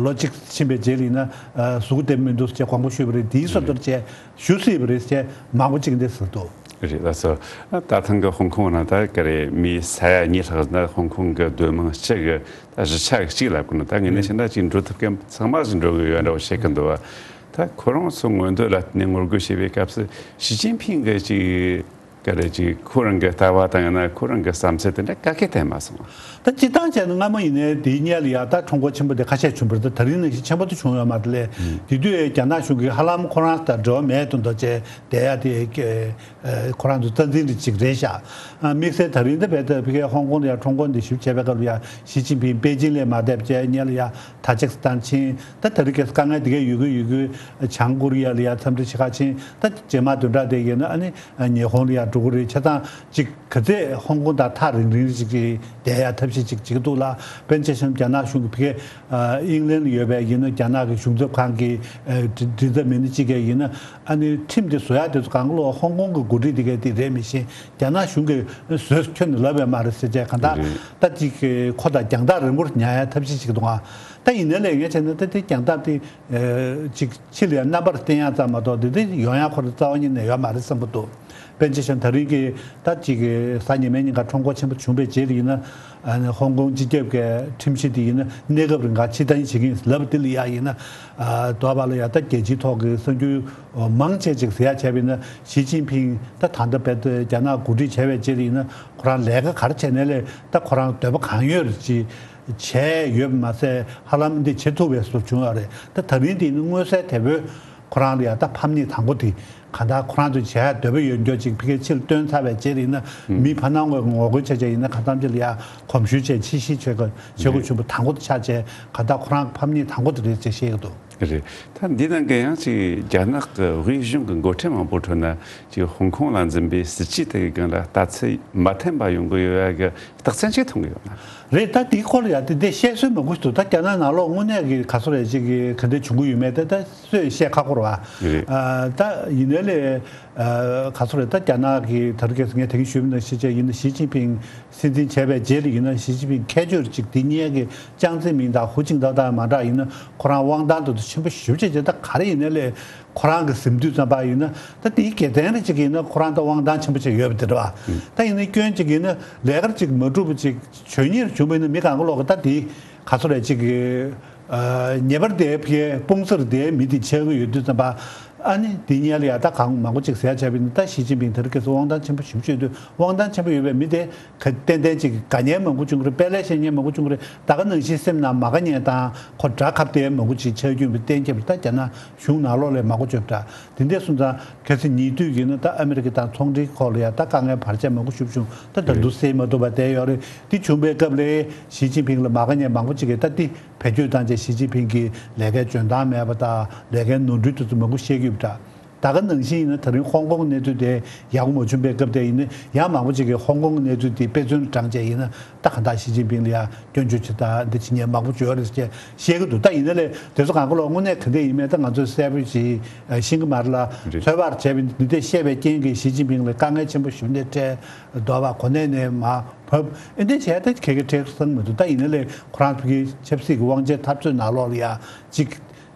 ལོ་གཅིག་ཕྱིན་པའི་རྗེས་ལ་ཡིན་ན་གཟུགས་བདེ་མི་འདུག་ཅེས་དགོངས་པ་ཞུས་པ་རེད། དེའི་བཟོ་ལྟར་བྱས་ཞུ་སྲིད་པ་རེད་ཅེས་མང་པོ་ཅིག་འདི་ཟེར་འདུག་རེད་ལགས་སོ། ད་ཐེངས་ཀྱི་ཧོང་ཀོང་ནང་ད་ག་རེ་མི་ས་ཡ་གཉིས་ལྷག་ན་ཧོང་ཀོང་གི་སྡོད་དམངས་སྤྱི་གི་ད་གཞིས་ཆགས་གཅིག་ལ་བཀོད་ན་ད་ངས་ནས་བྱས་ན་ཅིག་འགྲོ་ཐུབ་མཁན་ཚང་མ་ཞིག་འགྲོ་གི་ཡོད་འདྲ་བོ་བཤད་ཀྱི་འདུག་བ། ད་ཁོ་རང་ཚོ་མངོན་འདོད་ལ་བརྟེན་ནས་ངོ་རྒོལ་བྱས་པའི་སྐབས་སུ་ཞི་ཅིན་ཕིང་གི་ཅིག་ག་རེ་ཅིག་ཁོ་རང་གི་ལྟ་བ་དང་ཡང་ན་ཁོ་རང་གི་བསམ་ཚུལ་དེ་འདྲ་ག་གེ་བསྟན་མ་སོང་། ད་སྤྱིར་བཏང་བྱས་ན་སྔ་མོ་ཡིན་ནའི་དེའི་སྔོན་ལ་ཡ་ད་ཁྲོམ་སྐོར་ཆེན་པོ་དེ་ཁ་ཤས་བྱུང་བ་རེད། ད་ད་རིང་ནང་བཞིན་ཆེན་པོ་དེ་བྱུང་ཡོད་མ་རེད་ལས། དེ་དུས་རྒྱ་ནག་གཞུང་གིས་ཧ་ལམ་ཁོ་རང་ལ་འབྲེལ་བ་མེད་དུ་འདུག་ཅེས་བསྡད་ཡ་དེ་ཁོ་རང་ཚོ་རྩ་འཛིན་རེ་ཅིག་རེད་ཤག་དམིགས་བསལ་ད་རིང་འདི་བས་ད་ཕ་གིའི་ཧོང་ཀོང་ལ་ཡ་ཁྲོམ་སྐོར་འདི་ཞིབ་བྱས་པའི་སྐབས་ལ་ཡ་ཞི་ཅིན་ཕིང་པེ་ཅིང་ལ་མ་བསྡད་པ་བྱས་སྔོན་ལ་ཡ་ཐ་ཇིག་སི་ཐན་ཕྱིན། ད་ད་རེས་ཀྱི་དཀའ་ངལ་དེ་གས་ཡོད་གི་ཡོད་གི་བྱང་ཀོ་རི་ཡ་ལ་ཡ་འཚམས་འདྲི་བྱེད་ག་ཕྱིན། ད་རྗེས་མ་བདུན་ཕྲག་དེ་ཡིན་ན་ཨ་ནི་ཉི་ཧོང་ལ་ཡ་འགྲོ་གི་རེད། བྱས་ཙང་ཅིག་ག་ཚད་ཧོང་ཀོང་དང་ཐག་རིང་རིང་ཅིག་གི་བསྡད་ཡ་ཐབས་ཤེས་ཅིག་བྱེད་ཀྱི་འདུག་ལ། དཔེར་ན་ཆ་བཞག་ན་རྒྱ་ནག་གཞུང་གི་ཕ་གིའི་ཨིང་ལན་ལ་ཡོད་པའི་ཡིན་ན་རྒྱ་ནག་གི་གཞུང་ཚབ་ཁང་གི་མགྲིན་ཚབ་མི་སྣ་གཅིག་གིས་ཡིན་ན་ཨ་ནི་ཁྲིམས་དེ་བཟོ་ཡ་དེ་ཚོ་གང་ལོག་ཧོང་ཀོང་གི་འགོ་ཁྲིད་དེ་གས་དེ་རེད་མི་ཤེས། རྒྱ་ནག་གཞུང་གིས་བཟོས་ཁྱོན་ནས་ལབ་ཡ་མ་རེད་ཟེར་བྱས་གང་ལྟར་ད་ཅིག་ཁོ་དང་རྒྱང་ཐག་རིང་པོར་ཉར་ཡ་ཐབས་ཤེས་བྱེད་ཀྱི་འདུག་ཨ། ད་ཡིན་ནའི་ལས་ངས་བྱས་ན་ད་དེ་རྒྱང་ཐག་དེ་ཅིག་ཕྱི་ལ་ཡ་རྣམ་པར་བསྟན་ཡ་ཙམ་མ་གཏོགས་དེ་དེ་ཡོང་ཡ་ཁོ་རང་རྩ་བ་ཉིད་ནས་ཡོད་མ་རེད་བསམ་གྱི་འདུག་པཎ་ཆེན་ཞང་ད་རིང་གི་ད་ཅིག་གི་གཟའ་ཉི་མའི་ཉིན་ཀ་ཁྲོམ་སྐོར་ཆེན་པོ་བྱུང་བའི་རྗེས་ལ་ཡིན་ན། ཨ་ནི་ཧོང་ཀོང་སྤྱི་ཁྱབ་ཀྱི་ཁྲིམས་གཞི་དེ་ཡིན་ན་གནས་སྐབས་རིང་ག་ཕྱིར་འཐེན་བྱེད་ཀྱི་ཡིན་ལབ་དེ་ལ་ཡ་ཡིན་ན། ཨ་དོ་བ་ལ་ཡ་ད་རྒྱལ་སྤྱིའི་ཐོག་གི་གསར་འགྱུར་མང་ཆེ་ཅིག་ཟེར་ཡ་བྱས་པ་ཡིན་ན། ཞི་ཅིན་ཕིང་ད་ད་ལྟ་བལ་རྒྱ་ནག་འགོ་ཁྲིད་བྱས་པའི་རྗེས་ལ་ཡིན་ན་ཁོ་རང་ལས་ཀ་ག་རེ་བྱས་ནའི་ལས་ད་ཁོ་རང་འདོད་པ་གང་ཡོད་ཅིག་བྱས་ཡོད་པ་མ་ཟད། ཧ་ལམ་འདི་བྱེད་ཐུབ་པའི་བཟོ་བྱུང་ཡོད་རེད། ད་ད་རིང་འདི་ནི་མངོན་གསལ་དོད་པོས་ཁོ་རང་ལ་ཡ་ད་ཕམ་ཉེས་དང་པོ་དེ་གང་ལྟར་ཁོ་རང་ཚོས་བྱེད་ཡ་འདོད་པ་ཡོད་འགྱོ་ཅིག་ཕ་གིར་ཕྱིར་བཏོན་ཚར་བའི་རྗེས་ལ་ཡིན་ན། ཨུམ། མི་ཕ་ནང་ངོ་ངོ་རྒོལ་བྱས་བྱས་ཡིན་ན་གང་འཚམ་ཅིག་ལ་ཡ་གོམས་ཞུ་བྱས་ཕྱིར་བཤིག་བྱེད་དགོས་བྱེད་དགོས་རེད། བྱུང་བ་དང་པོ་དེ་ཆགས་བྱས་གང་ལྟར་ཁོ་རང་ཕམ་ཉེས་དང་པོ་དེ་རེད་ཅེས་བཤད་ཀྱི་འདུག། རེད། ད་འདི་ནང་གི་ཡང་ཅིག་རྒྱ་ནག་གི་དབུས་གཞུང་གི་འགོ་ཁྲིད་མང་པོ་ཁྲོད་ན་ཅིག་ཧོང་ཀོང་ལ་འཛིན་པའི་སྲིད་ཇུས་དེ་གི་སྒང་ལ་ལྟ་ཚུལ་མ་མཐུན་པ་ཡོང་གི་ཡོད་ཡ་གི་རྟགས་མཚན་ཅིག་མཐོང་གི་ཡོད་ན། རེད། ད་དེའི་སྐོར་ལ་ཡ་དེ་འདྲ་བཤད་སྲོལ་མང་པོ་ཞིག་འདུག། ད་རྒྱ་ནག་ནང་ལོགས་དངོས་གནས་ཀྱི་ག་ཚོད་རེད་ཅིག་གི་ག་འདྲ་བྱུང་གི་ཡོད་མེད་དེ་ད་སུས་བཤད་ཁག་པོ་རེད་བ། རེད། ཨ་ད་ཡིན་ནའི་ལས་ཨ་ག་ཚོད་རེད། ད་རྒྱ་ནག་གི་ད་རུང་ཁ་སང་ངས་དེ་རིང་ཞུས་པ་ནང་བཞིན་བྱས་ཡིན་ན་ཞི་ཅིན་ཕིང་སྲིད་འཛིན་བྱས་པའི་རྗེས་ལ་ཡིན་ན་ཞི་ཅིན་ཕིང་ཁྱད་ཆོས་ཅིག་དེ་སྔོན་གྱི་ཅང་ཙེ་མིན་དང་ཧུའུ་ཅིན་ཐའོ་དང་མ་འདྲ་ཡིན་ན་ཁོ་རང་དབང་ཐང་དེ་ཚོ་ཆེན་པོ་ཞེ་པོ་ཅིག་བྱས། ད་ག་རེ་ཡིན་ནའི་ལས་ཁོ་རང་གི་ཟིན་དུས་ཙམ་པ་ཡིན་ན་ད་དེའི་དགེ་མཚན་རེ་ཅིག་ཡིན་ན་ཁོ་རང་ད་དབང་ཐང་ཆེན་པོ་ཅིག་ཡོད་པ་དེ་རེད་བ། ཨུ། ད་ཡིན་ན་སྐྱོན་ཅིག་ཡིན་ན་ལས་ཀ་ཅིག་མ་འགྲུབ་པ་ཅིག་བྱོས་ཉེས་བྱུང་བ་ཡིན་ན་མི་གང་ག་ལོག་གི་ད་དེ་ག་ཚོད་རེད་ཅིག་གི་ཨ་ཉེས་པར་དེ་ཕ་གིའི་དཔུང་སར་དེ་མི་དེ་ཆགས་ཀྱི་ཡོད་དུས་ཙམ་པ། ཨ་ནི་དེ་སྔོན་ལ་ཡ་ད་གང་མང་པོ་ཅིག་ཟེར་ཡ་བྱས་པ་ཡིན་ན་ད་ཞི་ཅིན་ཕིང་དེ་རིང་ཁ་སང་དབང་ཐང་ཆེན་པོ་ཞེ་པོ་ཅིག་ཡོད་དུས། དབང་ཐང་ཆེན་པོ་ཡོད་པའི་མི་དེ་ག་ཏན་ཏན་ཅིག་དགའ་ཉེན་མང་པོ་བྱུང་གི་རེད། དཔེ་ལེགས་བཤད་ཉེན་མང་པོ་བྱུང་གི་རེད། ད་ག་ནང་བཞིན་སེམས་ནང་མ་དགའ་ཉེན་དང་ཁོ་དགྲ་ཁ་གཏད་མང་པོ་ཅིག་ཆགས་རྒྱུ་ཡིན་པ་གཏན་འཁེལ་བ་རེད། ད་རྒྱ་ནག་གཞུང་ནང་ལོགས་ལ་མང་པོ་བྱུང་ད། དེ་འདྲ་སོང་ཙང་ཁ་སང་ཉེ་དུས་ཀྱི་ནི་ད་ཨ་མི་རི་ཀ་དང་ཚོང་འབྲེལ་སྐོར་ལ་ཡ་ད་དཀའ་ངལ་བར་ཆད་མང་པོ་ཞིག་བྱུང་། ད་ད་དུང་སེལ་མ་ཐུབ་པ་བསྡད་ཡོད་རེད། དེ་བྱུང་བའི་སྐབས་ལ་ཞི་ཅིན་ཕིང་ལ་མ་དགའ་ཉེན་མང་པོ་ཅིག་གིས་ད་དེ་བེད་སྤྱོད་བཏང་བྱས་ཞི་ཅིན་ཕིང་གི་ལས་ཀའི་འཇོན་ཐང་མེད་པ་དང་ལས་ཀའི་ནོར་འཁྲུལ་དེ་ཚོ་མང་པོ་བཤད་ཀྱི་ཡོད་པ་འདྲ། ད་ག་ནང་བཞིན་ཡིན་ན་ད་རིང་ཧོང་ཀོང་གི་གནས་ཚུལ་དེ་ཡག་པོ་མ་བྱུང་བའི་སྐབས་དེ་ཡིན་ན་ཡང་མང་པོ་ཅིག་གིས་ཧོང་ཀོང་གི་གནས་ཚུལ་དེ་དཔེ་མཚོན་དྲངས་བྱས་ཡིན་ན་ད་གང་ལྟར་ཞི་ཅིན་ཕིང་ལ་ཡང་སྐྱོན་བརྗོད་བྱེད་ད་འདི་བྱེད་མཁན་མང་པོ་ཅིག་ཡོད་རེད་ཅེས་བཤད་ཀྱི་འདུག། ད་ཡིན་ན་ལས་དེ་ཚོ་གང་ག་ལོག་དངོས་གནས་ག་འདྲ་ཡིན་མིན་ད་ང་ཚོས་གསལ་པོ་ཅིག་ཤེས་ཀྱི་མ་རེད་ལ། རེད། ཚོད་དཔག་བྱས་པ་ཡིན་ན་འདི་འདྲ་བཤད་པའི་རྐྱེན་གྱིས་ཞི་ཅིན་ཕིང་ལ་དཀའ་ངལ་ཆེན་པོ་ཞིག་འདི་འཕྲད་འདུག་བ། གོ་གནས་ནས་མར་བབས་ཨེ་འདྲ་བྱས་ད་ཁེ་གི་ཁྲེལ་སང་མི་འདུག། ད་ཡིན་ན་ལས་ཁོ་རང་ཚོ་གི་ཆབ་སྲིད་ཀྱི་དབང་ཆའི་འཐབ་རྩོད་ནང་ལོགས་ལ་ཡང་ཅིག་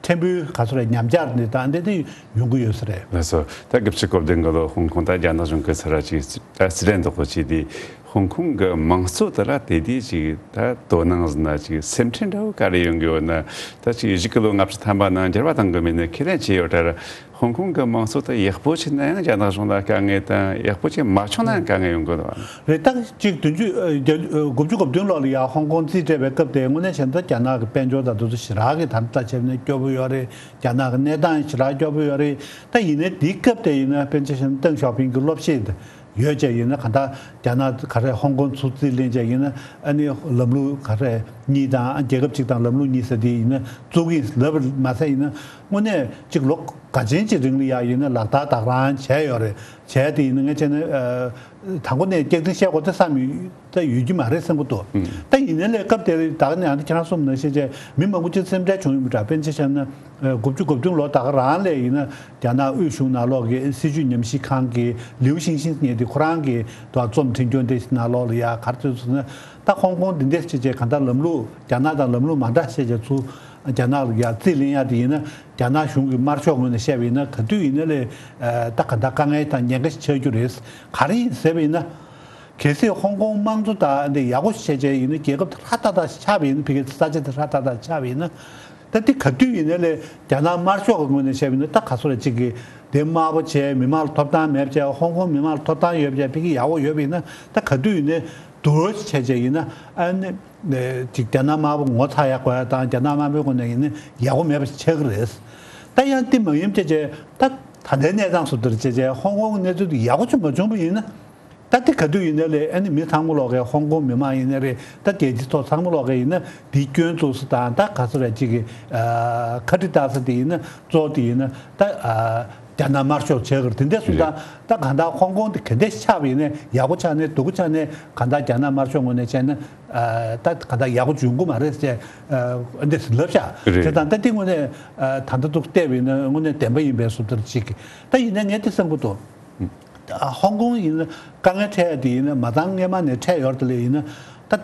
ཕྲན་བུའི་ག་ཚོད་རེད། ཉམས་ཆག་འདི་དང་འདི་འདི་ཡོང་གི་ཡོད་ས་རེད། ལགས་སོ། ད་དགུ་བཅུ་གོ་བདུན་གི་ལོ་ཧོང་ཀོང་ད་རྒྱ་ནག་གཞུང་གི་ས་ར་ཅིག་ད་སི་ཏན་དོག་གོ་ཅིག་དེ་ཧོང་ཀོང་གི་དམངས་གཙོ་དེ་ལ་དེ་དུས་ཅིག་ད་དོ་སྣང་ཟིན་ན་ཅིག་སེམས་ཁྲལ་འདྲ་བོ་ག་རེ་ཡོང་གི་ཡོད་ན། ད་ཅིག་བཞི་གི་ལོ་ལྔ་བཅུ་ཐམ་པ་ནང་འགྱུར་བ་གཏོང་གི་མེད་ན་ཁས་ལེན་བྱས་ཡོད་ད་ར། ཧོང་ཀོང་གི་དམངས་གཙོ་དེ་ཡག་པོ་ཕྱིན་ན་ཡང་རྒྱ་ནག་གཞུང་ལ་དཀའ་ངལ་དང་ཡག་པོ་ཅིག་མ་བྱུང་ན་ཡང་དཀའ་ངལ་ཡོང་གི་འདུག་བ། རེད། ད་གཅིག་བདུན་ཅུ་ཨ་བརྒྱད་ཨ་དགུ་བཅུ་གོ་བདུན་ལོ་ལ་ཡང་ཧོང་ཀོང་རྩིས་སྤྲད་པའི་སྐབས་དེ་དངོས་གནས་བྱས་ན་ད་རྒྱ་ནག་གི་དཔལ་འབྱོར་དང་དེ་ཚོ་ཞེ་དྲག་གི་ད་ལྟ་བྱས་ན་སྐྱོ་པོ་ཡོད་རེད། རྒྱ་ནག་གི་གནས་སྟངས་ཞེ་དྲག་སྐྱོ་པོ་ཡོད་རེད། ད་ཡིན་ནའི་དེའི་སྐབས་དེ་ཡིན་ན་དཔེར་ན་ཆ་བཞག་ན་ཏེང་ཞའོ་ཕིང་གི་སློབ་གཞི་དེ་ཡོད་ཅེས་ཡིན་ན་གང་ལྟར་རྒྱ་ནག་ག་རེ་ཧོང་ཀོང་ཚུར་རྩིས་ལེན་ཅེས་ཡིན་ན་ཨ་ནི་ལམ་ལུགས་ག་རེ་གཉིས་དང་ཨ་རྒྱལ་ཁབ་གཅིག་དང་ལམ་ལུགས་གཉིས་ཟེར་དེ་ཡིན་ན་བཙུགས་ཀྱི་ལབ་པ་མ་ཟད་ཡིན་ན་དངོས་གནས་གཅིག་ལོ་འགའ་ཅན་གྱི་རིང་ལ་ཡང་ཡིན་ན་ལག་བསྟར་དག་རང་བྱས་ཡོད་རེད། བྱས་དེ་ཡིན་ན་ངས་བྱས་ན་ཨ་དང་པོ་ནས་སྐྱག་རྫུན་བཤད་དགོས་ད་བསམ་ཡོད་ད་ཡོད་ཀྱི་མ་རེད་བསམ་གྱི་འདུག། ཨུམ། ད་ཡིན་ན་ལས་སྐབས་དེར་ད་ག་ནས་ཨ་ནི་ཁྱེད་རང་གསུངས་ནང་བཞིན་བྱས་མི་མང་པོ་ཅིག་སེམས་ཁྲལ་བྱུང་ཡོད་པ་འདྲ། དཔེར་ན་ཆ་བཞག་ན་ཨ་དགུ་བཅུ་གོ་བདུན་ལོ་ད་ག་རང་ལ་ཡིན་ན་རྒྱ་ནག་དབུས་གཞུང་ནང་ལོགས་ཀྱི་སྲིད་བྱུས་ཉམས་ཞིབ་ཁང་གི་ལིའུ་ཤིང་ཤིང་ཟེར་མཁན་དེ་ཁོ་རང་གི་དུ་རྩོམ་འབྲི་རྒྱུ་འདི་ནང་ལོགས་ལ་ཡ་ག་རེ་བྱས་སོང་ན་ད་ཧོང་ཀོང་འདི་འདྲ་བྱས་བྱས་གང་ལྟར་ལམ་ལུགས་རྒྱ་ནག་དང་ལམ་ལུགས་མ་འདྲ་བྱས་བྱས་ཚུར་རྒྱ་ནག་ལ་ཡ་རྩིས་ལེན་ཡ་དེ་ཡིན་ན་རྒྱ་ནག་གཞུང་གི་དམར་ཤོག་ངོས་ནས་བཤད་པ་ཡིན་ན་ག་དུས་ཡིན་ན་ལས་ད་གང་ལྟར་དཀའ་ངལ་དང་ཉེན་ཁ་ཞིག་ཆགས་རྒྱུ་རེད། ག་རེ་ཡིན་ཟེར་བ་ཡིན་ན། གལ་སྲིད་ཧོང་ཀོང་དམངས་གཙོ་དང་འདི་ཡག་པོ་བྱས་བྱས་ཡིན་ན་རྒྱལ་ཁབ་དེ་ཧྲ་ཏག་ཏག་ཆགས་པ་ཡིན་ན་ཕ་གིའི་ས་ཆ་དེ་ཧྲ་ཏག་ཏག་ཆགས་པ་ཡིན་ན། ད་འདི་ག་དུས་ཡིན་ན་ལས་རྒྱ་ནག་དམར་ཤོག་གི་ངོས་ནས་བཤད་པ་ཡིན་ན་ད་ག་ཚོད་ལ་གཅིག་གིས་དེ་དམའ་པོ་བྱས་མི་མང་ལ་ཐོབ་ཐང་མེད་བྱས་ཧོང་ཀོང་མི་མང་ལ་ཐོབ་ཐང་ཡོད་བྱས་ཕ་གི་ཡག་པོ་ཡོད་པ་ཡིན་ན་ད་ག་དུས་ཡིན་ན་དུར་བྱས་བྱས་ཡིན་ན་ཨ་ནི་ཅིག་རྒྱ་ནག་དམར་པོ་ངོ་ཚ་ཡག་དགོས་ཡ་དང་རྒྱ་ནག་དམར་པོའི་ངོས་ནས་ཡིན་ན་ཡག་པོ་མེད་པ་ཆགས་ཀྱི་རེད། ད་ཡང་དེ་མ་ཡིན་བྱས་བྱས་ད་ད་ལྟའི་གནས་སྟངས་སུ་དེར་བྱས་བྱས་ཧོང་ཀོང་གི་གནས་ཚུལ་དེ་ཡག་པོ་ཅིག་མ་བྱུང་བ་ཡིན་ན། ད་དེ་ག་དུས་ཡིན་ནའི་ལས་ཨ་ནི་མི་ཚང་མ་ལོག་གི་ཧོང་ཀོང་མི་མང་ཡིན་ནའི་རེད། ད་རྒྱལ་སྤྱིའི་ཐོག་ཚང་མ་ལོག་གི་ཡིན་ན་དེའི་སྐྱོན་བཙུགས་ས་དང་ད་ག་ཚོད་རེད་ཅིག་གི་ཨ་ཁ་དཀྲི་བཏགས་ས་དེ་ཡིན་ན་གཙོ་བོ་དེ་ཡིན་ན་ད་ཨ་རྒྱ་ནག་དམར་ཤོག་བྱེད་གི་རེད། དེ་འདྲ་སོང་ཙང་ད་གང་ལྟར་ཧོང་ཀོང་དེ་ག་འདྲ་ཆགས་པ་ཡིན་ནའི་ཡག་པོ་ཆགས་ནའི་སྡུག་པོ་ཆགས་ནའི་གང་ལྟར་རྒྱ་ནག་དམར་ཤོག་ངོས་ནས་བྱས་ན་ཨ་ད་གང་ལྟར་ཡག་པོ་འབྱུང་གི་མ་རེད་ཟེར་ཨ་འདི་ལབ་ཤག་རེད། དེ་དང་ད་དེ་ངོས་ནས་ཨ་ད་ལྟ་འདུག་བལྟས་པ་ཡིན་ན་དངོས་གནས་བདེན་པ་ཡིན་པའི་བཟོ་ལྟར་ཅིག་གི་ད་ཡིན་ནའི་ངས་དེ་བསམ་གི་འདུག། ཧོང་ཀོང་ཡིན་ན་དཀའ་ངལ་འཕྲད་ཡ་དེ་ཡིན་ན་མ་ཚང་སྔས་མ་ནས་འཕྲད་ཡོད་རེད་དེ་ལས་ཡིན་ན་ད་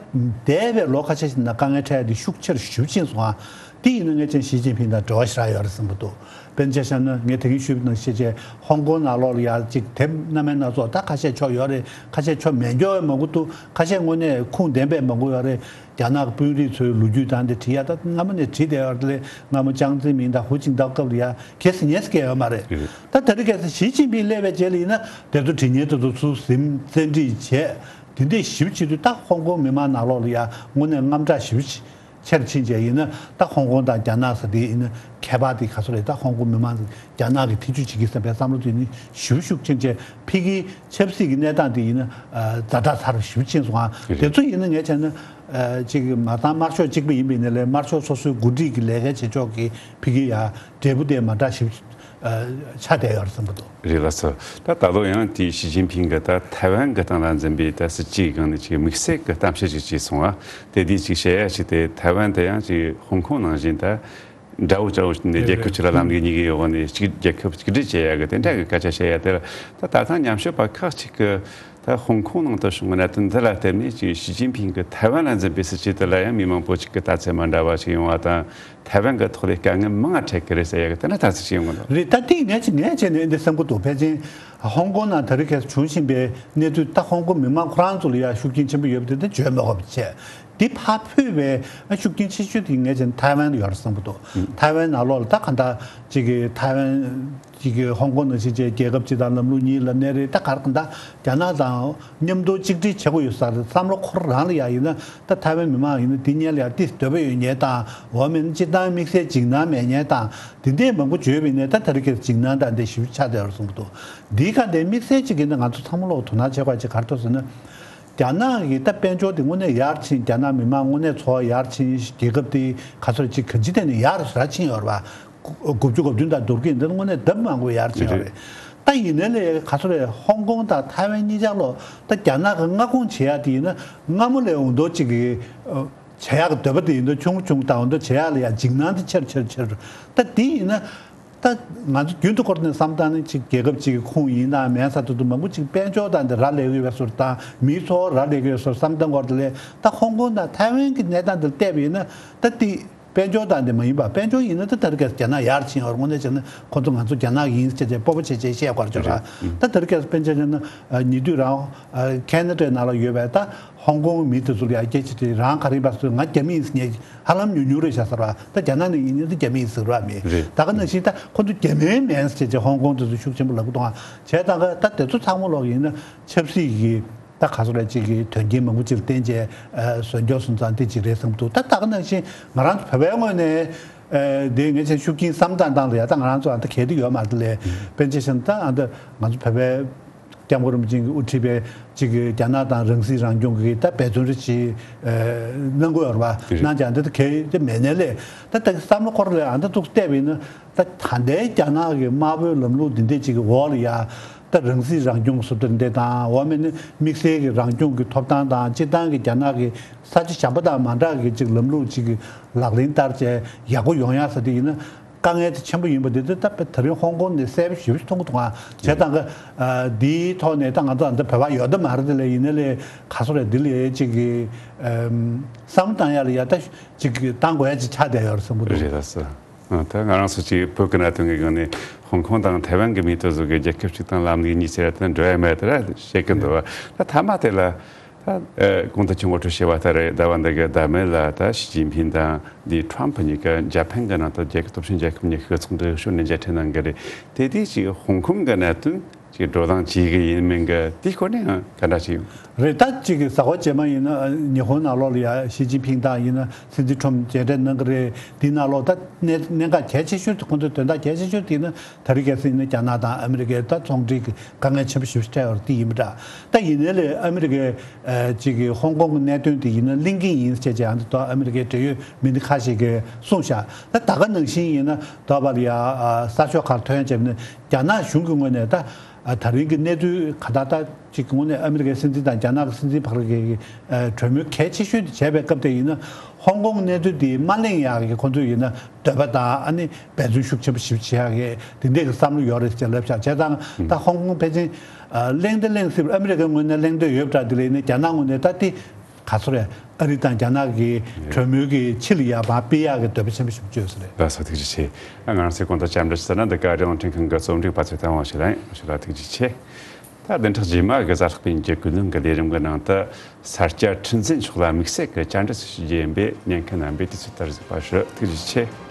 འདས་པའི་ལོ་ཁ་ཤས་ཤིག་ནང་དཀའ་ངལ་འཕྲད་ཡ་དེ་ཤུགས་ཆེར་ཞེ་པོ་ཕྱིན་སོང་ཨ། དེ་ཡིན་ན་ངས་ཅང་ཞི་ཅིན་ཕིང་དང་འབྲེལ་བ་ཞེ་དྲག་ཡོད་རེད་བསམ་གི་འདུག། དཔེར་ན་ཆ་བཞག་ན་ངས་དེ་རིང་ཞུས་པ་ནང་བཞིན་བྱས་ཧོང་ཀོང་ནང་ལོགས་ལ་ཡ་གཅིག་དེབ་སྣ་མིན་སྣ་ཚོགས། ད་ཁ་ཤས་ཆོག་ཡོད་རེད། ཁ་ཤས་ཆོག་མེད་མཁན་མང་པོ་འདུག་ཁ་ཤས་དངོས་གནས་ཁུངས་ལྡན་པའི་མང་པོ་ཡོད་རེད། རྒྱ་ནག་གི་དཔོན་རིགས་ཚོའི་ལོ་རྒྱུས་དང་དེ་བྲིས་ཡ་ད་སྔ་མོ་ནས་བྲིས་བསྡད་ཡོད་རེད། དེ་ལས་སྔ་མོ་ཅང་ཙེ་མིན་དང་ཧུའུ་ཅིན་ཏའོ་སྐབས་ལ་ཡ་གལ་སྲིད་ཉེས་སུ་བཀལ་ཡོད་མ་རེད། ད་དེ་རིང་ཁ་སང་ཞི་ཅིན་ཕིང་སླེབས་པའི་རྗེས་ལ་ཡིན་ན་དེ་ཚོ་བྲིས་མཁན་དེ་ཚོ་ཚུར་ཟིན་བཙན་ཁྲིད་བྱས། དེ་འདྲས་ཞིབ་བྱེད་དུས་ད་ཧོང་ཀོང་མི་མང་ནང་ལོགས་ལ་ཡ་དངོས་གནས་དངངས་སྐྲག་ཞིབ་ཆེར་ཕྱིན་བྱས་ཡིན་ན། ད་ཧོང་ཀོང་དང་རྒྱ་ནག་ཟེར་དེ་ཡིན་ན་ཁྱད་པར་དེ་ག་ཚོད་རེད། ད་ཧོང་ཀོང་མི་མང་རྒྱ་ནག་གི་ཐེ་ཇུས་བྱེད་ཀྱི་བསམ་པའི་བསམ་བློ་དེ་ནི་ཞིབ་ཤུགས་ཕྱིན་བྱས་ཕ་གིའི་ཆབ་སྲིད་ཀྱི་གནས་སྟངས་དེ་ཡིན་ན་ཛ་དྲག་ཚ་རུ་ཞིབ་ཕྱིན་སོང་ཨ། དེ་ཚོ་ཡིན་ན་ངས་བྱས་ན་ཅིག་མ་ཚང་དམར་ཤོག་གཅིག་པ་ཡིན་པའི་ནི་ལས་དམར་ཤོག་སོ་སོའི་འགོ་ཁྲིད་ཀྱི་ལས་ཀ་བྱེད་ཕྱོགས་ཀྱི་ཕ་གི་ཡ་འབྲས་བུ་དེ་མ་འདྲ་ཞིབ་ཆགས་བསྡད་ཡོད་རེད་བསམ་གྱི་འདུག་རེད་ལགས་སོ། ད་ད་ལོ་ཡང་དེའི་ཞི་ཅིན་ཕིང་གིས་ད་ཐའེ་ཝན་གྱི་སྟེང་ལ་འཛིན་པའི་ད་སྲིད་ཇུས་སྒང་ནས་ཅིག་དམིགས་བསལ་གྱི་གཏམ་བཤད་ཅིག་བྱས་སོང་ང་། དེ་དུས་ཅིག་བཤད་ཡ་ཅིག་དེ་ཐའེ་ཝན་དེ་ཡང་ཅིག་ཧོང་ཀོང་ནང་བཞིན་ད་དགྲ་བོ་དགྲ་བོ་ནས་རྒྱལ་ཁབ་གཅིག་ལ་ལམ་ལུགས་གཉིས་ཀྱི་འོག་ནས་གཅིག་རྒྱལ་ཁབ་གཅིག་སྒྲིལ་བྱེད་ཡ་གི་དེ་འདྲ་གི་སྐད་ཆ་བཤད་ཡ་དེ་ལ་ད་ད་ཐེངས་ཉམས་ཞིབ་པ་ཁག་ཅིག་གིས་ད་ཧོང་ཀོང་ནང་དུ་བྱུང་བའི་གནད་དོན་འདི་ལ་བརྟེན་ནས་ཅིག་ཞི་ཅིན་ཕིང་གིས་ཐའེ་ཝན་ལ་འཛིན་པའི་སྲིད་ཇུས་དེ་ལ་ཡང་མི་མང་པོ་ཅིག་གིས་ལྟ་ཚུལ་མ་འདྲ་བ་ཞིག་ཡོང་བ་དང་། ཐའེ་ཝན་གྱི་ཐོག་ལས་དཀའ་ངལ་མང་ང་འཕྲད་ཀྱི་རེད་ཟེར་ཡ་གི་དེ་འདྲ་ཐག་ཆོད་ཅིག་ཡོང་གི་འདུག་རེད། ད་དེ་ངས་ཅི་ངས་བྱས་ནས་འདི་བསམ་གྱི་འདུག་ཕལ་ཆེར་ཧོང་ཀོང་ནང་དེ་རིང་ཁ་སང་བྱུང་བཞིན་པའི་གནས་ཚུལ་ད་ཧོང་ཀོང་མི་མང་ཁོ་རང་ཚོ་ལ་ཡ་ཤུགས་རྐྱེན་ཆེན་པོ་ཡོད་པ་དེ་འདྲ་བརྗོད་མི་དགོས་པ་བྱས། འདི་ཕར་ཕུད་པའི་ཤུགས་རྐྱེན་ཆེ་ཤོས་དེ་ངས་བྱས་ན་ཐའེ་ཝན་ལ་ཡོད་རེད་བསམ་གྱི་འདུག་ཐའེ་ཝན་ནང་ལོགས་ལ་ད་གང་ལྟར་ཅིག་གི་ཐའེ་ཝན་ཅིག་གི་ཧོང་ཀོང་ནང་བཞིན་བྱས་རྒྱལ་ཁབ་གཅིག་དང་ལམ་ལུགས་གཉིས་ལབ་ནའི་རེད། ད་ག་རེ་གང་ལྟར་རྒྱ་ནག་དང་མཉམ་དུ་གཅིག་སྒྲིལ་བྱེད་དགོས་ཡོད་ས་རེད་བསམ་བློ་འཁོར་རང་ལ་ཡ་ཡིན་ན། ད་ཐའེ་ཝན་མི་མང་ཡིན་ན་དེ་གཉིས་ལ་ཡ་ཏིས་འདོད་པ་ཡོད་མཁན་དང་འོ་མེད་ན་སྤྱིར་བཏང་དམིགས་བསལ་འཇིགས་སྣང་མེད་མཁན་དང་དེ་འདྲས་མང་པོ་བརྗོད་པ་ཡིན་ནའི་ད་ད་རེས་ཀྱི་འཇིགས་སྣང་དང་འདི་ཞིབ་ཆགས་བསྡད་ཡོད་རེད་བསམ་གྱི་འདུག་འདིའི་ཁ་འདི་དམིགས་བསལ་གཅིག་ཡིན་ན་ང་ཚོ་ཚང་མ་ལོག་དོ་སྣང་བྱེད་དགོས་ཅིག་ག་རེ་འདུག་ཟེར་ན། རྒྱ་ནག་གི་ད་དཔལ་འབྱོར་དེ་དངོས་གནས་ཡར་ཕྱིན། རྒྱ་ནག་མི་མང་དངོས་གནས་འཚོ་བ་ཡར་ཕྱིན། རྒྱལ་ཁབ་དེ་ག་ཚོད་ཅིག་གང་ཅི་ཐད་ནས་ཡར་ར་ཕྱིན་ཡོད་རེད་པ། དགུ་བཅུ་གོ་བདུན་དང་བསྡུར་གྱི་འདི་དངོས་གནས་ལྡབ་མང་པོ་ཡར་ཕྱིན་ཡོད་རེད། ད་ཡིན་ནའི་ལས་ག་ཚོད་རེད། ཧོང་ཀོང་དང་ཐའེ་ཝན་གཉིས་ཆར་ལོ་ད་རྒྱ་ནག་གི་མངའ་ཁོངས་བྱེད་ཡ་དེ་ཡིན་ན་སྔ་མོ་ལས་འོང་མདོག་ཅིག་གི་བྱེད་ཡག་གི་འདོད་པ་དེ་ཡིན་དུས་ཆུང་ཆུང་དང་འོ་འདི་བྱེད་ཡག་ལ་ཡང་འཇིགས་སྣང་དེ་ཆེར་ཆེར་ཆེར། ད་དེ་ཡིན་ན་ད་ང་ཚོ་རྒྱུན་དུ་སྐོར་ནས་བསམ་བཏང་ནས་ཅིག་རྒྱལ་ཁབ་ཅིག་གི་ཁོངས་ཡིན་དང་མིན་ས་དེ་ཚོ་མང་པོ་ཅིག་དཔལ་འབྱོར་དང་དེ་རག་ལས་ཀྱི་ཡོད་པའི་བཟོ་དང་མིའི་འཚོ་བ་རག་ལས་ཀྱི་ཡོད་བཟོ་བསམ་བཏང་སྐོར་དེ་ལས་ད་ཧོང་ཀོང་དང་ཐའེ་ཝན་གྱི་གནས་སྟངས་དེ་ལ་བལྟས་པ་ཡིན་ན་ད་དེ་དཔལ་འབྱོར་དང་དེ་མ་ཡིན་པ། དཔལ་འབྱོར་ཡིན་ན་ད་ད་རེས་ཀྱི་རྒྱ་ནག་ཡར་ཕྱིན་ཡོད་རེད། དངོས་གནས་བྱས་ན་ཁོ་ཚོ་ང་ཚོ་རྒྱ་ནག་ཡིན་ཟེར་བྱས་སྤོབས་པ་བྱས་བྱས་བཤད་དགོས་རེད་ཅོ་ར། ད་ད་རེས་ཀྱི་དཔེར་ན་ཆ་བཞག་ན་ཉེ་དུས་རང་ཁེ་ན་ཌའི་ནང་ལ་ཡོད་པའི་ད། ཧོང་ཀོང་མི་དེ་ཚོ་ལ་ཡང་སྐད་ཆ་དྲིས། རང་ག་རེ་ཡིན་པ་ཟེར། ང་རྒྱ་མི་ཡིན་ཟེར་ངས་ཧ་ལམ་ཉུང་ཉུང་རེད་བཞག་ཟེར་བ། ད་རྒྱ་ནག་ནས་ཡིན་ན་ད་རྒྱ་མི་ཡིན་ཟེར་བ་མེད། རེད། ད་ག་ནང་བཞིན་ད་ཁོ་ཚོ་རྒྱ་མི་མིན་ཟེར་བྱས་ཧོང་ཀོང་དེ་ཚོ་ཤུགས་ཆེན་པོ་ལབ་གི་འདུག་ཨ། བྱས་ཙང་ག་ད་དེ་ཚོ་ཚང་མ་ལོག་ཡིན་ན་ཆབ་སྲིད་ཀྱི་ད་ག་ཚོད་རེད་ཅིག་གི་དོན་རྐྱེན་མང་པོ་ཅིག་ལ་བརྟེན་བྱས་བཟོ་འཇོག་སོང་ཙང་དེ་ཅིག་རེད་བསམ་འདུག་ད་ད་ག་ནང་བཞིན་ང་རང་ཚོ་བོད་པའི་ངོས་ནས་དེ་ངས་ཆེས་ཤུགས་རྐྱེན་བསམ་སྟངས་སྟངས་ལ་ཡ་ད་ང་རང་ཚོ་ཨ་ད་གལ་ཏེ་ཡོད་མ་རེད་དེ་ལས་དཔེར་ན་ཆ་བཞག་ན་ད་ཨ་ད་ང་ཚོ་བོད་པའི། སྐྱབས་མགོན་རིན་པོ་ཆེ་གིས་དབུ་ཁྲིད་པའི་གཅིག་གི་རྒྱ་ནག་དང་རང་སྲིད་རང་སྐྱོང་གི་ད་འབད་བརྩོན་རེ་ཞིག་གནང་དགོས་ཡོད་རེད་པ། དེ་རེད། གནང་ཀྱང་འདི་ད་གལ་ཏེ་མེད་ནའི་ལས་ད་ད་བསམ་བློ་འཁོར་ལས་ཨ་ད་ཏུག་བལྟས་པ་ཡིན་ན་ད་ད་ལྟའི་རྒྱ་ནག་གི་དམར་པོའི་ལམ་ལུགས་འདི་འདྲས་ཅིག་གི་འོག་ལ་ཡ་ད་རང་སྲིད་རང་སྐྱོང་སུབ་ཏུ་འདི་དང་འོ་མེད་ན་དམིགས་བསལ་གྱི་རང་སྐྱོང་གི་ཐོབ་ཐང་དང་སྤྱིར་བཏང་གི་རྒྱ་ནག་གི་ས་ཆ་གཞན་པ་དང་མ་འདྲ་གི་ཅིག་ལམ་ལུགས་ཅིག་གི་ལག་ལེན་བསྟར་བྱས་ཡག་པོ་ཡོང་ཡ་ས་དེ་ཡིན་ན། དཀའ་ངལ་དེ་ཆེན་པོ་ཡིན་པ་དེ་དེ་ད་དེ་རིང་ཧོང་ཀོང་ནས་གསལ་པོ་ཞེ་པོ་ཞིག་མཐོང་གི་འདུག་ཨ། བྱས་ཙང་གི་འདིའི་ཐོག་ནས་ད་ང་ཚོ་འདི་བོད་པ་ཡོད་དམ་མ་རེད་དེ་ལས་ཡིན་ན་ལས་ག་སོ་རེད་འདི་ལས་ཅིག་གི་བསམ་བཏང་ཡ་ལ་ཡ་ད་ཅིག་གི་བཏང་དགོས་ཡ་ཅིག་ཆགས་བསྡད་ཡོད་རེད་བསམ་གི་འདུག་རེད་ད་སོ། ད་ང་རང་ཚོ་ཅིག་བོད་ཀྱི་གནད་དོན་གྱི་སྒང་ནས་ཧོང་ཀོང་དང་ཐའེ་ཝན་གྱི་མི་དེ་ཚོ་གི་རྒྱལ་ཁབ་ཅིག་དང་ལམ་ལུགས་གཉིས་ཟེར་ཡ་དེ་འགྲོ་ཡ་མེད་དེ་ར་བཤད་ཀྱི་འདུག་བ། ད་མཐའ་མ་དེ་ལ། ད་གོང་དུ་ཆུ་ངོ་སྤྲོད་བྱས་པ་ལྟར་རེད། ཟླ་བ་འདི་གའི་ཟླ་མེད་ལ་ད་ཞི་ཅིན་ཕིང་དང་འདི་ཁྲོམ་ཕུ་གཉིས་ཀ་འཇར་པན་གྱི་ནང་དུ་རྒྱལ་ཁབ་སྟོབས་ཆེན་རྒྱལ་ཁབ་གཉིས་ཀྱི་ཚོགས་འདུ་ཞུ་ནས་མཇལ་འཕྲད་གནང་གི་རེད། དེ་དུས་ཅིག་ཧོང་ཀོང་གི་གནད་དོན་ཅིག་བགྲོ་གླེང་བྱེད་ཀྱི་ཡིན་མིན་གྱི་དེའི་སྐོར་ནས་ཡང་ག་འདྲ་ཞིག་ཡོད། རེད། ད་ཅིག་གི་གཟའ་འཁོར་རྗེས་མ་ཡིན་ན་ཉི་ཧོང་ནང་ལོགས་ལ་ཡ་ཞི་ཅིན་ཕིང་དང་ཡིན་ན་སྲིད་འཛིན་ཁྲོམ་མཇལ་འཕྲད་གནང་གི་རེད། དེའི་ནང་ལོགས་ད་གནད་གནད་འགག་གལ་ཆེ་ཤོས་དེ་ཁོང་ཚོའི་དོན་དག་གལ་ཆེ་ཤོས་དེ་ཡིན་ན། ད་རེས་གལ་སྲིད་ཡིན་ན་རྒྱ་ནག་དང་ཨ་མི་རི་ཀའི་ད་ཚོང་འབྲེལ་གྱི་དཀའ་ངལ་ཆེན་པོ་ཞེ་པོ་ཅིག་འཕྲད་ཡོད་རེད། དེ་ཡིན་པ་འདྲ། ད་ཡིན་ནའི་ལས་ཨ་མི་རི་ཀའི་ཨ་ཅིག་གི་ཧོང་ཀོང་གི་གནད་དོན་དེ་ཡིན་ན་གླེང་གི་ཡིན་ཟེར་བྱས་ཨ་ནི་ད་ཨ་མི་རི་ཀའི་འབྲེལ་ཡོད་མི་སྣ་ཁ་ཤས་ཀྱིས་གསུངས་ཤག་ད་ད་ག་ནང་བཞིན་ཡིན་ན་ད་བར་ཡ་ཨ་གསར་ཤོག་ཁག་ཐོན་བྱས་ནས་རྒྱ་ནག་གཞུང་གི་ངོས་ནས་ད་ཨ་ད་རིང་གི་གནས་ཚུལ་ག་ད་ད་ཅིག་གི་ངོས་ནས་ཨ་མི་རི་ཀའི་སྲིད་འཛིན་དང་རྒྱ་ནག་གི་སྲིད་འཛིན་བར་གྱི་ཨ་གྲོས་མོལ་གལ་ཆེ་ཤོས་དེ་བྱས་པའི་སྐབས་དེ་ཡིན་ན་ཧོང་ཀོང་གི་གནས་ཚུལ་དེ་མ་གླེང་ཡག་གི་ཁོང་ཚོས་ཡིན་ན། འདོད་པ་དང་ཨ་ནི་འབད་བརྩོན་ཤུགས་ཆེན་པོ་ཞིག་བྱེད་ཡག་གི་དེ་འདྲས་ཀྱི་བསམ་བློ་ཡོད་རེད་ཅེས་ལབ་ཤག་བྱས་ཙང་ད་ཧོང་ཀོང་ཕལ་ཆེར་གླེང་དང་གླེང་སྲིད་ཨ་མི་རི་ཀའི་ངོས་ནས་གླེང་འདོད་ཡོད་པ་འདྲ། དེ་ལས་ནི་རྒྱ་ནག་ངོས་ནས་ད་དེ་ ག་ཚོད་རེད། ཨ་རི་དང་རྒྱ་ནག་གི་གྲོས་མོལ་གྱི་ཕྱི་ལ་ཡར་མར་སྤེལ་ཡག་གི་འདོད་པ་ཆེན་པོ་ཞིག་བརྗོད་ས་རེད། ལགས་སོ། ཐུགས་རྗེ་ཆེ། ང་རང་ཚོའི་གོང་དུ་བཅར་འདྲི་ཞུས་ན་འདི་ག་རི་ལང་ཁྲིན་ཁང་གི་རྩོམ་སྒྲིག་པ་ཚོས་བཏང་བ་ཞིག་ལ་ཡིན། ཞུ་ལ་ཐུགས་རྗེ་ཆེ། ད་བདུན་ཕྲག་རྗེས་མ་གི་གཟའ་ལྷག་པའི་ཉིན་གྱི་ཀུན་གླེང་གི་ལས་རིམ་གྱི་ནང་དུ་ས་སྐྱ་ཁྲི་འཛིན་མཆོག་ལ་དམིགས་བསལ་གྱི་བཅར་འདྲི་ཞུ་རྒྱུ་ཡིན་པས་ཉན་མཁན་རྣམ་པས་དུས་ཚོད་ལྟར་གཟིགས་པ་ཞུ། ཐུགས་རྗེ་ཆེ།